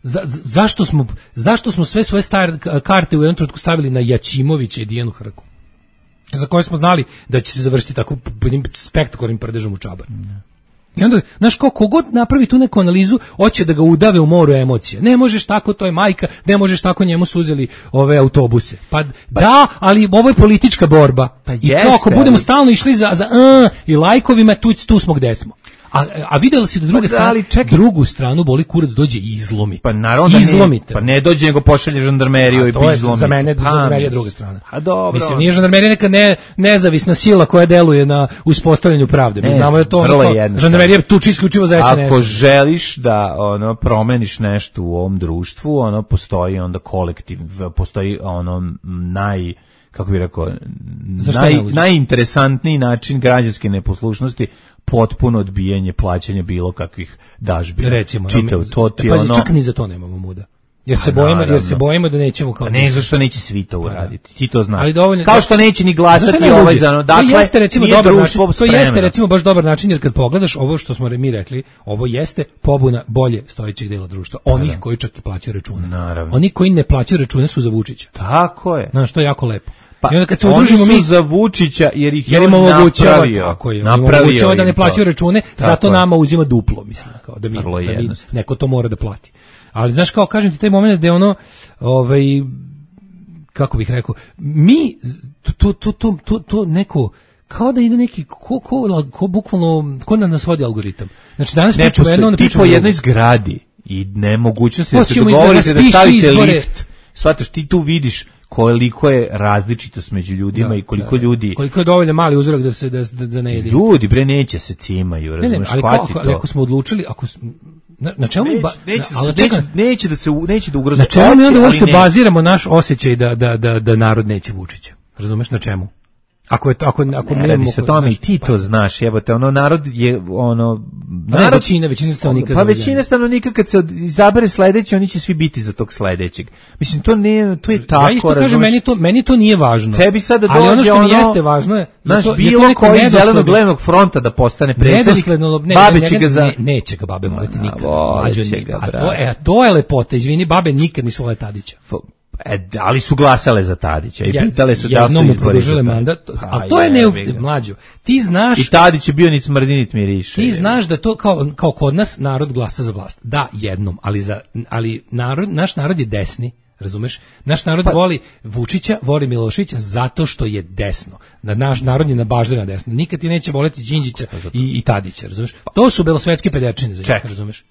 Za, zašto, smo, zašto smo sve svoje stare karte u jednom trenutku stavili na Jačimovića i Dijanu Hrku? Za koje smo znali da će se završiti tako spektakularnim prdežom u čabar. I onda, znaš, ko kogod napravi tu neku analizu, hoće da ga udave u moru emocija. Ne možeš tako, to je majka, ne možeš tako, njemu su uzeli ove autobuse. Pa, pa da, ali ovo je politička borba. Pa I jeste, to, ako budemo ali... stalno išli za, za uh, i lajkovima, tu, tu smo gde smo. A, a vidjela si da druga pa, strana, drugu stranu boli kurac dođe i izlomi. Pa naravno izlomite. Ne, pa ne dođe nego pošalje žandarmeriju i izlomi. Za mene žandarmerija druga strana. A dobro. Mislim, nije žandarmerija neka ne, nezavisna sila koja deluje na uspostavljanju pravde. Mi ne, znamo da to ono, žandarmerija tuči isključivo za S N S. Ako želiš da ono promeniš nešto u ovom društvu, ono postoji onda kolektiv, postoji ono naj kako bih rekao, naj, najinteresantniji način građanske neposlušnosti, potpuno odbijanje plaćanja bilo kakvih dažbina. Recimo, čitav to ti pa, ono. Čak ni za to nemamo muda. Jer se bojimo, jer se bojimo da nećemo kao. A ne zašto neće svi to uraditi. Ti to znaš. Ali dovoljno, kao što neće ni glasati ovaj za ono. Dakle, to jeste recimo dobar način. To jeste recimo baš dobar način jer kad pogledaš ovo što smo mi rekli, ovo jeste pobuna bolje stojećeg dela društva. Onih da. Koji čak i plaćaju račune. Naravno. Oni koji ne plaćaju račune su za Vučića. Tako je. Znaš, to je jako lepo. Pa, i onda kad se udružimo mi za Vučića jer ih jer je on napravio, tako je, napravio da ne plaćaju račune, tako zato je. Nama uzima duplo, mislim, kao da mi, da mi neko to mora da plati. Ali znaš kao kažem ti taj moment da je ono, ovaj kako bih rekao, mi to to to to to neko kao da ide neki ko ko, ko bukvalno ko da nas vodi algoritam. Znači danas ne pričamo jedno, ne pričamo po jednoj zgradi i nemogućnosti da se dogovorite da stavite lift. Shvataš, ti tu vidiš koliko je različitost među ljudima da, i koliko da, ljudi koliko je dovoljno mali uzorak da se da da ne jede. Ljudi bre neće se cimaju, razumeš, ali ako, ali ako smo odlučili, ako na, na čemu neće, ba, neće, ali neće, neće, neće da se neće da ugrozi. Na čemu mi onda uopšte baziramo naš osjećaj da da da da narod neće Vučića? Razumeš na čemu? Ako je to, ako ako ne radi se o tome i ti to znaš, jebote, ono narod je ono narod većina većina stanovnika. Pa većina stanovnika kad se izabere sledeći, oni će svi biti za tog sledećeg. Mislim to ne, to je tako. Ja isto kažem, meni to meni to nije važno. Tebi sad da dođe ali ono što ono, mi jeste važno je naš to, bilo je koji zelenog levnog fronta da postane predsjednik. Ne, babe će ga za ne, neće ga babe voleti nikad. A to je to je lepota, izvini, babe nikad nisu volele Tadića. E, ali su glasale za Tadića i ja, pitale su da li su izborili mandat, a to je ne mlađo. Ti znaš i Tadić je bio ni smrdi nit miriše. Ti znaš da to kao kao kod nas narod glasa za vlast. Da, jednom, ali za ali narod naš narod je desni. Razumeš? Naš narod pa, voli Vučića, voli Miloševića zato što je desno. Na naš narod je nabažden na desno. Nikad ti neće voleti Đinđića i, i Tadića, razumeš? To su belosvetske pedečine za njih, razumeš?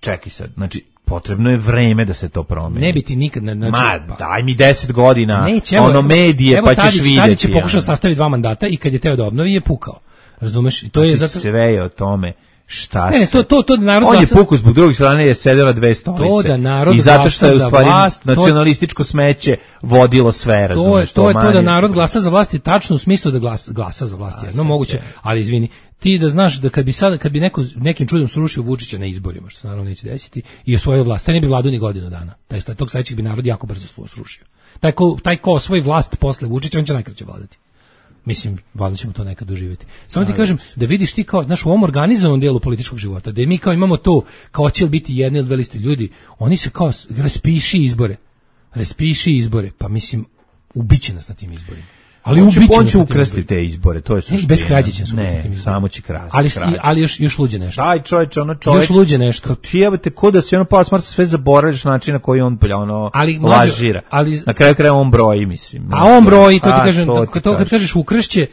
Čekaj sad, znači potrebno je vreme da se to promeni. Ne bi ti nikad... Znači, Ma, daj mi deset godina, neće, evo, ono medije, evo, pa ćeš Tadić, vidjeti. Tadić je pokušao sastaviti dva mandata i kad je teo da obnovi je pukao. Razumeš? I to je zato... Sve je o tome šta ne, ne, to, to, to da narod on glasa... je pukao zbog drugih strane je sedela dve stolice. To da narod i zato što je u stvari vlast, nacionalističko smeće vodilo sve, razumeš? To je to, je to da narod glasa za vlast, je tačno u smislu da glasa, glasa za vlast. Jedno moguće, ali izvini, ti da znaš da kad bi sad kad bi neko nekim čudom srušio Vučića na izborima, što se naravno neće desiti, i osvojio vlast, taj ne bi vladao ni godinu dana. Taj tog sledećeg bi narod jako brzo srušio. Taj ko taj ko osvoji vlast posle Vučića, on će najkraće vladati. Mislim, valjda ćemo to nekad doživjeti. Samo ti kažem, da vidiš ti kao, znaš, u ovom organizovanom dijelu političkog života, da mi kao imamo to, kao će li biti jedne ili dve liste ljudi, oni se kao, raspiši izbore. Raspiši izbore. Pa mislim, ubiće nas na tim izborima. Ali on ubiće on će ukrasti te izbore, to je suština. Bez krađe će se ukrasti tim izborima. Samo će krasti. Ali, ali još, još luđe nešto. Daj čovječe, ono čovjek. Još luđe nešto. Ti jebate, ko da se ono pa smrt sve zaboraviš način na koji on ono ali, lažira. Ali, na kraju kraja on broji, mislim. A on broji, to ti kažem, to, to, to kad kažeš ukrašće,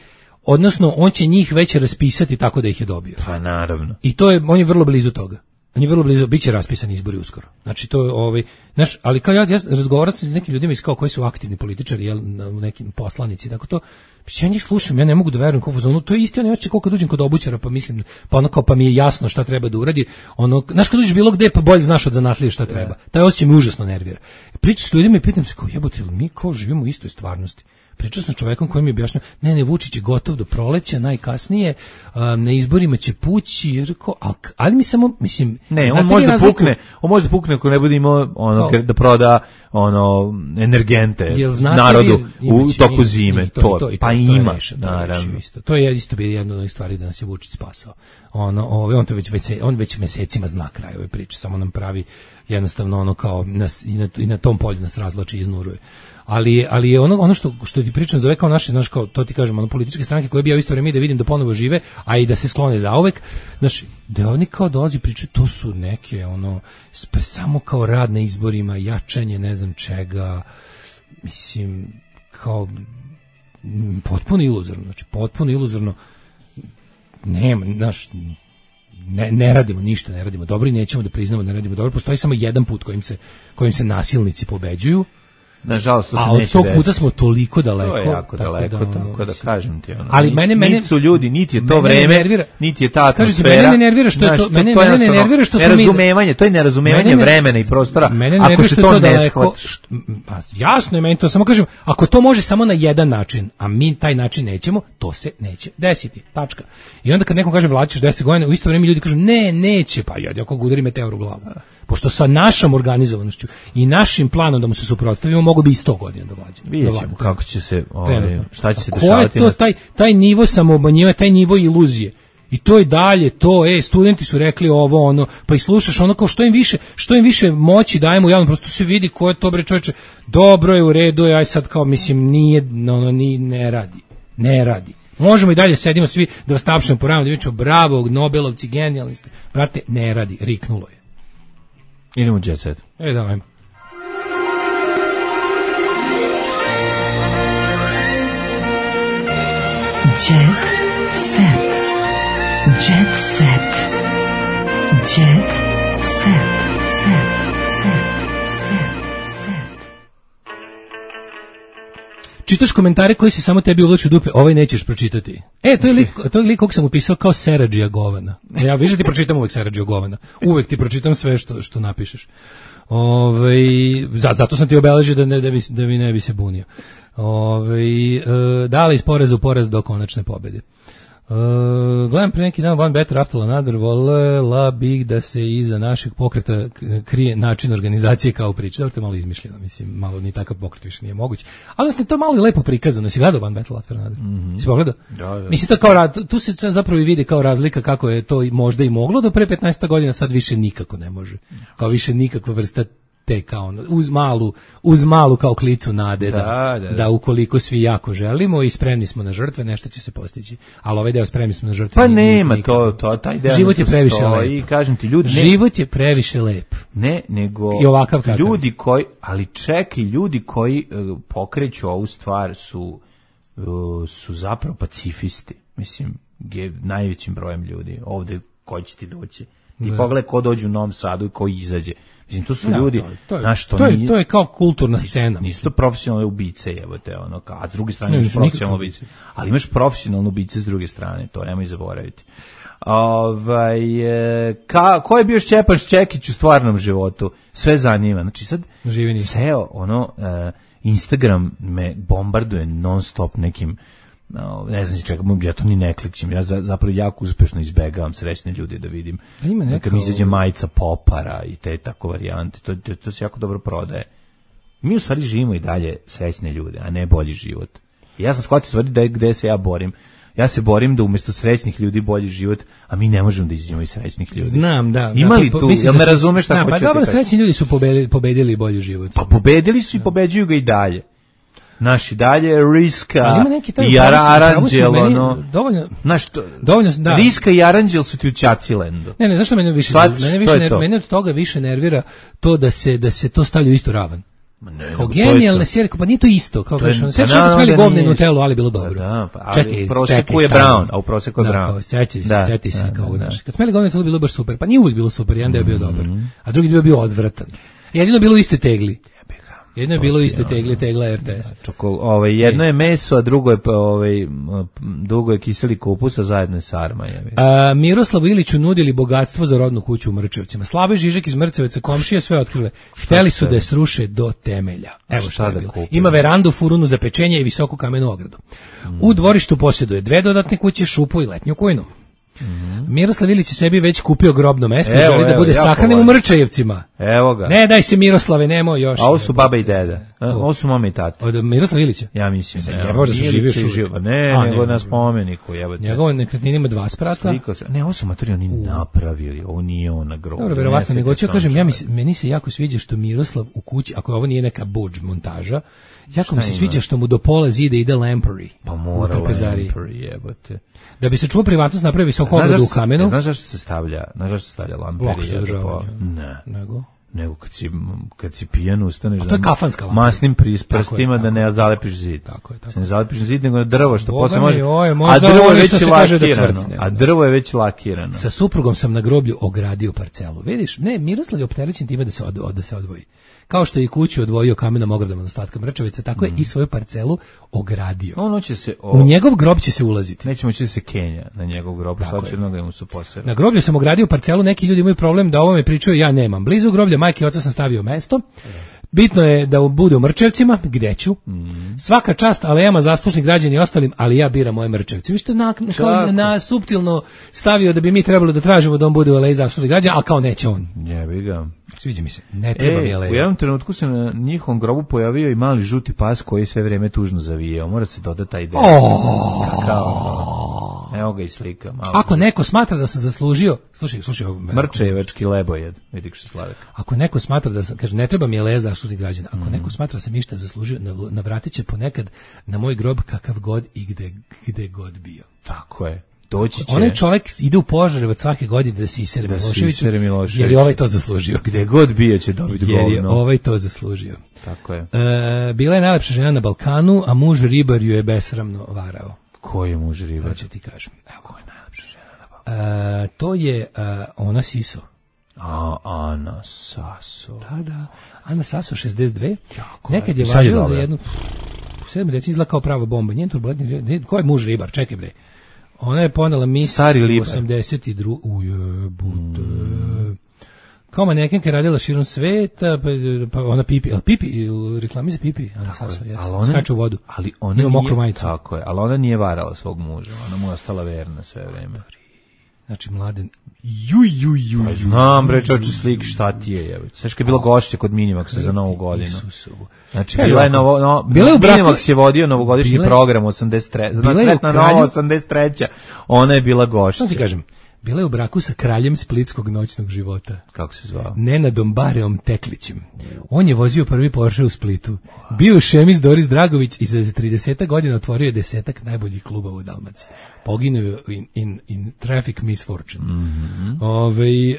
odnosno on će njih već raspisati tako da ih je dobio. Pa naravno. I to je, on je vrlo blizu toga. On je vrlo blizu, bit će raspisani izbori uskoro. Znači to je ovaj, znaš, ali kao ja, ja razgovaram sa nekim ljudima iz kao koji su aktivni političari, jel, nekim poslanici, tako to, ja njih slušam, ja ne mogu da verujem kao fazonu, to je isti onaj osjećaj kao kad uđem kod obućara, pa mislim, pa ono kao, pa mi je jasno šta treba da uradi, ono, znaš kad uđeš bilo gde, pa bolje znaš od zanatlije šta treba. Taj osjećaj me užasno nervira. Pričam s ljudima i pitam se kao, jebote, mi kao živimo u istoj stvarnosti. Pričao sam čovekom koji mi je objašnjao, ne, ne, Vučić je gotov do proleća, najkasnije, um, na izborima će pući, jer ko, ali, ali mi samo, mislim... Ne, on može da pukne, on može da pukne ako ne bude imao ono, kao, da proda ono, energente narodu vi, u toku zime, to, to, to, to, pa to ima, reši, naravno. Isto. To je isto bilo jedna od stvari da nas je Vučić spasao. Ono, ove, on, to već, već, on već mesecima zna kraj ove priče, samo nam pravi jednostavno ono kao, nas, i, na, i na tom polju nas razvlači i iznuruje. Ali, ali je ono, ono što, što ti pričam zove kao naše, znaš, kao, to ti kažem, ono, političke stranke koje bi ja u isto vreme da vidim da ponovo žive, a i da se sklone zauvek, znaš, da oni kao dolazi pričaju, to su neke, ono, samo kao rad na izborima, jačanje, ne znam čega, mislim, kao, potpuno iluzorno, znači, potpuno iluzorno, nema, znaš, ne, ne radimo ništa, ne radimo dobro i nećemo da priznamo da ne radimo dobro, postoji samo jedan put kojim se, kojim se nasilnici pobeđuju. Nažalost, to se a neće od tog puta desiti. Smo toliko daleko. To je jako tako daleko, da, tako da kažem ti ono. Ali mene, mene, niti su ljudi, niti je to vreme, nervira, niti je ta atmosfera. Kažete, mene ne nervira što je to, mene, to je mene ne nervira što smo mi... Nerazumevanje, to je nerazumevanje ne, vremena i prostora, mene ne ako se to, to ne shvati. Jasno je meni to, samo kažem, ako to može samo na jedan način, a mi taj način nećemo, to se neće desiti, tačka. I onda kad nekom kaže vlačiš deset godina, u isto vrijeme ljudi kažu, ne, neće, pa ja, ako udari meteor u glavu. Pošto sa našom organizovanošću i našim planom da mu se suprotstavimo, mogu bi i sto godina da vlađe. Vidjet ćemo kako će se, ovaj, šta će se dešavati. Ko je to, taj, taj nivo samoobmanjivanja, taj nivo iluzije? I to je dalje, to, e, studenti su rekli ovo, ono, pa i slušaš ono kao što im više, što im više moći dajemo u javnom, prosto se vidi ko je to, bre čoveče, dobro je, u redu je, aj sad kao, mislim, nije, ono, ni, ne radi, ne radi. Možemo i dalje sedimo svi da vas tapšemo po ranu, da vičemo, bravo, Nobelovci, genijalni ste. Brate, ne radi, riknulo je. Idemo u Jet Set. E, da, ajmo. Jet Set. Jet Set. Jet Set. Set. Set. Set. Set. Čitaš komentare koji se samo tebi uvlači u dupe, ovaj nećeš pročitati. E, to je lik, to je lik kog sam upisao kao Seradžija Govana. Ja više ti pročitam uvek Seradžija Govana. Uvek ti pročitam sve što, što napišeš. Ove, zato sam ti obeležio da, ne, da, mi, da mi ne bi se bunio. Ove, e, dali iz poreza u porez do konačne pobede. Uh, gledam pre neki dan One Better After Another, volela bih da se iza našeg pokreta krije način organizacije kao priča. To je malo izmišljeno, mislim, malo ni takav pokret više nije moguć. Ali mislim, to je malo i lepo prikazano. Si gledao One Better After Another? Mm-hmm. Si pogledao? Da, da. Mislim, to kao, tu se zapravo i vidi kao razlika kako je to možda i moglo do pre petnaest godina, sad više nikako ne može. Kao više nikakva vrsta te kao uz malu uz malu kao klicu nade da, da, da, da ukoliko svi jako želimo i spremni smo na žrtve, nešto će se postići. Ali ovaj deo spremni smo na žrtve. Pa nema to, to taj deo. Život je previše lep. I kažem ti, ljudi, ne, život je previše lep. Ne, nego i ovakav kakav. Ljudi koji, ali čekaj, ljudi koji uh, pokreću ovu stvar su uh, su zapravo pacifisti. Mislim, je najvećim brojem ljudi ovde koji će ti doći. I pogledaj ko dođe u Novom Sadu i ko izađe. Mislim, to su ja, ljudi, to je, znaš, to, to, je, nije, to je kao kulturna scena. Nisu to profesionalne ubice, jebote, ono, a s druge strane ne, imaš profesionalne ubice. Ali imaš profesionalne ubice s druge strane, to nemoj zaboraviti. Ovaj, ka, ko je bio Šćepan Šćekić u stvarnom životu? Sve zanima. Znači sad, ceo, ono, uh, Instagram me bombarduje non stop nekim, no, ne znam čega, ja to ni ne klikćem, ja za, zapravo jako uspešno izbegavam srećne ljude da vidim. Ima neka, kad mi izađe majica Popara i te tako varijante, to, to, to se jako dobro prodaje. Mi u stvari živimo i dalje srećne ljude, a ne bolji život. I ja sam shvatio stvari da je gde se ja borim. Ja se borim da umjesto srećnih ljudi bolji život, a mi ne možemo da izađemo iz srećnih ljudi. Znam, da. Ima li tu, jel me razumeš šta hoću? Pa dobro, srećni ljudi su pobedili, pobedili bolji život. Pa pobedili su i pobeđuju ga i dalje. Naši dalje Riska i Aranđel, ono, dovoljno, znaš, to, dovoljno, da. Riska i Aranđel su ti u Ćacilendu. Ne, ne, zašto mene više, Svat, mene više nervira, mene od toga više nervira to da se da se to stavlja u istu ravan. Ne, kao genijalne serije, pa nije to isto, kao kažeš, sve što smeli govne Nutellu, ali bilo dobro. Da, pa, ali čekaj, u proseku je Brown, a u proseku je Brown. Kao, seći se, seti se, kao, znaš, kad smeli govne Nutellu bilo baš super, pa nije uvijek bilo super, jedan deo bio dobar, a drugi deo bio odvratan. Jedino bilo u istoj tegli. Jedno je bilo isto tegli, tegla R T S. Čokol, ovaj, jedno je meso, a drugo je, ovaj, drugo je kiseli kupus, a zajedno je sarma. Je. A, Miroslavu Iliću nudili bogatstvo za rodnu kuću u Mrčevcima. Slavoj Žižek iz Mrceveca, komšije sve otkrile. Hteli su da je sruše do temelja. Evo šta je bilo. Ima verandu, furunu za pečenje i visoku kamenu ogradu. Mm. U dvorištu posjeduje dve dodatne kuće, šupu i letnju kujnu. Mm-hmm. Miroslav Ilić je sebi već kupio grobno mesto i želi da bude sahranjen u Mrčajevcima. Evo ga. Ne, daj se Miroslave, nemoj još. A ovo su baba i deda. Ovo su mama i tata. Od Miroslava Ilića? Ja mislim. Ne, ne, možda su živio živo. Ne, A, nego na spomeniku. Njegovo nekretnina ima dva sprata. Ne, ovo su materi oni napravili. Ovo nije on na grobu. Dobro, verovatno, nego ću kažem, ja mislim, meni se jako sviđa što Miroslav u kući, ako ovo nije neka budž montaža, jako mi se sviđa što mu do pola zida ide lampery. Pa mora lampery, jebote. Da bi se čuo privatnost napravi visoko ogradu u kamenu. Znaš zašto se stavlja? Znaš zašto se stavlja lamperija? Ne. Nego? Nego kad si, kad si pijan ustaneš... A to je kafanska lamperija. Masnim prstima da ne zalepiš zid. Tako je, tako. Se ne zalepiš zid, nego na drvo, što Boga posle mi, može... Oj, a drvo je već lakirano. A drvo je već lakirano. Sa suprugom sam na groblju ogradio parcelu. Vidiš, ne, Miroslav je opterećen time da se, od, od, da se odvoji. Kao što je i kuću odvojio kamenom ogradom od ostatka Mrčevica, tako je mm. i svoju parcelu ogradio. Ono će se o... U njegov grob će se ulaziti. Nećemo će se Kenja na njegov grob, svačerno ga mu su posebno. Na groblju sam ogradio parcelu, neki ljudi imaju problem da ovo me pričaju, ja nemam. Blizu groblja majke i oca sam stavio mesto. Bitno je da bude u Mrčevcima, gde ću. Mm. Svaka čast alejama zaslužnih građana i ostalim, ali ja biram moje Mrčevce. Vi što na, na, na suptilno stavio da bi mi trebalo da tražimo da on bude u aleji zaslužnih građana, ali kao neće on. Jebi ga. Sviđa mi se. Ne treba e, mi aleja. U jednom trenutku se na njihovom grobu pojavio i mali žuti pas koji sve vreme tužno zavijao. Mora se dodati taj deo. Oh. Kao, evo ga i slika. Malo Ako neko smatra da sam zaslužio, slušaj, slušaj ovo. Mrčevački lebojed, vidi što Slavek. Ako neko smatra da sam, kaže, ne treba mi aleja zaslužnih građana. Ako mm. neko smatra da sam išta zaslužio, navratit će ponekad na moj grob kakav god i gde, gde god bio. Tako je. Doći će. Onaj čovjek ide u Požarevac svake godine da se isere Miloševiću, jer je ovaj to zaslužio. Gde god bio će dobiti govno. Jer je ovaj to zaslužio. Tako je. E, bila je najlepša žena na Balkanu, a muž ribar ju je besramno varao. Ko je muž ribar? To ću ti kažem. Evo. Ko je najlepša žena na Balkanu? E, to je a, Ona Siso. A, Ana Saso. Da, da. Ana Saso, šezdeset dve. Jako nekad je važila za jednu... sedam deci izgleda kao prava bomba. Njen turbulentni... Ko je muž ribar? Čekaj bre. Ona je ponela mis osamdeset druge ujebute. Mm. Kao manekenka je radila širom sveta, pa, pa ona pipi, ali pipi, reklami za pipi, ali sad su, jes, skače u vodu. Ali ona ima mokru majicu. Tako je, ali ona nije varala svog muža, ona mu je ostala verna sve vreme. Znači, Mladen, juj, juj, juj, juj. Znam, bre, čoče slik, šta ti je, jebe. Sve što je bilo gošće kod Minimaxa za Novu godinu. Isusovu. Znači, bila je novo, no, bila je Minimax je vodio novogodišnji bile, program osamdeset treće. Znači, sretna nova osamdeset treća. Ona je bila gošća. Što ti kažem? Bila je u braku sa kraljem splitskog noćnog života. Kako se zvao? Nenadom Bareom Teklićem. On je vozio prvi Porsche u Splitu. Bio šemis Doris Dragović i za trideset godina otvorio je desetak najboljih klubova u Dalmaciji. Poginuo in, in, in traffic misfortune. Mm-hmm. Ove, e,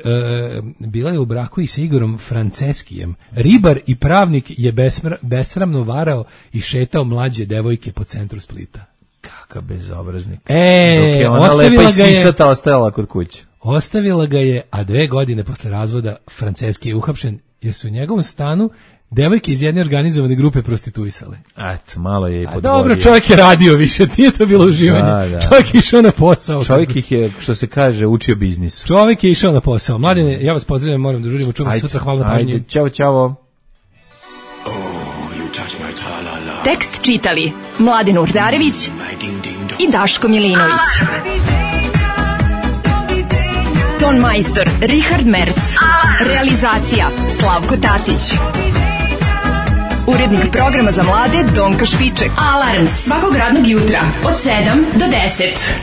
bila je u braku i sa Igorom Franceskijem. Ribar i pravnik je besmra, besramno varao i šetao mlađe devojke po centru Splita. Kakav bezobraznik. E, dok je ona lepa i sisata ostajala kod kuće. Ostavila ga je, a dve godine posle razvoda Franceski je uhapšen jer su u njegovom stanu devojke iz jedne organizovane grupe prostituisale. Eto, malo je i podvorio. Dobro, čovjek je radio više, nije to bilo uživanje. Da, da. Čovjek je išao na posao. Čovjek ih je, što se kaže, učio biznisu. Čovjek je išao na posao. Mladene, ja vas pozdravljam, moram da žurimo, čujemo sutra, hvala na pažnji. Ajde, čao, čao. Tekst čitali Mladen Urdarević i Daško Milinović. Ton majstor Richard Merc. Realizacija Slavko Tatić. Urednik programa za mlade Donka Špiček. Alarms svakog radnog jutra od sedam do deset.